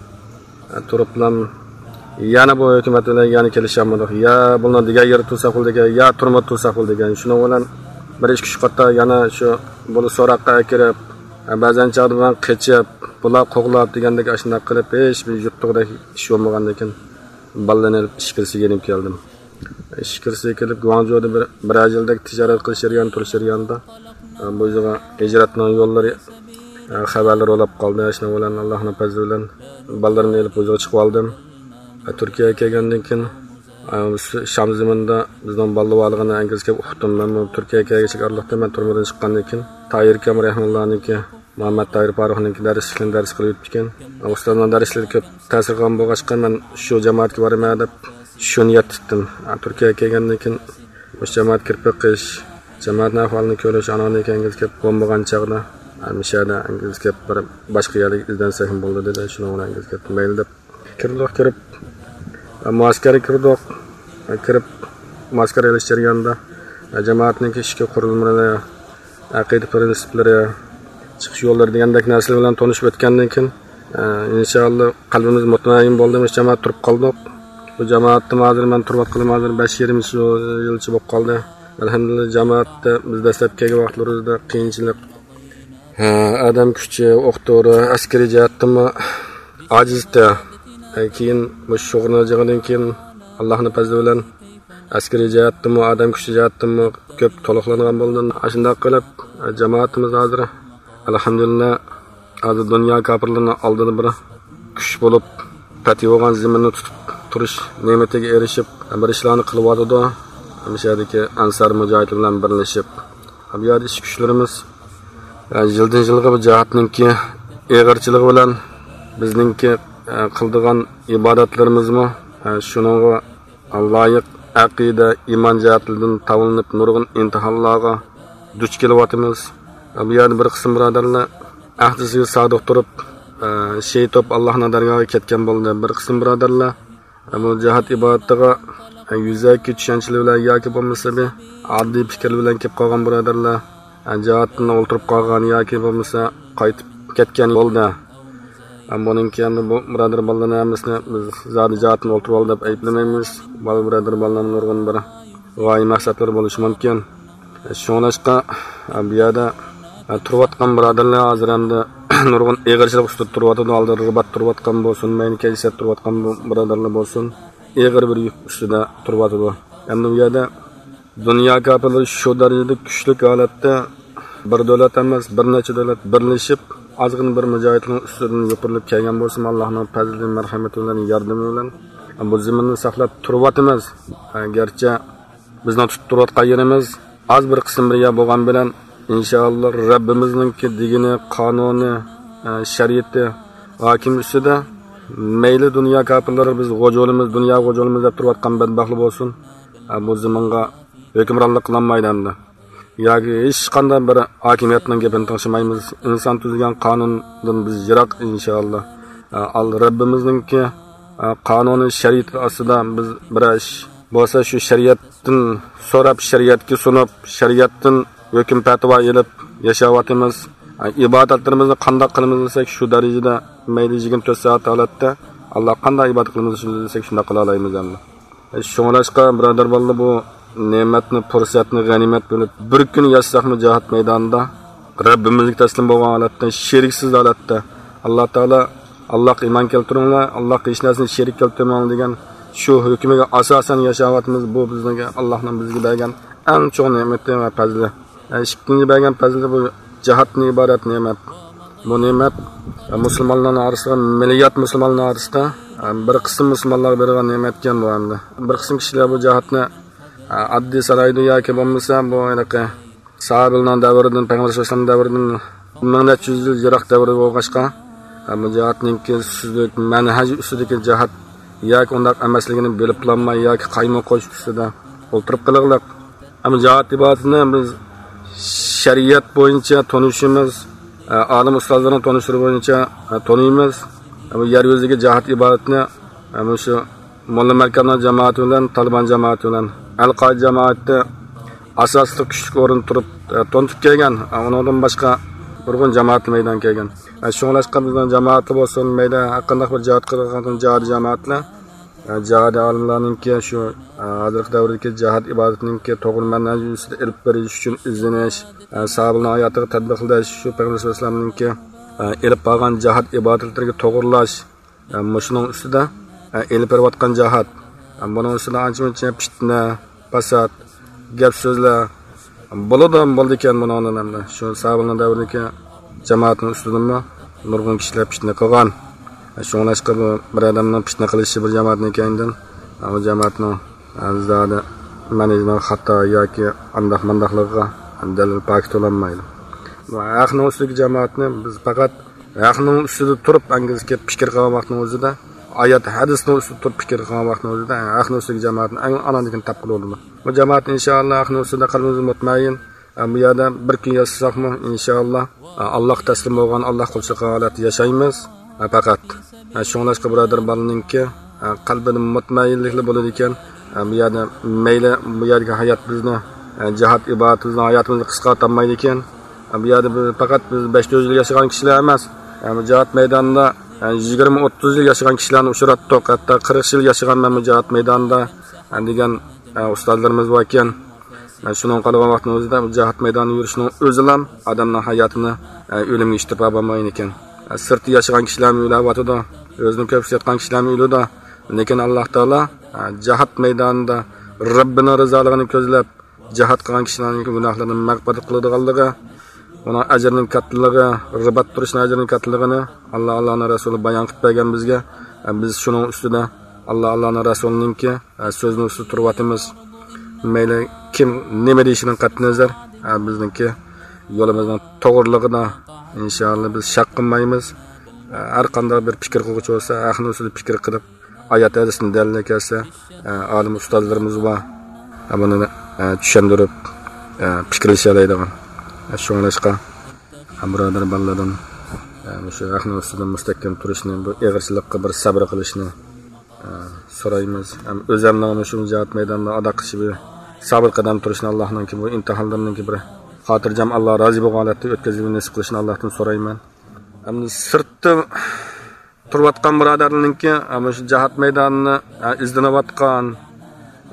ئە، تۇرۇپلام يەنە بۇ ھۆكۈمەت بىلەن يەنە كېلىشەلمىدۇق. يا بۇلارنىڭ دېگەن يېرىدە تۇرساق بولىدىكەن، يا تۈرمىدە تۇرساق بولىدىكەن. شۇنىڭ بىلەن بىر ئىككى ئۈچ قېتىم يەنە شۇ بۇلار سوراققا ئەكىرىپ، ئە، بەزەن چاغدا مەن قېچىپ، بۇلار قوغلاپ دېگەندەك ئاشۇنداق قىلىپ، ھېچ بىر يۇتتۇغۇدەك ئىش بولمىغاندىن كېيىن، بالىلارنى ئېلىپ ئىچكىرىسىگە يېنىپ كەلدىم. ئىش كىرسە كېلىپ، گۇاڭجۇدا بىر، بىرەر يىلدەك تىجارەت قىلىش جەريانى، تۇرۇش جەريانىدا، ئە، بۇ يىلغا ھىجرەتنىڭ يوللىرى، ئە، خەۋەرلىرى ئولاپ قالدى. شۇنىڭ بىلەن ئاللاھنىڭ پەزلى بىلەن بالىلىرىمنى ئېلىپ بۇ يىلغا چىقىپ ئالدىم. ئە، تۈركىيەگە كەلگەندىن كېيىن، ئە، شام زېمىنىدا بىزنىڭ بالىلار بارلىقىنى ئەنگىز كېلىپ ئۇقتۇم. مەن بۇ تۈركىيەگە كەلگۈچىلىك ئارىلىقتا مەن تۈرمىدىن چىققاندىن كېيىن، تاھىر ئاكام رەھىمۇللانىڭكى، مۇھەممەد تاھىر پارۇخنىڭكى دەرسلىكىنى دەرس قىلىپ ئۆتىدىكەن. ئۇستازنىڭ دەرسلىرى كۆپ تەسىر قىلغان بولغاچقا، مەن شۇ جامائەتكە بارىمەن دەپ شۇ نىيەت تۇتتۇم. تۈركىيەگە كەلگەندىن كېيىن مۇشۇ جامائەتكە كىرىپ بېقىش، جامائەتنىڭ ئەھۋالىنى كۆرۈش، ئانىڭدىن كېيىن ئەنگىز كېلىپ بولمىغان چاغدا، مۇشۇ يەردە ئەنگىز كېلىپ بىر باشقا يەرگە ئىزدەنسەكمۇ بولىدۇ دېدى. شۇنىڭ بىلەن ئەنگىز كېلىپ مەيلى دەپ كىردۇق، كىرىپ، مۇئەسكەرگە كىردۇق. كىرىپ، مۇئەسكەر ئېلىش جەريانىدا، جامائەتنىڭكى ئىچكى قۇرۇلمىلىرى، ئەقىدە پىرىنسىپلىرى، چىقىش يوللىرى دېگەندەك نەرسىلەر بىلەن تونۇشۇپ ئۆتكەندىن كېيىن، ئىنشائاللا، قەلبىمىز مۇتمەئىن بولدى، مۇشۇ جامائەت تۇرۇپ قالدۇق. بۇ جامائەتتىمۇ ھازىر مەن تۇرۇۋاتقىلىمۇ ھازىر بەش يېرىم يىلچە بولۇپ قالدى. ئەلھەمدۇلىللا، جامائەتتە بىز دەسلەپكى كەلگەن ۋاقىتلىرىمىزدا قىيىنچىلىق، ھە، ئادەم كۈچى، ئوق دورا، ئەسكىرىي جەھەتتىنمۇ ئاجىزتى. ھە، كېيىن مۇشۇ شۇغۇللىنىدىغاندىن كېيىن، ئاللاھنىڭ پەزلى بىلەن ئەسكىرىي جەھەتتىنمۇ، ئادەم كۈچى جەھەتتىنمۇ كۆپ تولۇقلانغان بولدى. ئاشۇنداق قىلىپ، جامائىتىمىز ھازىر، ئەلھەمدۇلىللا، ھازىر دۇنيا كاپىرلىرىنىڭ ئالدىدا بىر كۈچ بولۇپ، پەتھى بولغان زېمىننى تۇتۇپ تۇرۇش نېمىتىگە ئېرىشىپ، بىر ئىشلارنى قىلىۋاتىدۇ. مۇشۇ يەردىكى ئەنسار مۇجاھىدلار بىلەن بىرلىشىپ، بۇ يەردە ئىش كۈچلىرىمىز، ئە، يىلدىن يىلغا بۇ جاھاتنىڭكى ئېغىرچىلىقى بىلەن بىزنىڭكى، ئە، قىلىدىغان ئىبادەتلىرىمىزمۇ، ئە، شۇنىڭغا لايىق ئەقىدە، ئىمان جەھەتلىرىدىن تاۋلىنىپ نۇرغۇن ئىمتىھانلارغا دۇچ كېلىۋاتىمىز. بۇ يەردە بىر قىسىم بۇرادەرلەر ئەھدىسىگە سادىق تۇرۇپ، ئە، شېھىت بولۇپ ئاللاھنىڭ دەرگاھىغا كەتكەن بولدى. بىر قىسىم بۇرادەرلەر بۇ جىھاد ئىبادىتىغا يۈزەكى چۈشەنچىلىك بىلەن ياكى بولمىسا بىر ئاددىي پىكىر بىلەن كېلىپ قالغان بۇرادەرلەر جىھادتىن ئولتۇرۇپ قالغان ياكى بولمىسا قايتىپ كەتكەن بولدى. بۇنىڭ كېيىن بۇ بۇرادەر بالىلارنىڭ ھەممىسىنى بىز زادى جىھادتىن ئولتۇرۇۋالدى دەپ ئەيىبلىمەيمىز. بالا بۇرادەر بالىلارنىڭ نۇرغۇن بىر غايە مەقسەتلىرى بولۇشى مۇمكىن. شۇڭلاشقا، بۇ يەردە تۇرۇۋاتقان بۇرادەرلەر ھازىر ئەمدى نۇرغۇن ئېغىرچىلىق ئۈستىدە تۇرۇۋاتىدۇ. ئالدى رىبات تۇرۇۋاتقان بولسۇن، مەيلى كەيسىيەت تۇرۇۋاتقان بۇ بۇرادەرلەر بولسۇن، ئېغىر بىر يۈك ئۈستىدە تۇرۇۋاتىدۇ. ئەمدى بۇ يەردە دۇنيا كاپىرلىرى شۇ دەرىجىدە كۈچلۈك ھالەتتە، بىر دۆلەت ئەمەس، بىر نەچچە دۆلەت بىرلىشىپ، ئازغىنا بىر مۇجاھىدنىڭ ئۈستىدىن يوپۇرۇلۇپ كەلگەن بولسىمۇ، ئاللاھنىڭ پەزلى، مەرھەمىتى بىلەن، ياردىمى بىلەن بۇ زېمىننى ساقلاپ تۇرۇۋاتىمىز. گەرچە بىزنىڭ تۇتۇپ تۇرۇۋاتقان يېرىمىز ئاز بىر قىسىم بىر يەر بولغان بىلەن، ئىنشائاللا، رەببىمىزنىڭكى دېگىنى، قانۇنى، ئە، شەرىئىتى ھاكىم ئۈستىدە. مەيلى دۇنيا كاپىرلىرى بىز غوجا بولىمىز، دۇنيا غوجا بولىمىز دەپ تۇرۇۋاتقان بەدبەختلەر بولسۇن، ئە، بۇ زېمىنغا ھۆكۈمرانلىق قىلالمايدۇ ئەمدى. ياكى ھېچقانداق بىر ھاكىمىيەتنىڭ گېپىنى تىڭشىمايمىز. ئىنسان تۈزگەن قانۇندىن بىز يىراق، ئىنشائاللا. ئە، ئال رەببىمىزنىڭكى، ئە، قانۇنى، شەرىئىتى ئاستىدا بىز بىرەر ئىش بولسا، شۇ شەرىئەتتىن سوراپ، شەرىئەتكە سۇنۇپ، شەرىئەتتىن ھۆكۈم پەتىۋا ئېلىپ ياشاۋاتىمىز. ئىبادەتلىرىمىزنى قانداق قىلىمىز دېسەك، شۇ دەرىجىدە مەيلى يىگىرمە تۆت سائەت ھالەتتە ئاللا قانداق ئىبادەت قىلىمىز دېسەك، شۇنداق قىلالايمىز ئەمدى. شۇڭلاشقا، بۇرادەر بالىلار، بۇ نېمەتنى، پۇرسەتنى غەنىيمەت بىلىپ، بىر كۈن ياشىساقمۇ جىھاد مەيدانىدا، رەببىمىزگە تەسلىم بولغان ھالەتتە، شېرىكسىز ھالەتتە، ئاللا تائالا، «ئاللاغا ئىمان كەلتۈرۈڭلار، ئاللاغا ھېچ نەرسىنى شېرىك كەلتۈرمەڭ» دېگەن شۇ ھۆكمىگە ئاساسەن ياشاۋاتىمىز. بۇ بىزنىڭ، ئاللانىڭ بىزگە بەرگەن ئەڭ چوڭ نېمىتى ۋە پەزلى. ئىككىنچى بەرگەن پەزلى بۇ جىھادتىن ئىبارەت نېمەت. بۇ نېمەت مۇسۇلمانلارنىڭ ئارىسىدا، مىللىيەت مۇسۇلمانلار ئارىسىدا بىر قىسىم مۇسۇلمانلارغا بېرىلگەن نېمەتكەن بۇ ئەمدى. بىر قىسىم كىشىلەر بۇ جىھادنى ئاددىي سانايدۇ ياكى بولمىسا بۇ ھېلىقى ساھابىلەرنىڭ دەۋرىدىن، پەيغەمبەر ئەلەيھىسسالام دەۋرىدىن مىڭ نەچچە يۈز يىل يىراق دەۋر بولغاچقا، بۇ جىھادنىڭكى سۈزۈك مەنھەج ئۈستىدىكى جىھاد ياكى ئۇنداق ئەمەسلىكىنى بىلىپلانماي ياكى قايمۇقۇش ئۈستىدە ئولتۇرۇپ قېلىغلىق. ئەمما جىھاد ئىبادىتىنى بىز شەرىئەت بويىچە تونۇشىمىز، ئالىم ئۇستازلارنىڭ تونۇشلىرى بويىچە تونۇيمىز. بۇ يەر يۈزىدىكى جىھاد ئىبادىتىنى مۇشۇ موللا مەركەمنىڭ جامائىتى بىلەن تالىبان جامائىتى بىلەن ئەل قائىدە جامائىتى ئاساسلىق كۈچلۈك ئورۇن تۇرۇپ، ئە، تونۇتۇپ كەلگەن. ئە، ئۇنىڭدىن باشقا نۇرغۇن جامائەتلەر مەيدانغا كەلگەن. ئە، شۇڭلاشقا بىزنىڭ جامائەتلەر بولسۇن، مەيلى ھەرقانداق بىر جىھاد قىلىدىغان جىھادىي جامائەتلەر، ئە، جىھادىي ئالىملارنىڭكى شۇ، ئە، ھازىرقى دەۋردىكى جىھاد ئىبادىتىنىڭكى توغرا مەنھەج ئۈستىدە ئېلىپ بېرىش ئۈچۈن ئىزدىنىش، ئە، ساھابىلەرنىڭ ھاياتىغا تەتبىقلىشىش، شۇ پەيغەمبەر ئەلەيھىسسالامنىڭكى، ئە، ئېلىپ بارغان جىھاد ئىبادەتلىرىگە توغرىلاش، ئە، مۇشۇنىڭ ئۈستىدە، ئە، ئېلىپ بېرىۋاتقان جىھاد، بۇنىڭ ئۈستىدە ئانچە-مۇنچە پىتنە، پاسات، گەپ سۆزلەر بولىدۇ، بولىدىكەن بۇنىڭدىن ئەمدى. شۇ سابىلنىڭ دەۋرىدىكى جامائەتنىڭ ئۈستىدىنمۇ نۇرغۇن كىشىلەر پىتنە قىلغان. شۇڭلاشقا بۇ بىر ئادەمنىڭ پىتنە قىلىشى بىر جامائەتنىڭ كەينىدىن، ئۇ جامائەتنىڭ زادى مەنھىجىنىڭ خاتا ياكى ئانداق مانداقلىقىغا دەلىل پاكىت بولالمايدۇ. بۇ ھەقنىڭ ئۈستىدىكى جامائەتنى بىز پەقەت ھەقنىڭ ئۈستىدە تۇرۇپ ئەنگىزكە پىكىر قىلغان ۋاقىتنىڭ ئۆزىدە، ئايات ھەدىسنىڭ ئۈستىدە تۇرۇپ پىكىر قىلغان ۋاقىتنىڭ ئۆزىدە ھەقنىڭ ئۈستىدىكى جامائەتنى ئەڭ ئانىدىن كېيىن تاپقىلى بولىدۇ. بۇ جامائەت ئىنشائاللا ھەقنىڭ ئۈستىدە قەلبىمىز مۇتمەئىن. ئە، بۇ يەردە بىر كۈن ياشىساقمۇ، ئىنشائاللا، ئە، ئاللاھقا تەسلىم بولغان، ئاللاھقا قۇلچىلىق قىلغان ھالەتتە ياشايمىز. ئە، پەقەت، ئە، شۇڭلاشقا بۇرادەر بالىنىڭكى، ئە، قەلبىدە مۇتمەئىنلىكلا بولىدىكەن. ئە، بۇ يەردە مەيلى بۇ يەردىكى ھايات بىزنى، ئە، جىھاد ئىبادىتىمىزنىڭ ھاياتىمىزنى قىسقارتالمايدىكەن. ئە، بۇ يەردە بىز پەقەت بىز بەش يۈز يىل ياشىغان كىشىلەر ئەمەس. ئە، بۇ جىھاد مەيدانىدا، ئە، يىگىرمە، ئوتتۇز يىل ياشىغان كىشىلەرنى ئۇچراتتۇق. ھەتتا قىرىق يىل ياشىغان مەن بۇ جىھاد مەيدانىدا، ئە، دېگەن، ئە، ئۇستازلىرىمىز باركەن. ئە، شۇنىڭغا قارىغان ۋاقىتنىڭ ئۆزىدە بۇ جىھاد مەيدانىدا يۈرۈشنىڭ ئۆزىلا ئادەمنىڭ ھاياتىنى، ئە، ئۆلۈمگە ئىتتىرىپ ئاپارمايدىكەن. ئە، سىرتتا ياشىغان كىشىلەرمۇ ئۆلۈۋاتىدۇ. ئۆزىنى كۆپ سېتىۋاتقان كىشىلەرمۇ ئۆلىدۇ. لېكىن ئاللاھ تائالا، ئە، جىھاد مەيدانىدا رەببىنىڭ رىزالىقىنى كۆزلەپ، جىھاد قىلغان كىشىلەرنىڭ گۇناھلىرىنى مەغپىرەت قىلىدىغانلىقى، ئۇنىڭ ئەجرىنىڭ كاتتىلىقى، رىبات تۇرۇشنىڭ ئەجرىنىڭ كاتتىلىقىنى ئاللاھ، ئاللاھنىڭ رەسۇلى بايان قىلىپ بەرگەن بىزگە. بىز شۇنىڭ ئۈستىدە ئاللاھ، ئاللاھنىڭ رەسۇلىنىڭكى سۆزىنىڭ ئۈستىدە تۇرۇۋاتىمىز. مەيلى كىم نېمە دېيىشىدىن قەتئىينەزەر، بىزنىڭكى يولىمىزنىڭ توغرىلىقىدا ئىنشائاللا بىز شەك قىلمايمىز. ھەر قانداق بىر پىكىر قىلغۇچى بولسا، ھەقنىڭ ئۈستىدە پىكىر قىلىپ، ئايات ھەدىسنى دەلىللەپ كەلسە، ئالىم ئۇستازلىرىمىز بار. بۇنى چۈشەندۈرۈپ، پىكىرلىشەلەيدىغان. شۇڭلاشقا، بۇرادەر بالىلاردىن مۇشۇ ھەقنىڭ ئۈستىدە مۇستەھكەم تۇرۇشنى، بۇ ئېغىرچىلىققا بىر سەبرى قىلىشنى سورايمىز. ھەم ئۆزەمنىڭ مۇشۇ جىھاد مەيدانىدا ئادا قىلىشى، بىر سابىت قەدەم تۇرۇشنى، ئاللاھنىڭكى بۇ ئىمتىھانلىرىنىڭكى بىر خاتىرجەم، ئاللا رازى بولغان ھالەتتە ئۆتكۈزۈشنى نېسىپ قىلىشىنى ئاللاھتىن سورايمەن. ئەمدى سىرتتا تۇرۇۋاتقان بۇرادەرلەرنىڭكى، ئە، مۇشۇ جىھاد مەيدانىنى، ئە، ئىزدىنىۋاتقان،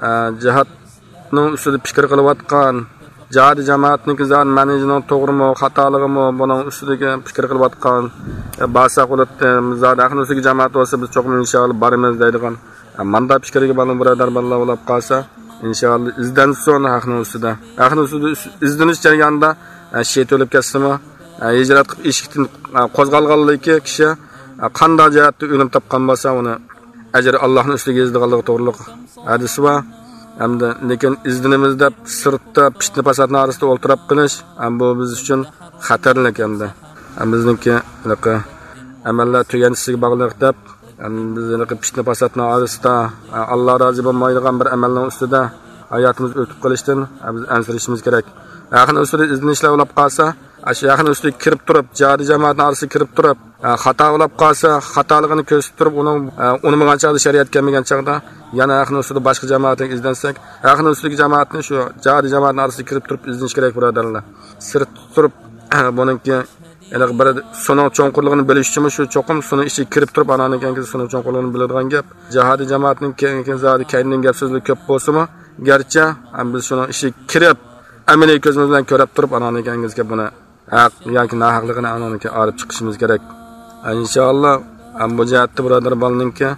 ئە، جىھادنىڭ ئۈستىدە پىكىر قىلىۋاتقان، جىھادىي جامائەتنىڭكى زادى مەنھىجىنىڭ توغرىمۇ، خاتالىقىمۇ، بۇنىڭ ئۈستىدىكى پىكىر قىلىۋاتقان، ئە، بارساق بولاتتى، زادى ئەھلى سۈننەتكى جامائەت بولسا، بىز چوقۇم ئىنشائاللا بارىمىز دەيدىغان، ئە، ماندا پىكىرگە بارغان بۇرادەر بالىلار بولۇپ قالسا، ئىنشائاللا ئىزدەنسۇن ھەقنىڭ ئۈستىدە. ھەقنىڭ ئۈستىدە ئىز-، ئىزدىنىش جەريانىدا، ئە، شېھىت ئۆلۈپ كەتسىمۇ، ئە، ھىجرەت قىلىپ ئىشىكتىن، ئە، قوزغالغانلىكى كىشى، ئە، قانداق جەھەتتە ئۆلۈم تاپقان بولسا، ئۇنى ئەجرى ئاللاھنىڭ ئۈستىگە يېزىلىدىغانلىقى توغرىلىق ھەدىس بار. ئەمدى لېكىن ئىزدىنىمىز دەپ سىرتتا پىتنە پاساتنىڭ ئارىسىدا ئولتۇراپ قېلىش، ئە، بۇ بىز ئۈچۈن خەتەرلىك ئەمدى. ئە، بىزنىڭكى ھېلىقى ئەمەللەر تۈگەنچىسىگە باغلىق دەپ، ئە، بىز ھېلىقى پىتنە پاساتنىڭ ئارىسىدا، ئە، ئاللا رازى بولمايدىغان بىر ئەمەلنىڭ ئۈستىدە ھاياتىمىز ئۆتۈپ قېلىشتىن، ئە، بىز ئەنسىرىشىمىز كېرەك. ھەقنىڭ ئۈستىدە ئىزدىنىشلەر بولۇپ قالسا، ئاشۇ ھەقنىڭ ئۈستىگە كىرىپ تۇرۇپ، جىھادىي جامائەتنىڭ ئارىسىغا كىرىپ تۇرۇپ، ئە، خاتا بولۇپ قالسا، خاتالىقىنى كۆرسىتىپ تۇرۇپ، ئۇنىڭ، ئە، ئۇنىمىغان چاغدا، شەرىئەت كەلمىگەن چاغدا، يەنە ھەقنىڭ ئۈستىدە باشقا جامائەتكە ئىزدەنسەك، ھەقنىڭ ئۈستىدىكى جامائەتنى شۇ جىھادىي جامائەتنىڭ ئارىسىغا كىرىپ تۇرۇپ ئىزدىنىش كېرەك، بۇرادەرلەر. سىرتتا تۇرۇپ، بۇنىڭكى ھېلىقى بىر سۇنىڭ چوڭقۇرلۇقىنى بىلىش ئۈچۈنمۇ شۇ چوقۇم سۇنىڭ ئىچىگە كىرىپ تۇرۇپ، ئانان كېيىن سۇنىڭ چوڭقۇرلۇقىنى بىلىدىغان گەپ. جىھادىي جامائەتنىڭ كېيىن، كېيىن زادى كەينىدىن گەپ سۆزلەر كۆپ بولسىمۇ، گەرچە، ئەم، بىز شۇنىڭ ئىچىگە كىرىپ، ئەمەلىي كۆزىمىز بىلەن كۆرۈپ تۇرۇپ، ئانان كېيىن بۇنى ھەق ياكى ناھەقلىقىنى ئانان كېيىن ئايرىپ چىقىشىمىز كېرەك. ئىنشائاللا، ئەم، بۇ جەھەتتە بۇرادەر بالىنىڭكى،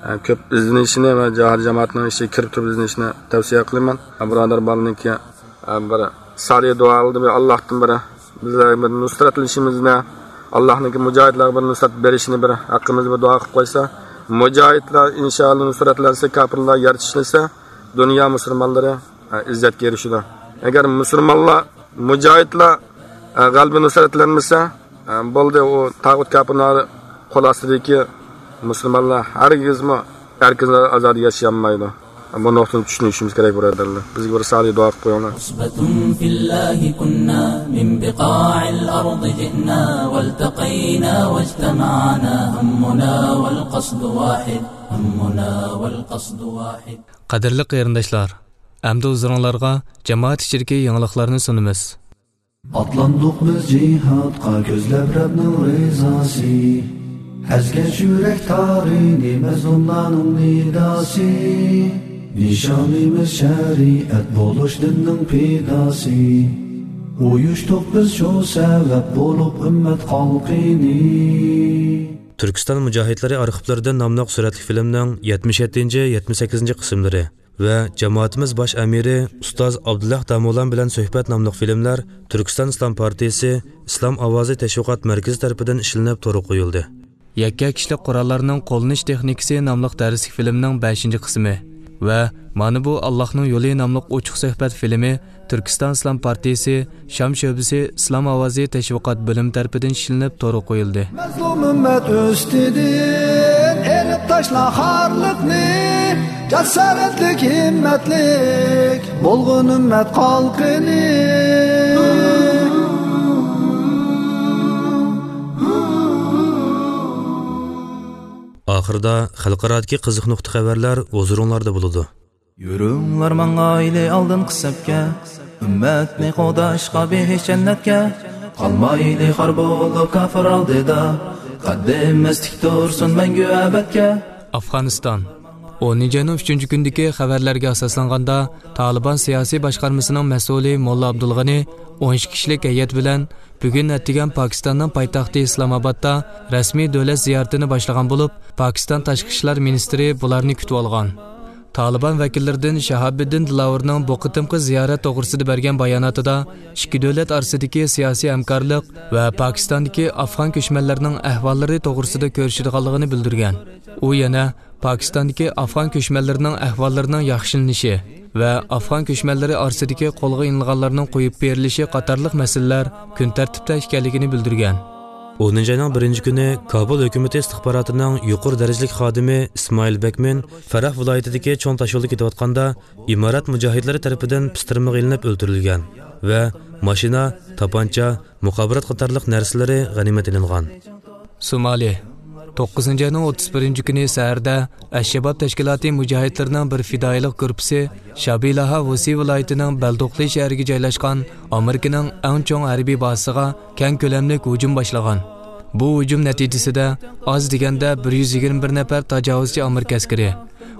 ئە، كۆپ ئىزدىنىشىنى ۋە جىھادىي جامائەتنىڭ ئىچىگە كىرىپ تۇرۇپ ئىزدىنىشىنى تەۋسىيە قىلىمەن. بۇرادەر بالىنىڭكى بىر سالىھ دۇئا قىلدى، بىر ئاللاھتىن بىر بىزلەر بىر نۇسرەتلىنىشىمىزنى، ئاللاھنىڭكى مۇجاھىدلارغا بىر نۇسرەت بېرىشىنى بىر ھەققىمىزدە بىر دۇئا قىلىپ قويسا، مۇجاھىدلار ئىنشائاللا نۇسرەتلەنسە، كاپىرلار يەر چىشلىسە، دۇنيا مۇسۇلمانلىرى، ئە، ئىززەتكە ئېرىشىدۇ. ئەگەر مۇسۇلمانلار، مۇجاھىدلار، ئە، غەلىبە نۇسرەتلەنمىسە، ئە، بولدى، ئۇ تاغۇت كاپىرلار قول ئاستىدىكى مۇسۇلمانلار ھەرگىزمۇ ئەركىن ئازادە ياشىيالمايدۇ. بۇ نۇقتىنى چۈشىنىشىمىز كېرەك، بۇرادەرلەر. بىزگە بىر سالىھ دۇئا قىلىپ قويۇڭلار. عصبة في الله كنا، من بقاع الأرض جئنا، والتقينا واجتمعنا، همنا والقصد واحد، همنا والقصد واحد. قەدىرلىك قېرىنداشلار، ئەمدى ھۇزۇرۇڭلارغا جامائەت ئىچىدىكى يېڭىلىقلارنى سۇنىمىز. ئاتلاندۇق بىز جىھادقا، كۆزلەپ رەبنىڭ رىزاسى. ئەزگەن يۈرەك تارىنى مەزلۇملارنىڭ نىداسى. نىشانىمىز شەرىئەت بولۇش دىننىڭ پىداسى. ئۇيۇشتۇق بىز شۇ سەۋەب بولۇپ ئۈممەت خەلقىنى. تۈركىستان مۇجاھىدلىرى ئارخىپلىرىدىن ناملىق سۈرەتلىك فىلىمنىڭ يەتمىش يەتتىنچى، يەتمىش سەككىزىنچى قىسىملىرى ۋە جامائىتىمىز باش ئەمىرى ئۇستاز ئابدۇللا داموللام بىلەن سۆھبەت ناملىق فىلىملەر تۈركىستان ئىسلام پارتىيىسى ئىسلام ئاۋازى تەشۋىقات مەركىزى تەرىپىدىن ئىشلىنىپ تورغا قويۇلدى. يەككە كىشىلىك قوراللارنىڭ قوللىنىش تېخنىكىسى ناملىق دەرسلىك فىلىمنىڭ بەشىنچى قىسمى ۋە مانا بۇ ئاللاھنىڭ يولى ناملىق ئوچۇق سۆھبەت فىلىمى تۈركىستان ئىسلام پارتىيىسى شام شۆبىسى ئىسلام ئاۋازى تەشۋىقات بۆلۈمى تەرىپىدىن ئىشلىنىپ تورغا قويۇلدى. مەزلۇم ئۈممەت ئۈستىدىن ئېلىپ تاشلا خارلىقنى، جاسارەتلىك، ھىممەتلىك بولغىن ئۈممەت قالقىنى. ئاخىرىدا خەلقئارادىكى قىزىق نۇقتا خەۋەرلەر ھۇزۇرۇڭلاردا بولىدۇ. يۈرۈڭلار ماڭايلى ئالدىنقى سەپكە، ئۈممەتنى قوغداشقا بېھىش جەننەتكە. قالمايلى خار بولۇپ كاپىر ئالدىدا، قەددىمىز تىك تۇرسۇن مەڭگۈ ئەبەدكە. ئافغانىستان. ئونىنچى ئاينىڭ ئۈچىنچى كۈنىدىكى خەۋەرلەرگە ئاساسلانغاندا، تالىبان سىياسىي باشقارمىسىنىڭ مەسئۇلى موللا ئابدۇلغېنى ئون ئىككى كىشىلىك ھەيئەت بىلەن بۈگۈن ئەتىگەن پاكىستاننىڭ پايتەختى ئىسلامئابادتا رەسمىي دۆلەت زىيارىتىنى باشلىغان بولۇپ، پاكىستان تاشقى ئىشلار مىنىستىرى بۇلارنى كۈتۈۋالغان. تالىبان ۋەكىللىرىدىن شاھابىددىن دىلاۋۇرنىڭ بۇ قېتىمقى زىيارەت توغرىسىدا بەرگەن باياناتىدا ئىككى دۆلەت ئارىسىدىكى سىياسىي ھەمكارلىق ۋە پاكىستاندىكى ئافغان كۆچمەنلەرنىڭ ئەھۋاللىرى توغرىسىدا كۆرۈشىدىغانلىقىنى بىلدۈرگەن. ئۇ يەنە پاكىستاندىكى ئافغان كۆچمەنلىرىنىڭ ئەھۋاللىرىنىڭ ياخشىلىنىشى ۋە ئافغان كۆچمەنلىرى ئارىسىدىكى قولغا ئېلىنغانلارنىڭ قويۇپ بېرىلىشى قاتارلىق مەسىلىلەر كۈن تەرتىپتە ئىكەنلىكىنى بىلدۈرگەن. ئونىنچى ئاينىڭ بىرىنچى كۈنى كابۇل ھۆكۈمىتى ئىستىخباراتىنىڭ يۇقىرى دەرىجىلىك خادىمى ئىسمائىل بەكمىن فەراھ ۋىلايىتىدىكى چوڭ تاشيولدا كېتىۋاتقاندا ئىمارەت مۇجاھىدلىرى تەرىپىدىن پىستىرمىغا ئېلىنىپ ئۆلتۈرۈلگەن ۋە ماشىنا، تاپانچا، مۇخابىرات قاتارلىق نەرسىلىرى غەنىيمەت ئېلىنغان. سومالى. توققۇزىنچى ئاينىڭ ئوتتۇز بىرىنچى كۈنى سەھەردە ئەششەباب تەشكىلاتى مۇجاھىدلىرىنىڭ بىر پىدائىيلىق گۇرۇپپىسى شابىلاھا ۋۇسى ۋىلايىتىنىڭ بەلدوقلى شەھىرىگە جايلاشقان ئامېرىكىنىڭ ئەڭ چوڭ ھەربىي بازىسىغا كەڭ كۆلەملىك ھۇجۇم باشلىغان. بۇ ھۇجۇم نەتىجىسىدە ئاز دېگەندە بىر يۈز يىگىرمە بىر نەپەر تاجاۋۇزچى ئامېرىكا ئەسكىرى،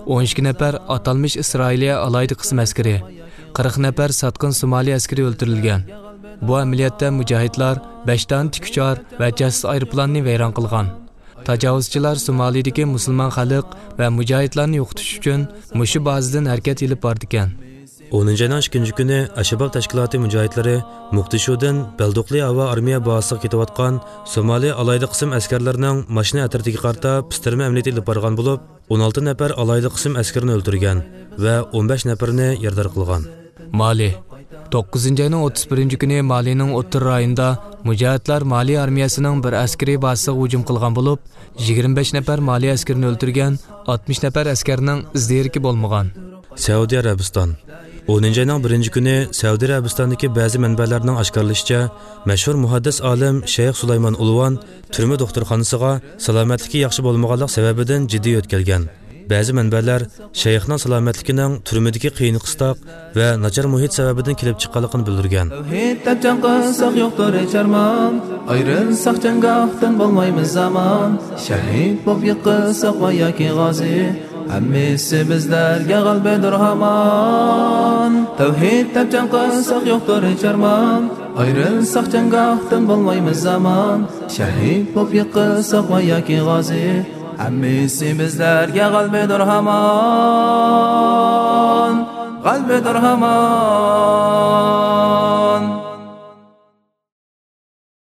ئون ئىككى نەپەر ئاتالمىش ئىسرائىلىيە ئالاھىدە قىسىم ئەسكىرى، قىرىق نەپەر ساتقىن سومالى ئەسكىرى ئۆلتۈرۈلگەن. بۇ ئەمەلىياتتا مۇجاھىدلار بەش دانە تىكۇچار ۋە جاسۇس ئايروپىلاننى ۋەيران قىلغان. تاجاۋۇزچىلار سومالىدىكى مۇسۇلمان خەلق ۋە مۇجاھىدلارنى يوقىتىش ئۈچۈن مۇشۇ بازىدىن ھەرىكەت ئېلىپ بارىدىكەن. ئونىنچى ئاينىڭ ئىككىنچى كۈنى ئەششەباب تەشكىلاتى مۇجاھىدلىرى مۇقدىشۇدىن بەلدوقلى ھاۋا ئارمىيە بازىسىغا كېتىۋاتقان سومالى ئالاھىدە قىسىم ئەسكەرلىرىنىڭ ماشىنا ئەترىتىگە قارىتا پىستىرما ئەمەلىيىتى ئېلىپ بارغان بولۇپ، ئون ئالتە نەپەر ئالاھىدە قىسىم ئەسكىرىنى ئۆلتۈرگەن ۋە ئون بەش نەپىرىنى يارىدار قىلغان. مالى. توققۇزىنچى ئاينىڭ ئوتتۇز بىرىنچى كۈنى مالىنىڭ ئوتتۇرا رايونىدا مۇجاھىدلار مالى ئارمىيەسىنىڭ بىر ئەسكىرىي بازىسىغا ھۇجۇم قىلغان بولۇپ، يىگىرمە بەش نەپەر مالى ئەسكىرىنى ئۆلتۈرگەن، ئاتمىش نەپەر ئەسكەرنىڭ ئىز دېرىكى بولمىغان. سەئۇدى ئەرەبىستان. ئونىنچى ئاينىڭ بىرىنچى كۈنى سەئۇدى ئەرەبىستاندىكى بەزى مەنبەلەرنىڭ ئاشكارىلىشىچە، مەشھۇر مۇھەددىس ئالىم شەيخ سۇلايمان ئۇلۋان تۈرمە دوختۇرخانىسىغا سالامەتلىكى ياخشى بولمىغانلىق سەۋەبىدىن جىددىي يۆتكەلگەن. بەزى مەنبەلەر شەيخنىڭ سالامەتلىكىنىڭ تۈرمىدىكى قىيىن-قىستاق ۋە ناچار مۇھىت سەۋەبىدىن كېلىپ چىققانلىقىنى بىلدۈرگەن. تەۋھىد دەپ جەڭ قىلساق يوقتۇر ھېچ ئارمان، ئايرىلساق جەڭگاھتىن بولمايمىز ئامان. شەھىد بولۇپ يىقىلساق ۋە ياكى غازى، ھەممىسى بىزلەرگە غەلىبىدۇر ھامان. تەۋھىد دەپ جەڭ قىلساق يوقتۇر ھېچ ئارمان، ئايرىلساق جەڭگاھتىن بولمايمىز ئامان. شەھىد بولۇپ يىقىلساق ۋە ياكى غازى، ھەممىسى بىزلەرگە غەلىبىدۇر ھامان، غەلىبىدۇر ھامان.